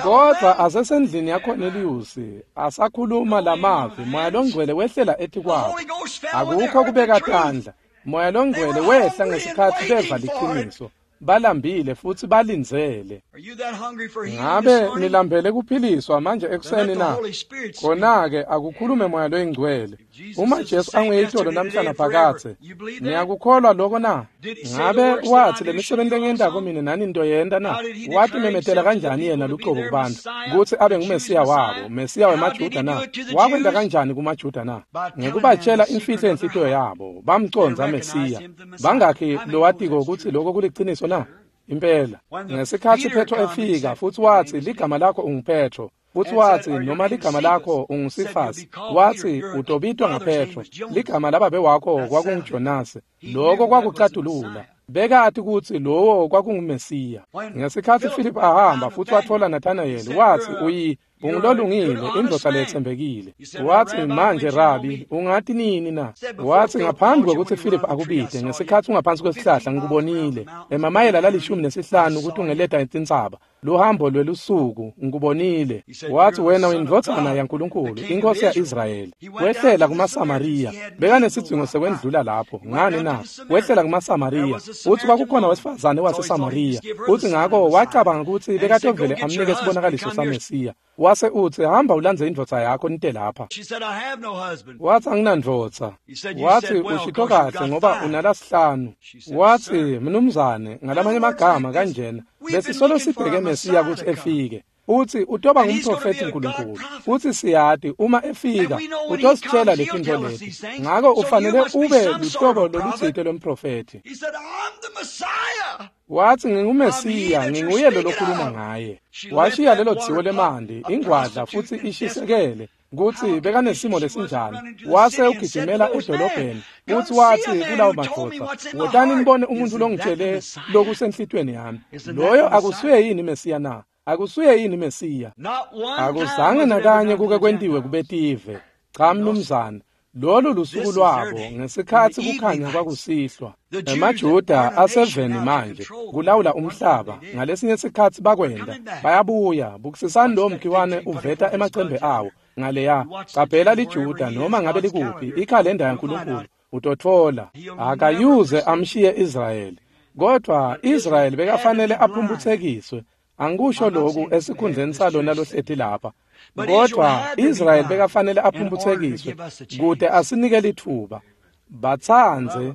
Kodwa asesendlini yaKornelius asakhuluma lamavi, Moya Longcwele wehlela etikwabo. Akukho kubeka tandla. Moya Longcwele wehla ngesikhatsi beva liciniso. Balambile futsi balindzele. Ngabe nilambele kuphiliswa manje ekuseni na? Khona-ke akukhulume Moya Loyingcwele. Uma Jesu anguye itolo namhla naphakadze, niyakukholwa lokho na? Ngabe wathi lemisebenti lengiyentako mina nani nitoyenta na? Watimemetela kanjani yena lucobo kubantfu kutsi abe nguMesiya wabo, Mesiya wemaJuda na? Wakwenta kanjani kumaJuda na? Ngekubatshela imfihlo yenhlitiyo yabo, bamcondza Mesiya. Bangakhi lowatiko kutsi lokho kuliciniso na? Impela. Ngesikhatsi Petro efika futsi watsi ligama lakho unguPetro, futsi watsi noma ligama lakho unguSifasi, watsi utobitwa ngaPetro, ligama lababe wakho kwakunguJonase. Lokho kwakucatulula. Bekati kutsi lowo kwakunguMesiya. Ngesikhatsi Philip ahamba futsi watfola Nathanayeli, watsi ungulolungile, indvodza letsembekile. Watsi manje Rabi, ungati nini na? Watsi ngaphambi kwekutsi Philip akubite, ngesikhatsi ungaphansi kwesihlahla ngikubonile, emamayela la15 kutungeleta tintsaba, luhambo lwelusuku ngikubonile. Watsi wena uyindvodzana yaNkulunkulu, inkosi ya-Israyeli. Wehlela kumaSamariya, bekanesidzingo sekwendlula lapho. Ngani na? Wehlela kumaSamariya, utsi kwakukhona wesifazane waseSamariya. Utsi ngako wacabanga kutsi bekatovele amnike sibonakaliso saMesiya. Wase utsi hamba ulandze indvodza yakho nite lapha. Watsi anginandvodza. Watsi ushito kahle ngoba unalasihlanu. Watsi mnumzane, ngalamanye amagama kanjena, besisolo sibheke Mesiya kutsi efike. Utsi utoba ngumprofethi uNkulunkulu. Utsi siyati uma efika utositshela letintfo leti. Ngako ufanele ube luhlobo lolutsite lomprofethi. Watsi nginguMesiya, nginguye lo lokhuluma ngaye. Washiya lelo dziwo lemandi, ingwadla futsi ishisekele kutsi bekanesimo lesinjani. Wase ugijimela edolobheni, utsi watsi kulawo madvodza, wotani nibone umuntu longitshele lokusenhlitiyweni yami. Loyo akusuye yini Mesiya na? Akusuye yini Mesiya? Akuzange nakanye kuke kwentiwe kubetive. Cha mnumzane, lolu lusuku lwabo ngesikhatsi kukhanya kwakusihlwa. EmaJuda aseveni manje kulawula umhlaba. Ngalesinye sikhatsi bakwenda bayabuya. Bukisisani lo mkhiwane uveta emacembe awo ngaleya. Qaphela liJuda noma ngabe likuphi ikhalenda yaNkulunkulu. Utotfola. Akayuze amshiye Israyeli. Kodwa Israyeli bekafanele aphumputsekiswe. Angikusho lokhu esikhundleni salona lohleti lapha. Kodwa Israyeli bekafanele aphumputsekiswe kute asinike litfuba. Batsandze,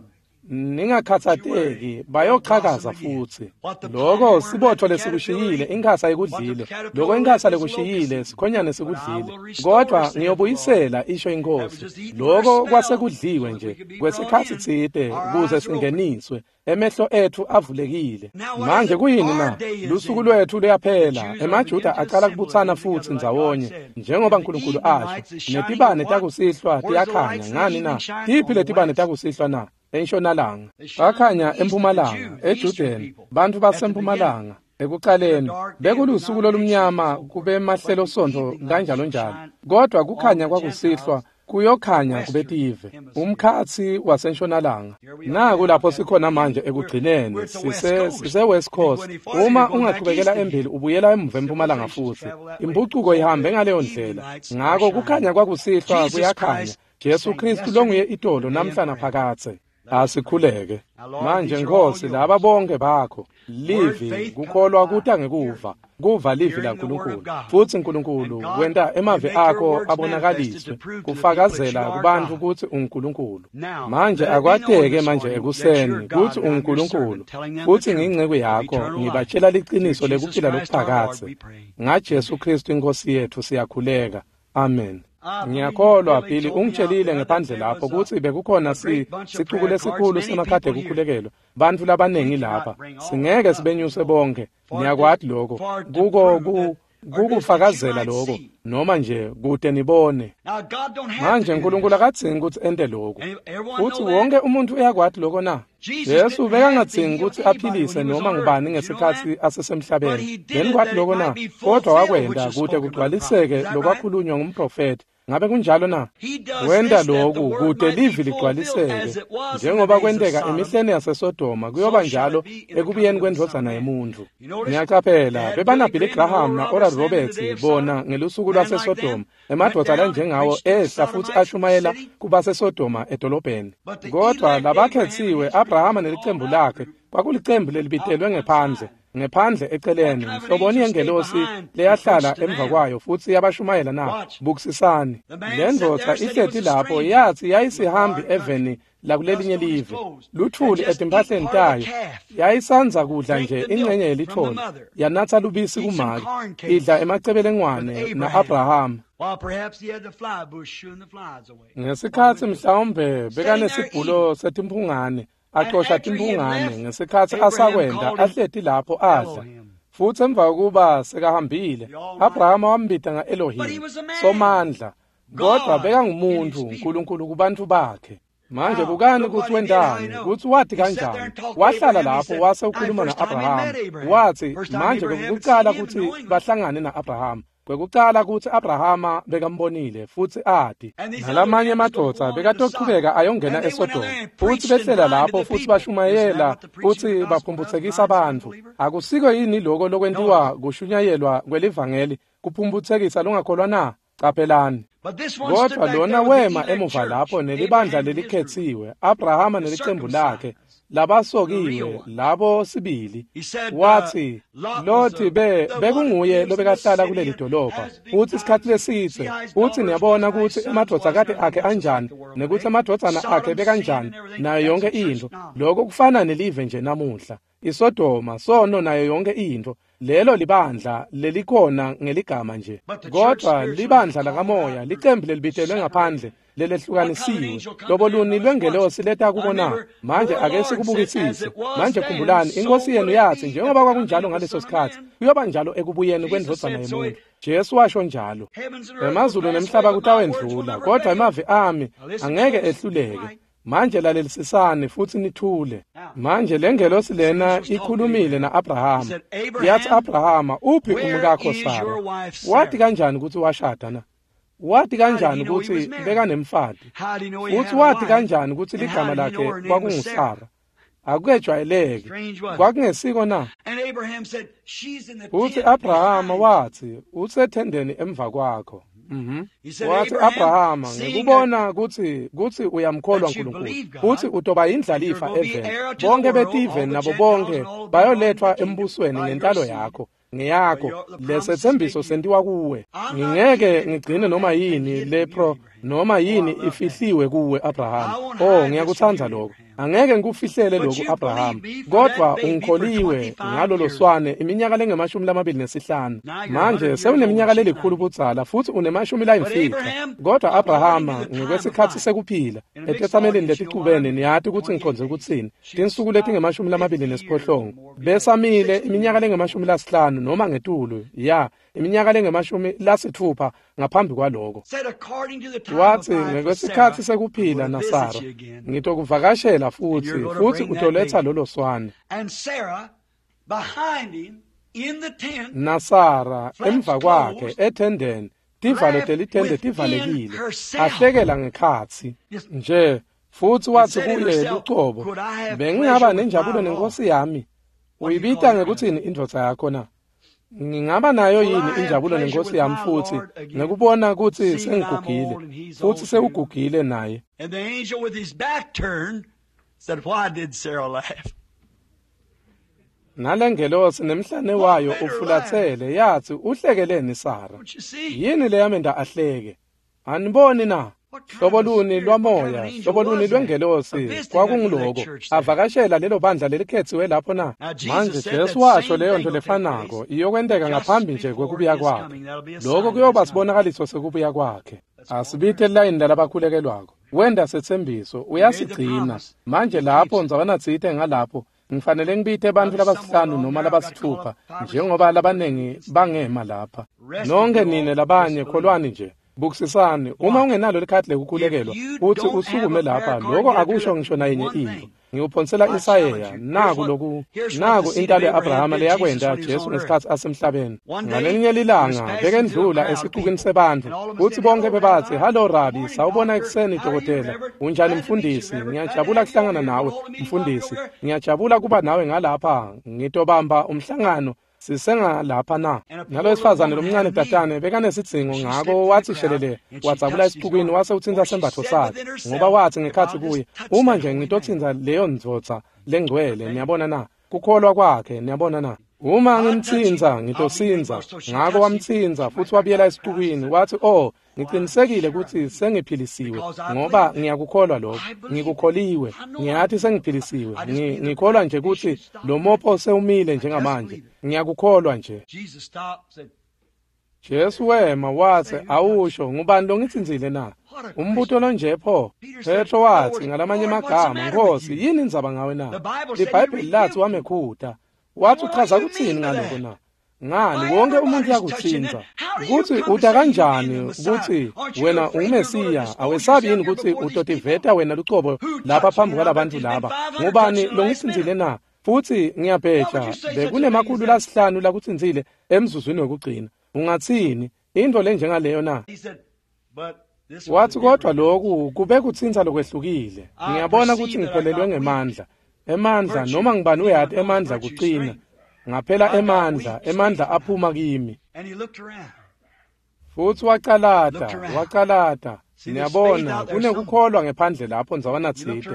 ningakhatsateki, bayochakaza futsi. Loko sibotfo lesikushiyile, inkhasa ikudlile. Loko inkhasa lekushiyile, sikhonyane sikudlile. Kodwa ngiyobuyisela, isho iNkhosi. Loko kwasekudliwe nje kwesikhatsi tsite kuze singeniswe. Emehlo etfu avulekile. Manje kuyini na? Lusuku lwetfu luyaphela. EmaJuda aqala kubutsana futsi ndzawonye njengoba uNkulunkulu asho. Netibane takusihlwa tiyakhanya. Ngani na? Tiphi letibane takusihlwa na? Entshonalanga. Bakhanya empumalanga, eJudeni, bantfu basempumalanga. Ekuqaleni bekulusuku lolumnyama kube mahlelo sontfo kanjalo njalo. Kodwa kukhanya kwakusihlwa kuyokhanya kubetive, umkhatsi wasentshonalanga. Naku lapho sikhona manje ekugcineni, sise West Coast. Uma ungachubekela embili ubuyela emuva empumalanga futsi. Impucuko ihambe ngaleyo ndlela. Ngako kukhanya kwakusihlwa kuyakhanya. Jesu Kristu longuye itolo namhla naphakadze. Asikhuleke. Manje Nkosi, laba bonke bakho, livi kukholwa kuta ngekuva, kuva livi laNkulunkulu. Futsi Nkulunkulu wenta emavi akho abonakaliswe, kufakazela kubantfu kutsi unguNkulunkulu. Manje akwateke manje ekuseni kutsi unguNkulunkulu, futsi ngiyinceku yakho, ngibatshela liciniso lekuphila lokuphakadze. NgaJesu Kristu iNkhosi yetfu siyakhuleka. Amen. Ngiyakholwa Billy ungitshelile ngephandle lapho kutsi bekukhona sicuku lesikhulu semakhadi ekukhulekelwa, bantfu labaningi lapha. Singeke sibenyuse bonke. Niyakwati lokho. Kuko kukufakazela lokho noma nje kute nibone. Manje uNkulunkulu akadzingi kutsi ente lokho. Futsi wonke umuntu uyakwati lokho na? Jesu bekangadzingi kutsi aphilise noma ngubani ngesikhatsi asesemhlabeni. Benikwati lokho na? Kodwa wakwenta kute kugcwaliseke lokwakhulunywa ngumprofethi. Ngabe kunjalo na? Wenta lokhu kute livi ligcwaliseke njengoba kwenteka emihleni yaseSodoma, kuyoba njalo ekubuyeni kwendvodzana yemuntfu. Niyaqaphela, bebana Billy Graham na-Oral Roberts bona ngelusuku lwaseSodoma. Emadvodza lanjengawo ehla futsi ashumayela kubaseSodoma edolobheni. Kodwa labakhetsiwe, Abrahama nelicembu lakhe, kwakulicembu lelibitelwe ngephandle. Ngephandle eceleni, nhloboni yengelosi leyahlala emva kwayo futsi yabashumayela na? Bukisisani. Le ndvodza ihleti lapho yathi yayisihambi eveni lakulelinye live, luthuli etimpahleni tayo, yayisanza kudla nje ingxenye yelithole, yanatsa lubisi kumake, idla emacebelengwane na-Abrahama. Ngesikhatsi mhlawumbe bekanesibhulo setimphungane, axosha timphungane ngesikhatsi asakwenda ahleti lapho adla. Futsi emva kokuba sekahambile, Abrahama wambita nga-Elohim, Somandla. Kodwa bekangumuntu, uNkulunkulu kubantfu bakhe. Manje bukani kutsi wentani, kutsi wati kanjani. Wahlala lapho wase ukhuluma na-Abrahama. Watsi manje kwekucala kutsi bahlangane na-Abrahama. Kwekucala kutsi Abrahama bekambonile futsi ati. Nalamanye emadvodza bekatochubeka ayongena eSodoma. Futsi behlela lapho futsi bashumayela futsi baphumputsekisa bantfu. Akusiko yini loko lokwentiwa kushunyayelwa kwelivangeli kuphumputsekisa longakholwa na? Qaphelani. Kodwa lona wema emuva lapho nelibandla lelikhetsiwe, Abrahama nelicembu lakhe, labasokiwe labo sibili. Watsi Loti bekunguye lobekahlala kuleli dolobha futsi isikhatsi lesidze. Futsi niyabona kutsi emadvodzakati akhe anjani nekuthi emadvodzana akhe bekanjani nayo yonke intfo. Lokho kufana nelive nje namuhla. ISodoma sono nayo yonke intfo. Lelo libandla lelikhona ngeligama nje. Kodwa libandla lakamoya, licembu lelibitelwe ngaphandle, lelehlukanisiwe, loboluni lwengelosi leta kubona. Manje ake sikubukisise. Manje khumbulani, iNkosi yenu yathi njengoba kwakunjalo ngaleso sikhatsi, kuyoba njalo ekubuyeni kwendvodzana yemuntu. Jesu washo njalo. Emazulu nemhlaba kutawendlula, kodwa emavi ami angeke ehluleke. Manje lalelisisani futsi nithule. Manje lengelosi lena ikhulumile na-Abrahama. Yathi, Abrahama, uphi umkakho Sara? Wati kanjani kutsi washada na? Wati kanjani kutsi bekanemfati? Futsi wati kanjani kutsi ligama lakhe kwakunguSara? Akukejwayeleki. Kwakungesiko na? Futsi Abrahama watsi, usethendeni emva kwakho. Wathi Abrahama, ngikubona kutsi uyamkholwa uNkulunkulu, futhi utoba yindlalifa eveni. Bonke betive nabo bonke bayoletfwa embusweni ngentalo yakho. Ngeyakho lesetsembiso sentiwa kuwe. Ngingeke ngigcine noma yini lepro noma yini ifihliwe kuwe Abraham. Oh, ngiyakuthanda lokho. Angeke ngikufihlele lokhu Abraham, kodwa ungikholiwe ngalolo swane iminyaka lengama-25. Manje sewuneminyaka lelikhulu budzala futhi une-50. Kodwa Abrahama ngekwesikhatsi sekuphila etetsamelini leticubene, niyati kutsi ngikhonze kutsini, tinsuku letingama-28 besamile iminyaka lengama-50 noma ngetulu, ya iminyaka lengama-60 ngaphambi kwaloko. Wathi ngekwesikhatsi sekuphila naSara, ngitokuvakashela futhi utoletha lolo swane. NaSara emva kwakhe ethendeni, tivalo telithende tivalekile, ahlekela ngekhatsi nje. Futhi wathi kuye lucobo, bengingaba nenjabulo nenkosi yami. Uyibita ngekuthini indvodza yakho na? Ngingaba nayo yini injabulo nenkosi yami futhi ngekubona kutsi sengigugile futhi sewugugile naye? And the angel with his back turned said, "Why did Sarah laugh?" Nalengelosi nemhlane wayo ufulathele yathi, uhlekeleni Sara? Yini leyamenda ahleke? Aniboni na? Hlobo luni lwamoya, hlobo luni lwengelosi kwakungiloko avakashela lelo bandla lelikhethiwe lapho na? Manje Jesu washo leyo nto lefanako iyokwenteka ngaphambi nje kwekubuya kwakhe. Lokho kuyoba sibonakaliso sekubuya kwakhe. Asibite layini lalabakhulekelwako. Wenda setsembiso uyasigcina. Manje lapho ndzawanatsite ngalapho ngifanele ngibite bantfu labasihlanu noma labasithupha, njengoba labaningi bangema lapha. Nonke nine labanye kholwani nje. Bukisisani, uma ungenalo likhadi lekukhulekelwa uthi usukume lapha, lokho akusho ngisho nayinye into. Ngikuphonsela insayeya, naku loku, naku intalo ya-Abrahama leyakwenta Jesu ngesikhatsi asemhlabeni. Ngalelinye lilanga bekendlula esixukwini sebantfu, futhi bonke bebathi, "Hallo Rabi, sawubona ekuseni dokotela. Unjani mfundisi? Ngiyajabula kuhlangana nawe mfundisi. Ngiyajabula kuba nawe ngalapha. Ngitobamba umhlangano sisengalapha na?" Nalowesifazane lomncane tatane bekanesidzingo, ngako wathi shelele wadzabula esixukwini wase utsintsa sembatfo sakhe, ngoba wathi ngekhatsi kuye, uma nje ngitotsintsa leyo ndvodza lengcwele, niyabona na? Kukholwa kwakhe, niyabona na? Uma ngimtsintsa ngitosindza. Ngako wamtsintsa futhi wabuyela esixukwini wathi, "Oh, ngicinisekile kutsi sengiphilisiwe, ngoba ngiyakukholwa lokho. Ngikukholiwe. Ngiyathi sengiphilisiwe. Ngikholwa nje kutsi lo mopho sewumile njengamanje. Ngiyakukholwa nje." Jesu wema wathi, "Awusho, ngubani longitsintsile na?" Umbuto lonje pho. Petro wathi ngalamanye amagama, "Nkosi, yini indzaba ngawe na?" LiBhayibheli lathi wamekhuta. Wathi, uchaza kutsini ngaloko na? Ngani, wonke umuntu uyakutsintsa. Kutsi uta kanjani kutsi wena unguMesiya? Awesabi yini kutsi utotiveta wena lucobo lapha phambi kwalabantu laba? Ngubani longitsintsile na? Futhi ngiyabheja bekune-500 lakutsintsile emzuzwini wekugcina. Ungatsini intfo lenjengaleyo na? Wathi, kodwa lokhu kube kutsintsa lokwehlukile. Ngiyabona kutsi ngiphelelwe ngemandla. Emandla, noma ngibani uyati emandla kucina. Ngaphela emandla aphuma kimi. Futhi wacalata. Niyabona, kunekukholwa ngephandle lapho ndzawanatsite.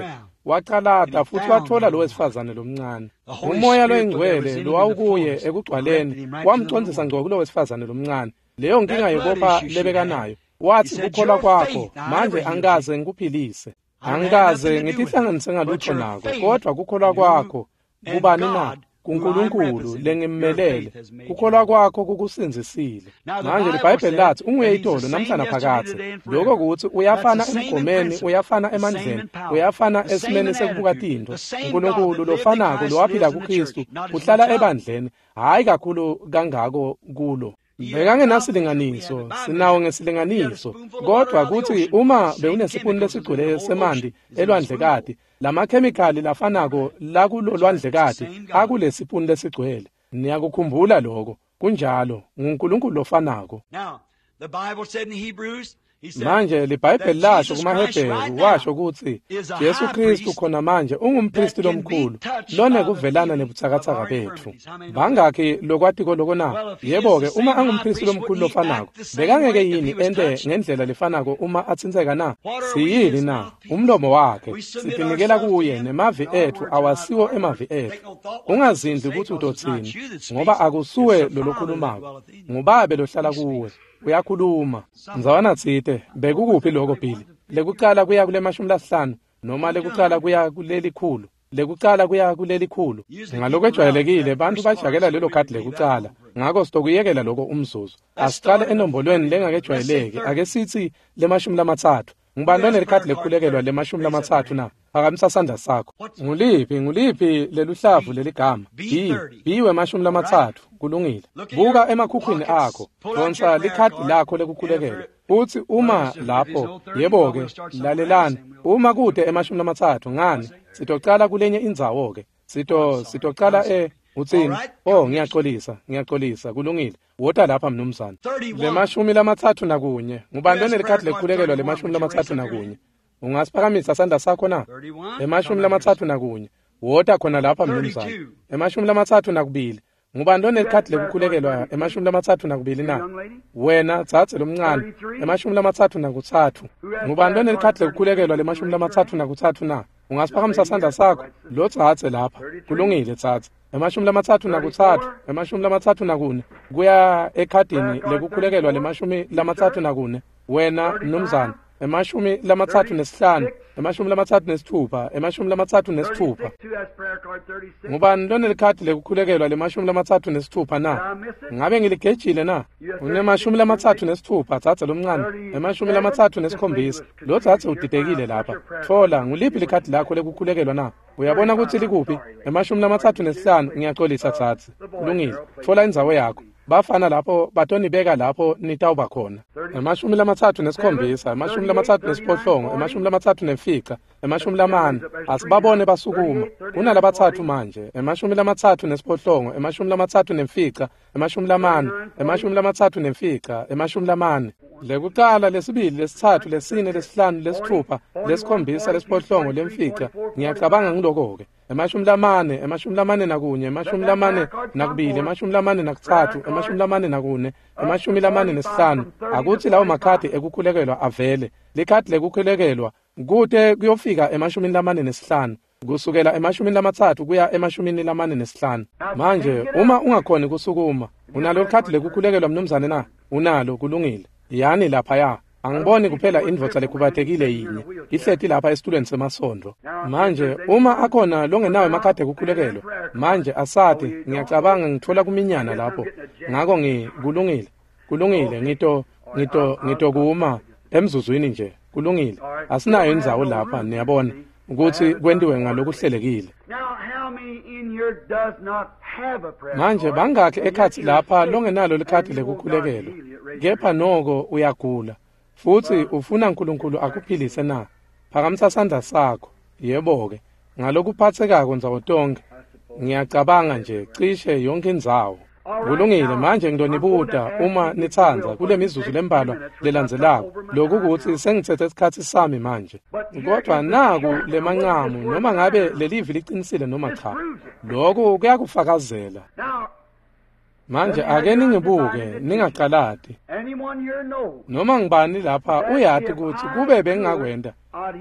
Wacalata futhi wathola lo wesifazane lomncane. Umoya loyingcwele lowawukuye ekugcwaleni wamcondzisa ngco kulo wesifazane lomncane. Leyo nkinga yekopha lebekanayo. Wathi, kukholwa kwakho manje angikaze ngikuphilise, angikaze ngitihlanganise ngalutho nako, kodwa kukholwa kwakho kubani na? kuNkulunkulu lengimmelele. Kukholwa kwakho kukusindzisile. Manje liBhayibheli lathi unguye itolo namhlanje phakathe. Lokho kuthi uyafana emgomeni, uyafana emandleni, uyafana esimeni sekubuka tintfo. uNkulunkulu lofanako lowaphila kuKristu uhlala ebandleni, hayi kakhulu kangako kulo. Bekangenasilinganiso, sinawo ngesilinganiso, kodwa kuthi uma bewunesipuni lesigcwele semanti elwandlekati, lamakhemikhali lafanako lakulolwandlekati akulesipuni lesigcwele. Niyakukhumbula lokho? Kunjalo, nguNkulunkulu lofanako. Now, the Bible said in Hebrews, Manje liBhayibheli lasho kumaHebheru, washo kutsi Jesu Kristu khona manje ungumpristi lomkhulu lonekuvelana nebutsakatsaka betfu. Bangakhi lokwatiko loko na? Yebo-ke, uma angumpristi lomkhulu lofanako, bekangeke yini ente ngendlela lefanako uma atsintseka na? Siyini na? Umlomo wakhe. Sitinikela kuye, nemavi etfu awasiwo emavi etfu. Ungazindli kutsi utotsini, ngoba akusuwe lolokhulumako, nguBabe lohlala kuwe. Uyakhuluma. Ndzawana tsite, bekukuphi lokho Billy? Lekucala kuya kule 50 noma lekucala kuya kuleli 100? Lekucala kuya kuleli 100. Ngalokwejwayelekile bantu bajakela lelo khadi lekucala. Ngako sitokuyekela lokho umzuzu. Asiqale enombolweni lengakejwayeleki. Ake sithi le-30. Ngubani lonelikhadi lekukhulekelwa le-30 na? Phakamisa sandla sakho. Nguliphi leluhlavu leligama? B, B we-30. Kulungile. Buka emakhukhwini akho. Donsa likhadi lakho lekukhulekelwa. Uthi uma lapho, yebo-ke, lalelani. Uma kude ema-30, ngani? Sitocala kulenye indzawo-ke. Sitocala utsini? Oh, ngiyaxolisa. Kulungile. Wota lapha mnumzane. Le-31. Ngubani lonelikhadi lekukhulekelwa le-31? Ungasiphakamisa sandla sakho na? Le-31. Wota khona lapha mnumzane. Le-32. Ngubani lonelikhadi lekukhulekelwa le-32 na? Wena dzadze lomncane. Le-33. Ngubani lonelikhadi lekukhulekelwa le-33 na? Ungasiphakamisa sandla sakho? Lo dzadze lapha. Kulungile dzadze. Le-33, le-34 kuya ekhadini lekukhulekelwa le-34. Wena mnumzane. Le-35, le-36, le-36. Ngubani lonelikhadi lekukhulekelwa le-36 na? Ngabe ngiligejile na? Une-36 dzadze lomncane, le-37. Lo dzadze udidekile lapha. Tfola, nguliphi likhadi lakho lekukhulekelwa na? Uyabona kutsi likuphi? Le-35. Ngiyaxolisa dzadze. Kulungile. Tfola indzawo yakho. Bafana lapho batonibeka lapho nitawuba khona. Le-37, le-38, le-35, le-40. Asibabone basukuma. Kunalabatsatfu manje. Le-38, le-35, le-40, le-35, le-40. Lekucala, lesibili, lesitsatfu, lesine, lesihlanu, lesitfupha, lesikhombisa, lesiphohlongo, lemfica. Ngiyacabanga ngiloko-ke. Le-40, le-41, le-42, le-43, le-44, le-45. Akutsi lawo makhadi ekukhulekelwa avele. Likhadi lekukhulekelwa kute kuyofika le-45, kusukela le-30 kuya le-45. Manje uma ungakhoni kusukuma, unalo likhadi lekukhulekelwa mnumzane na? Unalo, kulungile. Yani laphaya. Angiboni kuphela indvodza lekhubatekile yinye ihleti lapha esitulweni semasondvo. Manje uma akhona longenawo emakhadi ekukhulekelwa, manje asati, ngiyacabanga ngitfola kuminyana lapho. Ngako kulungile, ngitokuma emzuzwini nje. Kulungile. Asinayo indzawo lapha, niyabona ukuthi kwentiwe ngalokuhlelekile. Manje bangakhi ekhatsi lapha longenalo likhadi lekukhulekelwa, kepha noko uyagula futsi ufuna uNkulunkulu akuphilise na? Phakamisa sandla sakho. Yebo-ke, ngalokuphatsekako ndzawo tonkhe. Ngiyacabanga nje cishe yonke indzawo. Kulungile, manje ngitonibuta uma nitsandza kule mizuzu lembalwa lelandzelako. Lokhu kutsi sengitsethe isikhatsi sami manje. Kodwa naku lemancamu, noma ngabe lelivi licinisile noma cha, lokhu kuyakufakazela. Manje ake ningibuke, ningacalati. Noma ngibani lapha uyati kutsi kube bengingakwenta,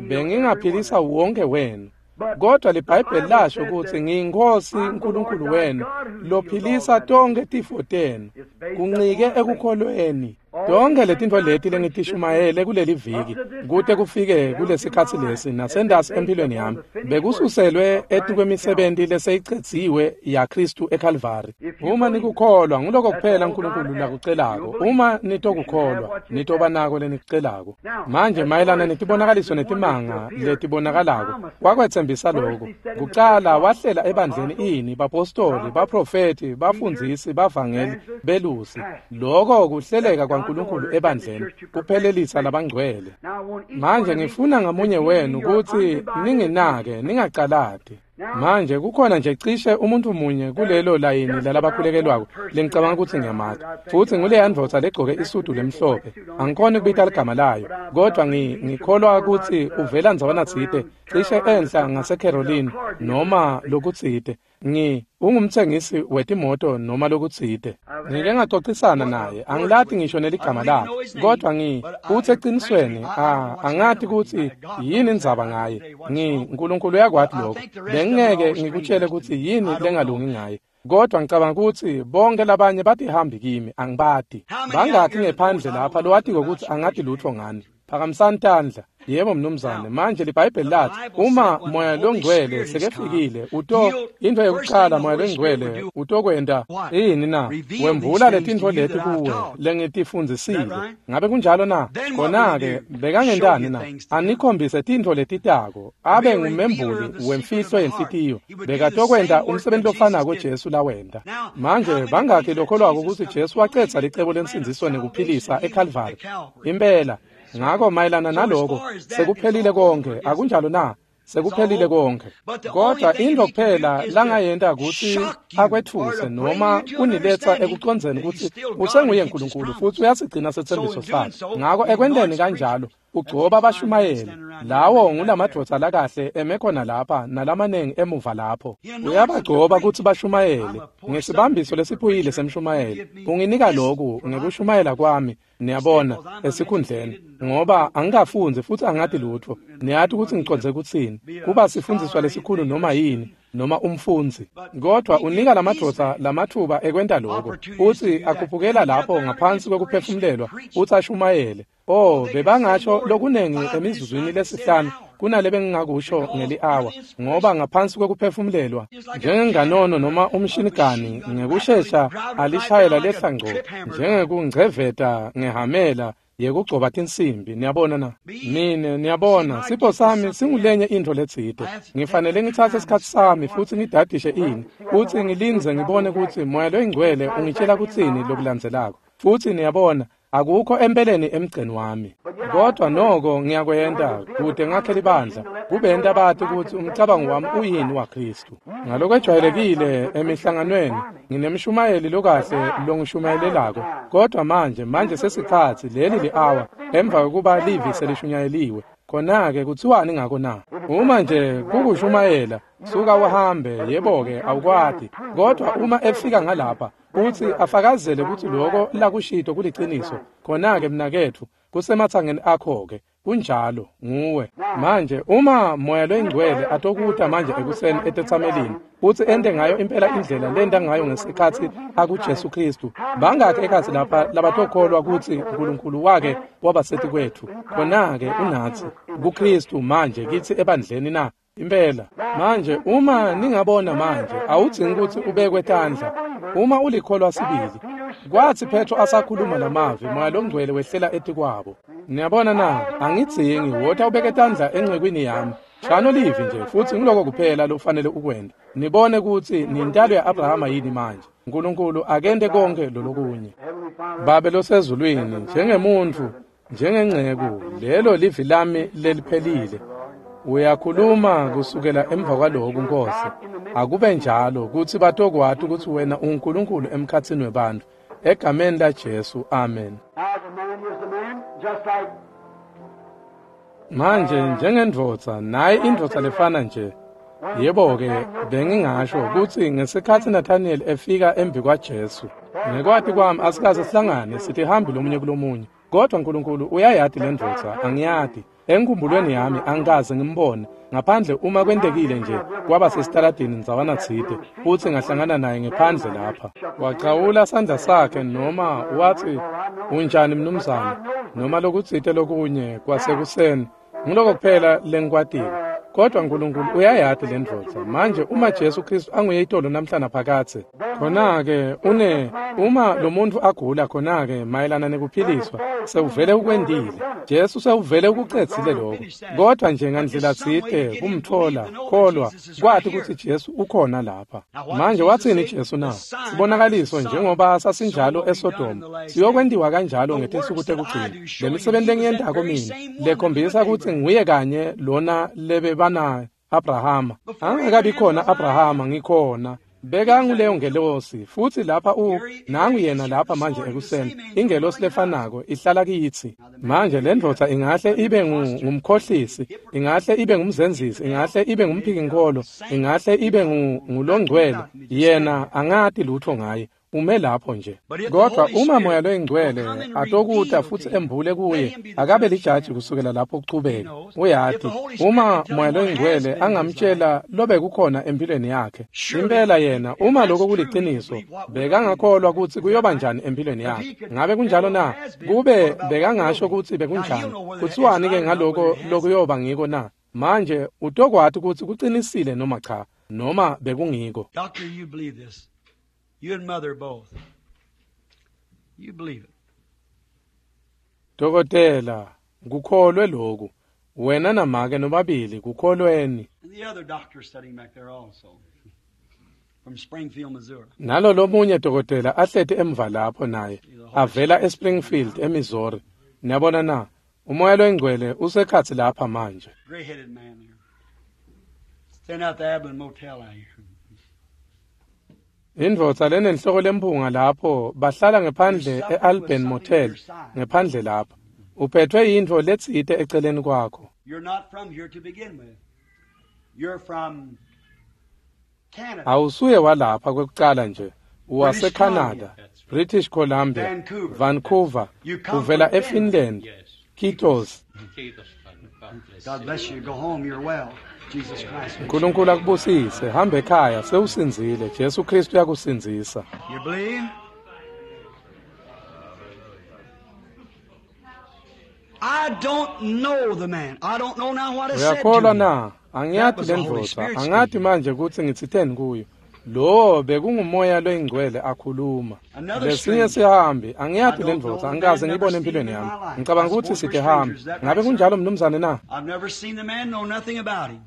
bengingaphilisa wonke wenu. Kodwa liBhayibheli lasho kutsi ngiyinkosi uNkulunkulu wenu lophilisa tonke tifo tenu. Kuncike ekukholweni. Tonke letintfo leti lengitishumayele kuleli viki kute kufike kulesikhatsi lesi nasendasi empilweni yami bekususelwe etikwemisebenti leseyicedziwe yaKristu eKalvari. Uma nikukholwa, nguloko kuphela uNkulunkulu lakucelako. Uma nitokukholwa, nitoba nako lenikucelako. Manje mayelana netibonakaliso netimanga letibonakalako, wakwetsembisa lokho. Kucala wahlela ebandleni ini bapostoli, baprofeti, bafundzisi, bavangeli, belusi. Lokho kuhleleka waNkulunkulu ebandleni, kuphelelisa labangcwele. Manje ngifuna ngamunye wenu kutsi ninginake, ningacalati. Manje kukhona nje cishe umuntu munye kulelo layini lalabakhulekelwako lengicabanga kutsi ngiyamati, futsi nguleya ndvodza legcoke isudu lemhlophe. Angikhoni kubita ligama layo, kodvwa ngikholwa kutsi uvela ndzawana tsite, cishe enhla ngaseCarolina noma lokutsite. Ungumtsengisi wetimoto noma lokutsite. Ngike ngacocisana naye, angilati ngisho neligama lakhe, kodvwa utsi ecinisweni angati kutsi yini indzaba ngaye. Nkulunkulu uyakwati lokho. Bengingeke ngikutshele kutsi yini lengalungi ngaye, kodvwa ngicabanga kutsi bonke labanye batihambi kimi, angibati. Bangakhi ngephandle lapha lowatiko kutsi angati lutfo ngani? Phakamisani tandla. Yebo mnumzane. Manje liBhayibheli lathi uma Moya loNgcwele sekefikile, uto into yokuqala Moya loNgcwele utokwenta yini na? Wembula letintfo leti kuwe lengitifundzisile. Ngabe kunjalo na? Khona-ke bekangentani na? Anikhombise tintfo letitako, abe ngumembuli wemfihlo yenhlitiyo. Bekatokwenta umsebenzi lofanako Jesu lawenta. Manje bangakhi lokholwako kutsi Jesu wacedza licebo lensindziso nekuphilisa eKalvari? Impela. Ngako mayelana naloko sekuphelile konke, akunjalo na? Sekuphelile konke. Kodwa into kuphela langayenta kutsi akwethuse noma kuniletsa ekucondzeni kutsi usenguye Nkulunkulu futsi uyasigcina setsembiso sakhe. Ngako ekwenteni kanjalo ugcoba abashumayeli. Lawo ngulamadvodza lakahle eme khona lapha nalamanengi emuva lapho. Uyabagcoba kutsi bashumayele ngesibambiso lesiphuyile semshumayeli. Unginika loku ngekushumayela kwami, niyabona, esikhundleni, ngoba angikafundzi futsi angati lutfo. Niyati kutsi ngicondze kutsini, kuba sifundziswa lesikhulu noma yini, noma umfundzi. Kodwa unika lamadvodza lamatfuba ekwenta loko, futsi akhuphukela lapho ngaphansi kwekuphefumulelwa futsi ashumayele. Oh, bebangasho lokunengi emizuzwini lesihlanu kunale bengingakusho ngeli-awa, ngoba ngaphansi kwekuphefumulelwa njengenganono noma umshinigani ngekushesha alishayela lehla ngco njengekungceveta ngehamela yekugcoba tinsimbi. Niyabona na? Mine niyabona, sipho sami singulenye intfo letsite. Ngifanele ngitsatse isikhatsi sami futsi ngidadishe ini, futsi ngilindze ngibone kutsi Moya loyiNgcwele ungitshela kutsini lokulandzelako. Futsi niyabona, akukho empeleni emgceni wami, kodwa noko ngiyakwenta kude ngakhe libandla, kubenta bati kutsi umcabango wami uyini waKhristu. Ngalokwejwayelekile emihlanganweni nginemshumayeli lokahle longishumayelelako, kodwa manje sesikhatsi leli li-awa emva kokuba livi selishunyayeliwe. Khona-ke kutsiwani ngako na? Uma nje kukushumayela, suka uhambe, yebo-ke awukwati. Kodwa uma efika ngalapha futsi afakazele kutsi loko lakushito kuliciniso, khona-ke mnaketfu, kusematsangeni akho-ke. Kunjalo, nguwe. Manje uma Moya loyiNgcwele atokuta manje ekuseni etetsamelini futsi ente ngayo impela indlela lenta ngayo ngesikhatsi akuJesu Khristu, bangakhi ekhatsi lapha labatokholwa kutsi Nkulunkulu wake waba kwetfu? Khona-ke unatsi kuKhristu manje kitsi ebandleni na? Impela. Manje uma ningabona manje, awudzingi kutsi ubekwe tandla uma ulikholwa sibili. Kwatsi Petro asakhuluma lamavi, Moya loNgcwele wehlela etikwabo. Niyabona na? Angidzingi, wota ubeke tandla encekwini yami. Shano livi nje, futsi ngiloko kuphela lokufanele ukwente. Nibone kutsi nintalo ya-Abrahama yini manje. Nkulunkulu akente konke lolokunye. Babe losezulwini, njengemuntfu, njengenceku, lelo livi lami leliphelile. Uyakhuluma kusukela emva kwaloku, Nkosi. Akube njalo kutsi batokwati kutsi wena unguNkulunkulu emkhatsini webantfu. Egameni laJesu, amen. Manje njengendvodza, naye indvodza lefana nje. Yebo-ke, bengingasho kutsi ngesikhatsi Nathaniel efika embi kwaJesu, ngekwati kwami asikaze sihlangane, sitihambi lomunye kulomunye. Kodwa Nkulunkulu uyayati lendvodza, angiyati. Enkhumbulweni yami angikaze ngimbone, ngaphandle uma kwentekile nje kwaba sesitaladini ndzawana tsite, futsi ngahlangana naye ngephandle lapha. Wachawula sandla sakhe noma watsi, "Unjani mnumzane?" noma lokutsite lokunye kwasekuseni. Ngiloko kuphela lengikwatile. Kodwa uNkulunkulu uyayati le ndvodza. Manje uma Jesu Kristu anguye itolo namhla naphakadze, khona-ke uma lo muntfu agula khona-ke mayelana nekuphiliswa, sewuvele ukwentile. Jesu sewuvele ukucedzile lokho. Kodwa nje ngandlela tsite kumtfola, kholwa, kwati kutsi Jesu ukhona lapha. Manje watsini Jesu na? Sibonakaliso njengoba sasinjalo eSodoma, siyokwentiwa kanjalo ngetinsuku tekugcina. Le misebenti lengiyentako mina, lekhombisa kutsi nguye kanye lona lebebana Abrahama. Angakabi khona Abrahama, ngikhona. Bekanguleyo ngelosi, futhi lapha nangu yena lapha manje ekuseni. Ingelosi lefanako ihlala kitsi. Manje le ndvodza ingahle ibe ngumkhohlisi, ingahle ibe ngumzenzisi, ingahle ibe ngumphikinkholo, ingahle ibe ngulongcwele. Yena angati lutho ngaye. Ume lapho nje. Kodwa uma Moya loyiNgcwele atokuta futsi embule kuye, akabe lijaji kusukela lapho kuchubeka. Uyati, uma Moya loyiNgcwele angamtshela lobe kukhona empilweni yakhe, impela yena, uma lokho kuliciniso, bekangakholwa kutsi kuyoba njani empilweni yakhe. Ngabe kunjalo na? Kube bekangasho kutsi bekunjani, kutsiwani-ke ngaloko lokuyoba ngiko na? Manje utokwati kutsi kucinisile noma cha, noma bekungiko. Doctor, you believe this. You and mother both. You believe it. Dokotela, kukholwe lokhu. Wena namake nobabili kukholweni. And the other doctor sitting back there also. From Springfield, Missouri. Nalo lomunye dokotela ahleti emva lapho naye, avela eSpringfield, eMissouri. Niyabona na? Umoya loyingcwele usekhatsi lapha manje. Gray-headed man there. Standing out the Abilene Motel out here. Indvodza lenenhloko lemphunga lapho bahlala ngephandle eAlban Motel, ngephandle lapho. Uphethwe yintfo letsite eceleni kwakho. You're not from here to begin with. You're from Canada. Awusuye walapha kwekucala nje. UwaseCanada, British Columbia, Vancouver, uvela eFinland. Kiitos. God bless you. Go home, you're well. Jesus Christ. uNkulunkulu akubusise. Hamba ekhaya, sewusindzile. Jesu Kristu uyakusindzisa. You believe? I don't know the man. I don't know now what I said to Uyakholwa him. na? Angiyati le ndvodza. Angati manje kutsi ngitsiteni kuyo. Lo bekungumoya loyingcwele akhuluma. Lesinye sihambi, angiyati le ndvodza, angikaze ngiyibone empilweni yami. Ngicabanga ukuthi sitihambi. Ngabe kunjalo mnumzane na? I've never seen the man, know nothing about him.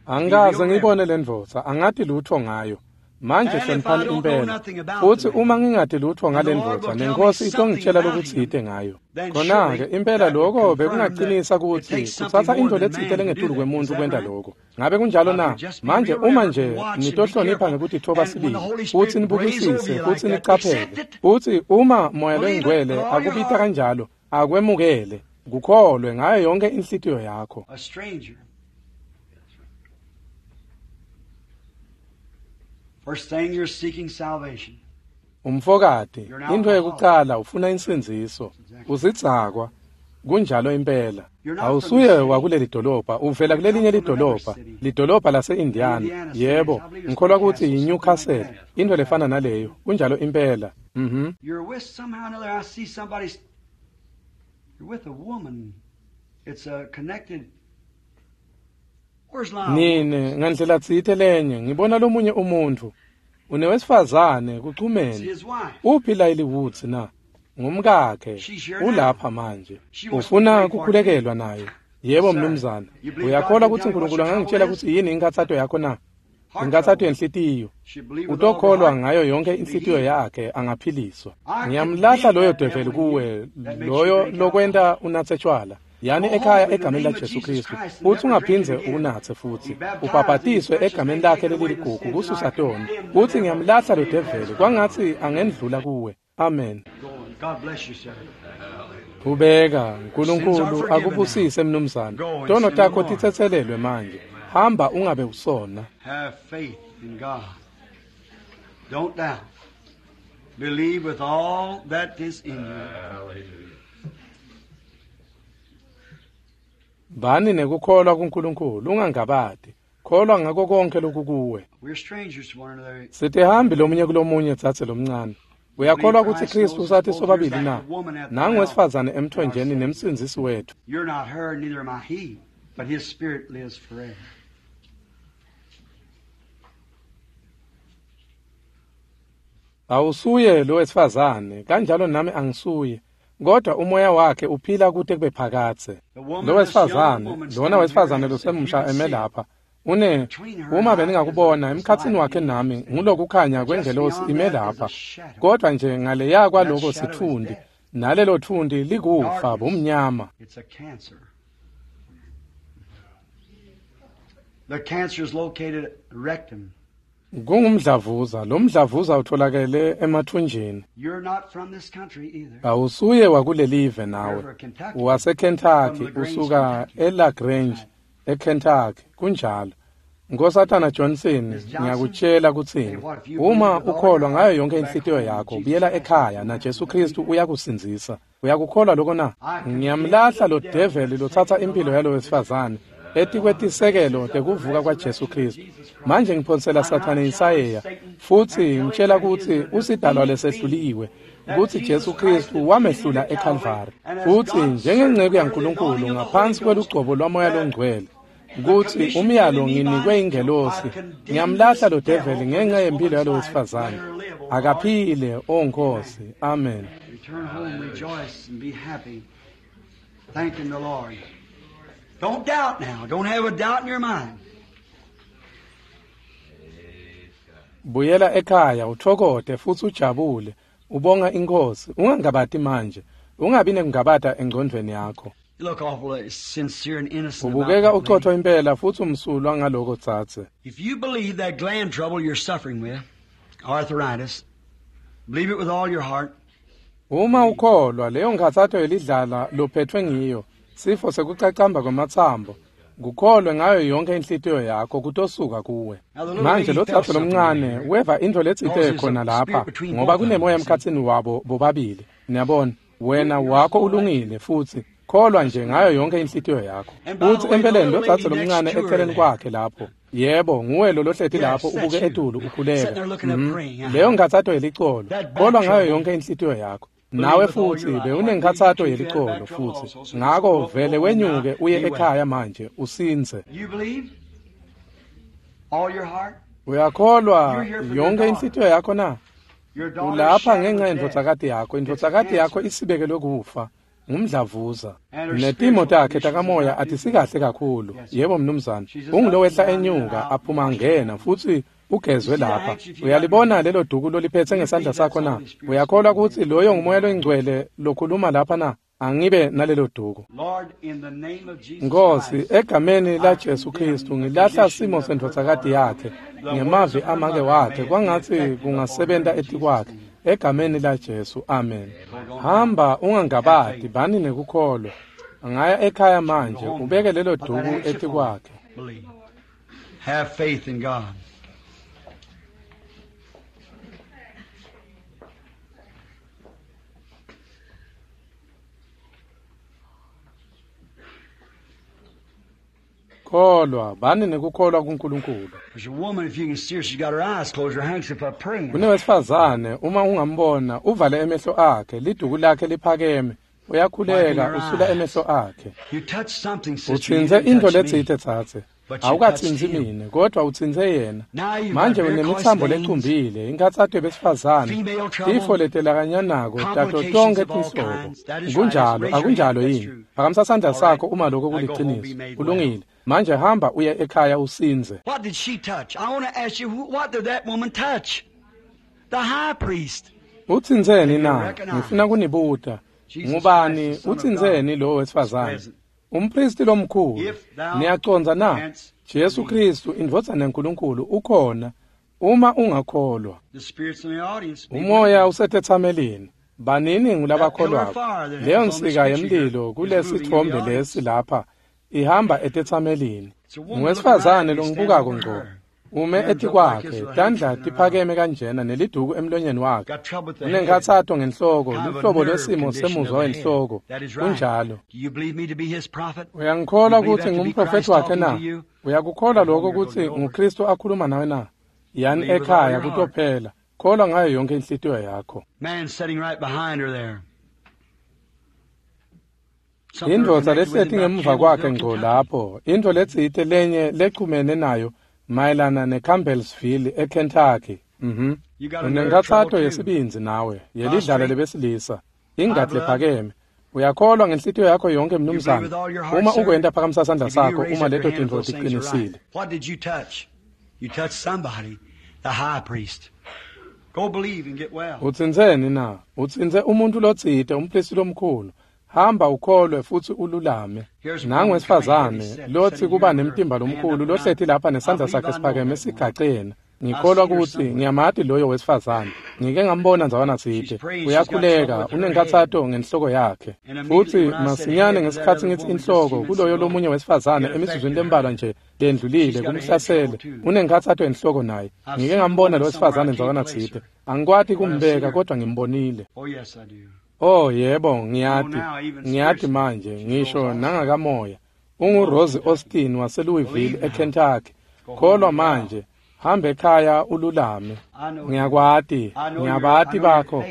Angikaze ngiyibone le ndvodza, angati lutho ngayo. Manje hloniphani impela. Futhi uma ngingati lutho ngale ndvodza, nenkosi itongitshela lokutsite ngayo. Khona-ke impela lokho bekungaqinisa kutsi kutsatsa intfo letsite lengetulu kwemuntu kwenta lokho. Ngabe kunjalo na? Manje uma nje nitohlonipha ngekutitfoba sibili, futsi nibukisise, futsi nicaphele, futsi uma Moya loyiNgcwele akubita kanjalo, akwemukele, kukholwe ngayo yonke inhlitiyo yakho. A stranger. First thing, you're seeking salvation. Umfokati, intfo yekucala ufuna insindziso. Usidzakwa. Kunjalo impela. Awusuye wakuleli dolobha, uvela kulelinye lidolobha, lidolobha lase-Indiana. Yebo, ngikholwa kutsi yiNewcastle, intfo lefana naleyo. Kunjalo impela. You're with somehow or another, I see somebody, you're with a woman. It's a connected. Where's Lyle? Nine, ngandlela tsite lenye, ngibona lomunye umuntfu. Unewesifazane It's kuchumene. his wife. Uphi Lyle Woods na? Ngumkakhe. Ulapha manje. Ufuna kukhulekelwa naye. Yebo mnumzane. Uyakholwa kutsi uNkulunkulu angangitshela kutsi yini inkhatsato yakho na? Inkhatsato yenhlitiyo. She believed with all her Utokholwa heart. ngayo yonke inhlitiyo yakhe angaphiliswa. Ngiyamlahla loyo develi kuwe, loyo lokwenta unatse tshwala. Yani ekhaya egameni laJesu Kristu, futhi ungaphindze unatse futsi. Ubhabhatiswe egameni lakhe leliligugu kususa tono. Futhi ngiyamlahla lo develi kwangatsi angendlula kuwe. Amen. Go on. God bless you, sir. Ubeka, uNkulunkulu akubusise mnumzane. Tono takho titsetselelwe manje. Hamba ungabe usona. Have faith in God. Don't doubt. Believe with all that is in you. Bani nekukholwa kuNkulunkulu, ungangabati. Kholwa ngako konke lokukuwe. We're strangers to one another. Sitihambi lomunye kulomunye dzadze lomncane. Uyakholwa kutsi Kristu usathi sobabili na? Nangu wesifazane emthonjeni nemsindzisi wethu. You're not her, neither am I he, but his spirit lives forever. Awusuye lo wesifazane, kanjalo nami angisuye. Kodwa umoya wakhe uphila kute kube phakadze. Lo wesifazane, lona wesifazane losemusha eme lapha. Une uma beningakubona emkhatsini wakhe nami ngulokukhanya kwengelosi ime lapha. Kodwa nje ngaleya kwaloko sitfundi, nalelo thundi likufa bumnyama. It's a cancer. The cancer is located at rectum. Kungumdlavuza, lo mdlavuza utholakele emathunjini. You're not from this country either. Awusuye wakulelive nawe. You're from Kentucky. WaseKentucky, From LaGrange, usuka Kentucky. eLaGrange, eKentucky, kunjalo. Nkosatana Johnson, Miss Johnson, ngiyakutshela kutsini. hey, what if you Uma believe with all ukholwa your ngayo heart, yonke go back inhlitiyo home, yakho, Jesus buyela Christ ekhaya will na Jesu you. Kristu uyakusindzisa. Uyakukholwa lokho na? I condemn Ngiyamlahla lo the devil develi lotsatsa taking the impilo life yalo of this wesifazane etikwetisekelo tekuvuka kwaJesu Kristu. Manje ngiphonsela Sathane insayeya futhi ngitshela kutsi usidalwa lesehluliwe kutsi Jesu Kristu wamehlula eKalvari. Futsi njengenceku yaNkulunkulu ngaphansi kwelugcobo lwamoya longcwele kutsi umyalo nginikwe ingelosi ngiyamlahla lo develi ngenxa yempilo yalo wesifazane. Akaphile, o Nkosi. Amen. Return home, rejoice, and be happy, thanking the Lord. Don't doubt now. Don't have a doubt in your mind. Buyela ekhaya uthokote futhi ujabule ubonga inkosi ungangabati manje ungabi nekungabata engcondvweni yakho. You look awful sincere and innocent about Ubukeka that uqotho lady. impela futhi umsulwa ngaloko tsatse. If you believe that gland trouble you're suffering with, arthritis, believe it with all your heart. Uma ukholwa leyo nkhatsato yelidlala lophethwe ngiyo sifo sekucacamba kwamatsambo kukholwe ngayo yonke inhlitiyo yakho kutosuka kuwe. Manje lo tsatse lomncane weva intfo letsite khona lapha ngoba kunemoya emkhatsini wabo bobabili. Niyabona wena wakho ulungile futhi kholwa nje ngayo yonke inhlitiyo yakho. Futhi empeleni lo tsatse lomncane eceleni kwakhe lapho. Yebo, nguwe lo lohleti lapho ubuke etulu ukhuleka. Leyo nkhatsato yelicolo. Kholwa ngayo yonke inhlitiyo yakho. Nawe futhi bewunenkhatsato yelicolo futhi. Ngako vele wenyuke uye ekhaya manje usinze. You believe? All your heart? Uyakholwa yonke inhlitiyo yakho na? Your daughter Ulapha shadow ngenxa death. yendvodzakati yakho. Indvodzakati yakho isibekelwe kufa. Ngumdlavuza. Netimo takhe takamoya atisikahle kakhulu. Yebo mnumzane. Ungulowehla enyuka aphuma ngena futhi ugezwe lapha. Uyalibona lelo duku loliphethe ngesandla sakho na? Uyakholwa ukuthi loyo ngumoya loyingcwele lokhuluma lapha na? Angibe nalelo duku. Lord, in the name of Jesus Nkosi, Christ, egameni la Jesu Kristu ngilahla simo sendvodzakati yakhe ngemavi amake wakhe kwangatsi kungasebenta etikwakhe egameni la Jesu. Amen. Hamba ungangabati bani nekukholwa. Angaya ekhaya manje ubeke lelo duku etikwakhe. Believe. Have faith in God. Kholwa, bani nekukholwa kuNkulunkulu. There's a woman, if you can see her, she's got her eyes closed, her handkerchief up praying. Kunewesifazane uma ungambona uvale emehlo akhe liduku lakhe liphakeme uyakhuleka usula emehlo akhe. You touched something, sister. You Utsintse didn't intfo touch me. letsite tsatse. But you Awukatsintsi touched him. mine kodwa utsintse yena. Now you've Manje got varicose unemitsambo veins, lecumbile, inkhatsato yebesifazane, female trouble, tifo letelakanyanako tato complications tonkhe of all tinhlobo. kinds. That is right. Kunjalo, Raise your akunjalo hand. That's yini? true. Phakamisa sandla All right. sakho uma lokho Now go home, be kuliciniso. made well. Kulungile. Manje hamba uye ekhaya usinze. What did she touch? I want to ask you, what did that woman touch? The high priest. Utsintseni na? Ngifuna kunibuta. Jesus Ngubani Christ, the Son of utsintseni lo wesifazane? present. Umpristi lomkhulu. If thou Niyacondza na? canst Jesu believe. Kristu indvodzana yaNkulunkulu ukhona uma ungakholwa. The spirits in the audience. be Umoya with usetethamelini. Banini ngulabakholwako. Leyo nsika yemlilo kulesithombe lesi lapha ihamba etethamelini. Ngowesifazane longibukako ngco. Ume etikwakhe, tandla tiphakeme kanjena neliduku emlonyeni wakhe. Got trouble with the head. Unenkhatsato ngenhloko, Kind of a luhlobo nerve lwesimo condition semuzwa of the head. wenhloko. That is right. Kunjalo. Do you believe me to be his prophet? Uyangikholwa You believe ukuthi that to be ngumprofethi Christ wakhe talking na? to you? Uyakukholwa lokho ukuthi nguKristu akhuluma nawe na? Yani Believe with all ekhaya your heart. kutophela. Kholwa ngayo yonke inhlitiyo yakho. Man sitting right behind her there. Something Indvodza connected with lehleti him about ngemuva kwakhe Campbellsville, ngco Kentucky. lapho, intfo letsite lenye lechumene nayo mayelana neCampbellsville eKentucky. Mhm. Unenkhatsato yesibindzi nawe, yelidlala lebesilisa, ingati lephakeme. Uyakholwa ngenhlitiyo yakho yonke mnumzane. Uma ukwenta phakamisa sandla sakho uma leto tintfo tiqinisile. What did you touch? You touched somebody, the high priest. Go believe and get well. Utsintseni na? Utsintse umuntfu lotsite, umpristi lomkhulu. Hamba ukholwe futsi ululame. Nangu wesifazane lotsi kuba nemtimba lomkhulu lohleti lapha nesandla sakhe siphakeme sigacena. Ngikholwa kutsi ngiyamati loyo wesifazane. Ngike ngambona ndzawana tsite. Uyakhuleka, unenkhatsato ngenhloko yakhe. Futsi masinyane ngesikhatsi ngitsi inhloko kuloyo lomunye wesifazane emizuzwini lembalwa nje lendlulile kumhlasele. Unenkhatsato enhloko naye. Ngike ngambona lo wesifazane ndzawana tsite. Angikwati kumbeka kodwa ngimbonile. Oh yes, I do. Oh yebo, ngiyati. Ngiyati manje, ngisho nangakamoya. UnguRose Austin waseLouisville eKentucky. Kholwa manje. Hambe ekhaya ululame. Ngiyakwati, ngiyabati bakho.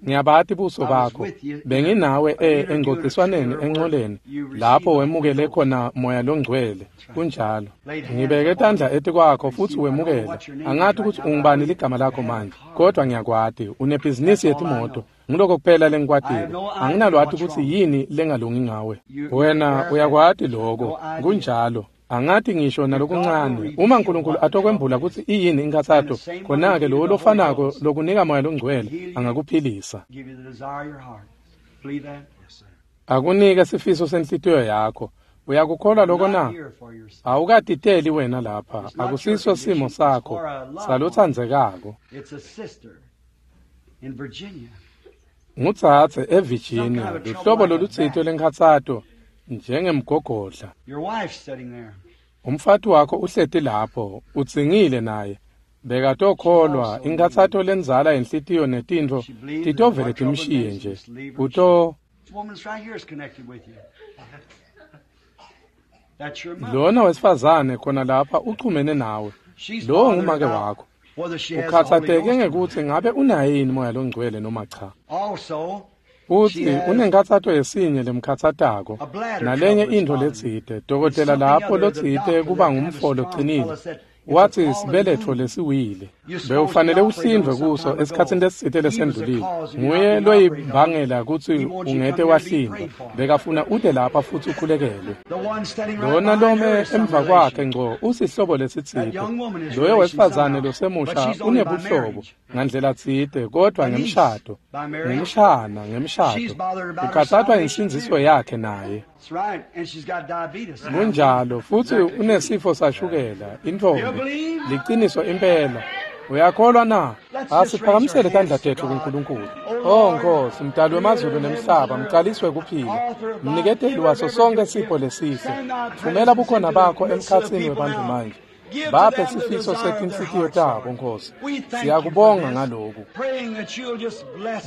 Ngiyabati buso bakho. Benginawe engcociswaneni encoleni lapho wemukele khona moya longcwele. Kunjalo. Ngibeke tandla etikwakho futsi wemukele. Angati ukuthi ungubani ligama lakho manje, kodwa ngiyakwati. Unebhizinisi yetimoto. Ngiloko kuphela lengikwatile. Anginalwati ukuthi yini lengalungi ngawe. Wena uyakwati lokho. Kunjalo. Angati ngisho nalokuncane. Uma uNkulunkulu atokwembula kutsi iyini inkhatsato, khona-ke lowo lofanako lokunika moya longcwele angakuphilisa. Give you the desire of your heart. Believe that? Yes, sir. Akunike sifiso senhlitiyo yakho. Uyakukholwa lokho na? Not here for yourself. Awukatiteli wena lapha. Akusiso simo sakho salotsandzekako. It's a sister in Virginia. Ngutsatse eVirginia, luhlobo lolutsite lenkhatsato njengemgogodla. Your wife's sitting there. Umfati wakho uhleti lapho, utsingile naye. Bekatokholwa inkhatsato lenzala yenhlitiyo netintfo titovele timshiye nje. Uto This woman's right here is connected with you. That's your mother. lona wesifazane khona lapha uchumene nawe. She's Lowo bothered ngumake about wakho. whether she has the Holy Ukhathatheke Ghost or not. ngekuthi ngabe unaye yini moya longcwele noma cha. Also, Uthi She has unenkhatsato yesinye lemkhatsatako a bladder nalenye trouble intfo that's bothering letsite. Dokotela Something lapho other, the lotsite doctor, kuba that kind of ngumfo strong locinile. fella said, it's a Wathi fallen sibeletho womb. lesiwile. You supposed Bewufanele to operate uhlindvwe on some kuso time ago. esikhatsini lesitsite He was the lesendlulile. cause of you not Nguye being operated on. loyibangela kutsi He wants you to ungete come here to be wahlindvwa. prayed for. Bekafuna ute lapha futsi ukhulekelwe. The one standing right Lona behind her lome is some emva kwakhe relation. ngco usihlobo That lesitsite. young woman is Loyo relation wesifazane somehow, but losemusha she's only by unebuhlobo marriage. ngandlela tsite kodwa A niece ngemshado. by marriage. Ngumshana ngemshado. She's bothered about her Ukhathathwa salvation insindziso too. yakhe naye. That's right, and she's got diabetes. Kunjalo futhi unesifo sashukela, intfombi. Liciniso impela. Uyakholwa na? Asiphakamisele tandla tethu kuNkulunkulu. Oh Nkosi, mdali wemazulu nemhlaba, mcaliswe kuphila. Mniketeli waso sonke sipho lesihle. Thumela bukhona bakho emkhatsini webantfu manje. Baphe sifiso setinhlitiyo tabo, Nkosi. Siyakubonga ngaloku.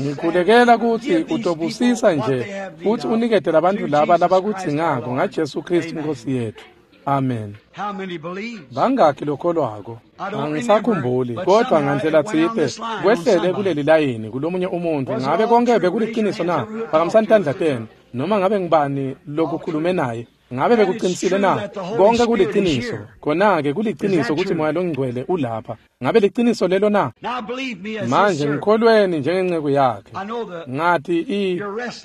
Ngikhulekela kutsi utobusisa nje futhi unikete labantfu laba labakudzingako ngaJesu Kristu Nkosi yethu. Amen. How many believes? Bangakhi lokholwako? Angisakhumbuli, kodwa ngandlela tsite kwehlele kuleli layini kulomunye umuntu. Ngabe konke bekuliciniso na? Phakamisani tandla tenu. Noma ngabe ngibani lokukhulume naye? Ngabe bekuqinisile na? Konke kuliciniso. Khona-ke kuliciniso kutsi moya longcwele ulapha. Ngabe liciniso lelo na? Now believe me as his Manje servant. ngikholweni njengenceku yakhe. I know the Ngathi i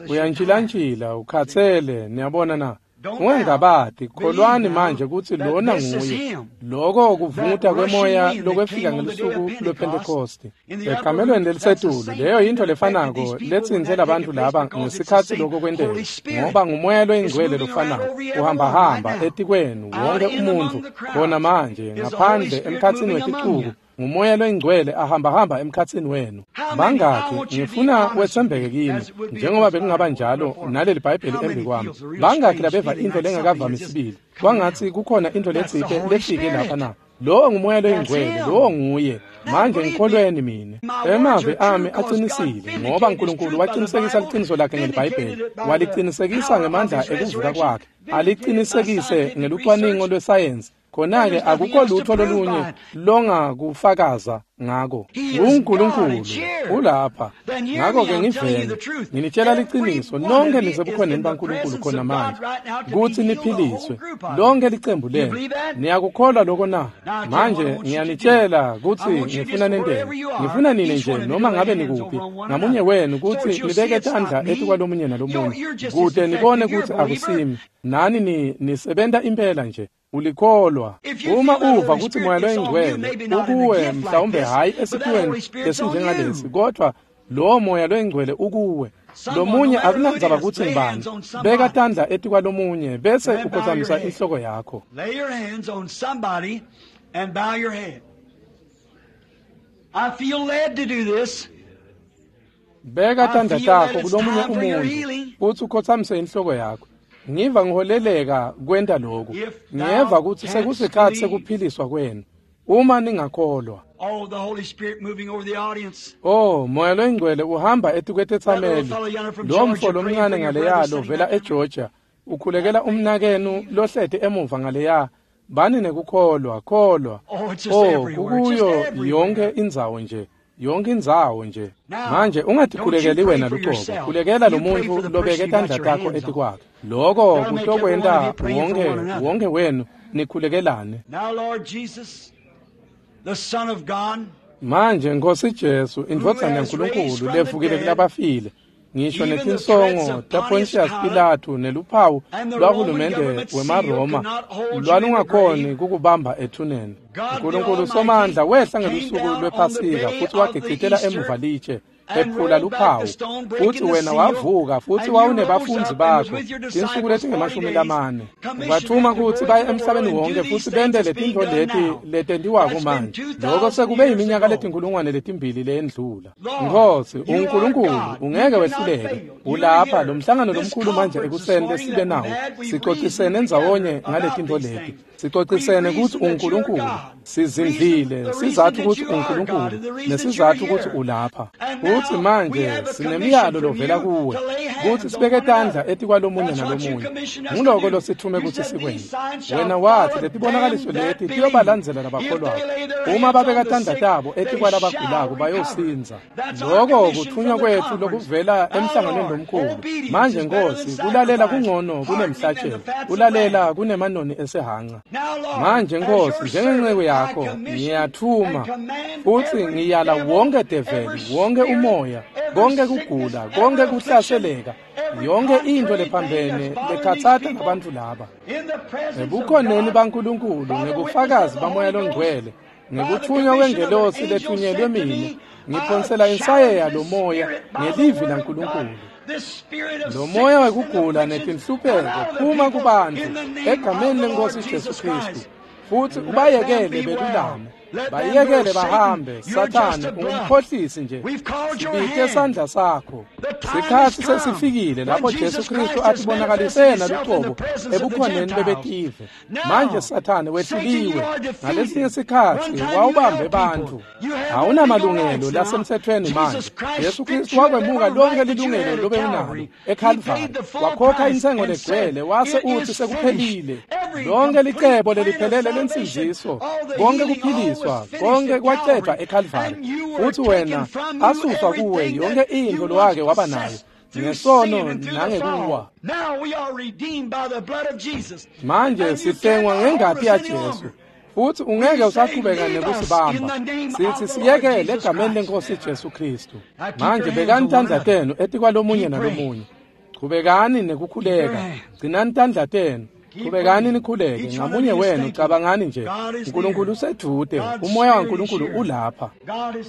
uyantshilantshila ukhathele niyabona na ungangabati kholwani manje kutsi lona nguye loko kuvunguta kwemoya lokwefika ngelusuku lwePhentekosti ekamelweni lelisetulu. Leyo yintfo lefanako letsintse labantfu laba ngesikhatsi loko kwenteka, ngoba ngumoya loyingcwele lofanako uhambahamba etikwenu wonke umuntfu khona manje ngaphandle emkhatsini weticuku. Ngumoya loyingcwele ahambahamba emkhatsini wenu. Bangakhi ngifuna wetsembeke kimi njengoba bekungaba njalo naleli bhayibheli embi kwami. Bangakhi labeva intfo lengakavami sibili kwangatsi kukhona intfo letsite lefike lapha na? Lowo ngumoya loyingcwele, lowo nguye. Manje ngikholweni mine. Emavi ami aqinisile ngoba uNkulunkulu waqinisekisa liciniso lakhe ngelibhayibheli, walicinisekisa ngemandla ekuvuka kwakhe, alicinisekise ngelucwaningo lwesayensi. Khona-ke akukho lutho lolunye longakufakaza ngako. UNkulunkulu ulapha. Ngakho-ke ngivele nginitshela liciniso, nonke nisebukhoneni baNkulunkulu khona manje kutsi niphiliswe, lonke licembu lenu. Niyakukholwa lokho na? Manje ngiyanitshela kutsi ngifuna nenteni. Ngifuna nine nje noma ngabe nikuphi ngamunye wenu kutsi nibeke tandla etikwalomunye nalomunye kute nibone kutsi akusimi nani nisebenta impela nje. Ulikholwa. Uma uva kutsi Moya loyiNgcwele ukuwe, mhlawumbe hhayi esiphiweni lesinjengalesi, kodvwa lowo Moya loyiNgcwele ukuwe. Lomunye akunandzaba kutsi ngubani, beka tandla etikwalomunye bese ukhotsamisa inhloko yakho. Lay your hands on somebody and bow your head. I feel led to do this. Beka tandla takho kulomunye umuntu futsi ukhotsamise inhloko yakho. Ngiva ngiholeleka kwenta lokhu. Ngiyeva kutsi sekusikhatsi sekuphiliswa kwenu. Uma ningakholwa. Oh, the Holy Spirit moving over the audience. Oh, Moya loyiNgcwele uhamba etikwetetsameli. Lo mfo lomncane ngaleya lovela eGeorgia ukhulekela umnakenu lohleti emuva ngaleya. Bani nekukholwa, kholwa. Oh, kukuyo yonke indzawo nje. Yonke indzawo nje. Manje ungatikhulekeli wena luqobo, khulekela lo muntu lobeke tandla takho etikwakhe. Lokho kutokwenta wonke wenu nikhulekelane. Now, Lord Jesus, the Son of God, manje Nkosi Jesu, indvodzana yaNkulunkulu levukile kulabafile, ngisho netinsongo taPontius Pilatu neluphawu lwahulumende wemaRoma lwalungakhoni kukubamba ethuneni. Nkulunkulu Somandla wehla ngelusuku lwePhasika futsi wagicitela emuva litshe ephula luphawu, futsi wena wavuka futsi wawunebafundzi bakho tinsuku letinge-40. Wathuma kutsi baye emhlabeni wonke futsi bente letintfo leti letentiwako manje. Loko sekube yiminyaka 2000 leyendlula. Nkosi uNkulunkulu, ungeke wehluleke. Ulapha lo mhlangano lomkhulu manje ekuseni lesibe nawo. Sicocisene ndzawonye ngaletintfo leti. Sicocisene kutsi uNkulunkulu, sizindlile sizathu kutsi uNkulunkulu nesizathu kutsi ulapha. Futsi manje sinemiyalo lovela kuwe kutsi sibeke tandla etikwalomunye nalomunye. Nguloko losithume kutsi sikwente. Wena watsi letibonakaliso leti tiyobalandzela labakholwako. Uma babeka tandla tabo etikwalabagulako bayosindza. Loko kuthunywa kwetfu lokuvela emhlanganweni lomkhulu. Manje Nkosi, kulalela kungcono kunemhlatshelo, kulalela kunemanoni esehanca. Manje Nkosi, njengenceku yakho ngiyathuma futsi ngiyala wonke develi, wonke umoya, konke kugula, konke kuhlaseleka, yonke into lephambene lekhatsata abantu laba. Ebukhoneni baNkulunkulu, ngebufakazi baMoya loNgcwele, ngekuthunywa kwengelosi lethunyelwe mina, ngiphonsela insayeya lo moya ngelivi laNkulunkulu. Lo moya wekugula netinhlupheko phuma kubantu egameni leNkosi Jesu Kristu, futsi ubayekele belulame, bayekele bahambe. Sathane ungumkhohlisi nje, sibite sandla sakho. Sikhatsi sesifikile lapho Jesu Kristu atibonakalise yena luqobo ebukhoneni bebetive. Manje Sathane wehluliwe. Ngalesinye sikhatsi wawubambe bantfu, awunamalungelo lasemthethweni manje. Jesu Kristu wakwemuka lonke lilungelo lobe unalo eKhalvari, wakhokha intsengo legcwele, wase utsi sekuphelile. Lonke licebo leliphelele lensindziso, konke kuphiliswa, konke kwacedwa eKhalvari, futsi wena asuswa kuwe yonke intfo lowake waba nayo ngesono nangekuwa. Manje sihlengwa ngengati yaJesu, futsi ungeke usaqhubeka nekusibamba. Sithi siyekele egameni leNkosi Jesu Kristu. Manje bekani tandla tenu etikwalomunye nalomunye. Chubekani nekukhuleka, gcinani tandla tenu. Chubekani nikhuleke ngamunye wenu. Cabangani nje, uNkulunkulu usedvute, umoya waNkulunkulu ulapha.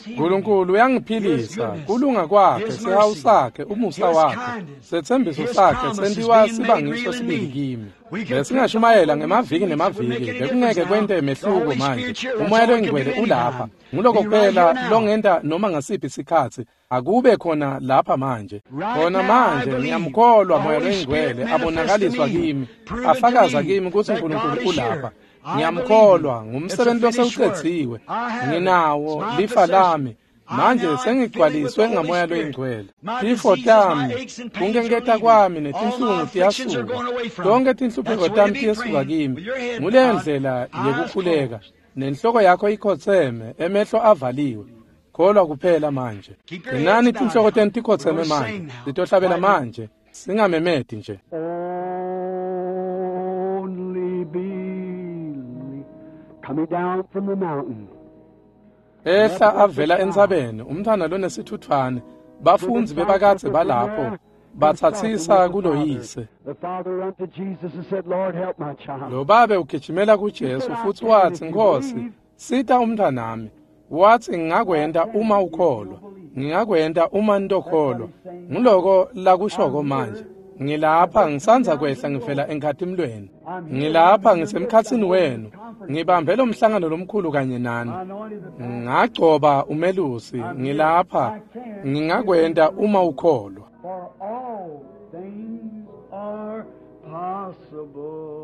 Nkulunkulu uyangiphilisa, kulunga kwakhe, sihawu sakhe, umusa wakhe, setsembiso sakhe sentiwa siba ngiso sibili kimi. Besingashumayela ngemaviki nemaviki, bekungeke kwente mehluko manje. Umoya loyiNgcwele ulapha. Nguloko kuphela longenta noma ngasiphi sikhatsi. Akube khona lapha manje. Khona manje ngiyamkholwa Moya loyiNgcwele abonakaliswa kimi, afakaza kimi kutsi uNkulunkulu ulapha. Ngiyamkholwa, ngumsebenzi losewucedziwe. Nginawo lifa lami. Manje sengigcwaliswe ngaMoya loyiNgcwele. Tifo tami, kunkenketa kwami netinhlungu tiyasuka. Tonkhe tinhlupheko tami tiyesuka kimi. Nguleyo ndlela yekukhuleka. Nenhloko yakho ikhotseme, emehlo avaliwe. Kholwa kuphela manje. Gcinani tinhloko tenu tikhotseme manje. Sitohlabela manje. Singamemeti nje. Only believe. Coming down from the mountain. Ehla avela entsabeni, umntfwana lonesithuthwane. Bafundzi bebakadze balapho batsatsisa kuloyise. The father unto Jesus and said, Lord, help my child. Lo babe ugijimela kuJesu futhi wathi, Nkosi, sita umntwanami. Wathi, ngingakwenta uma ukholwa. Ngingakwenta uma nitokholwa. Nguloko lakushoko manje. Ngilapha ngisandza kwehla ngivela enkhatimlweni. Ngilapha ngisemkhatsini wenu. Ngibambe lo mhlangano lomkhulu kanye nani. Ngagcoba umelusi. Ngilapha ngingakwenta uma ukholwa. For all things are possible.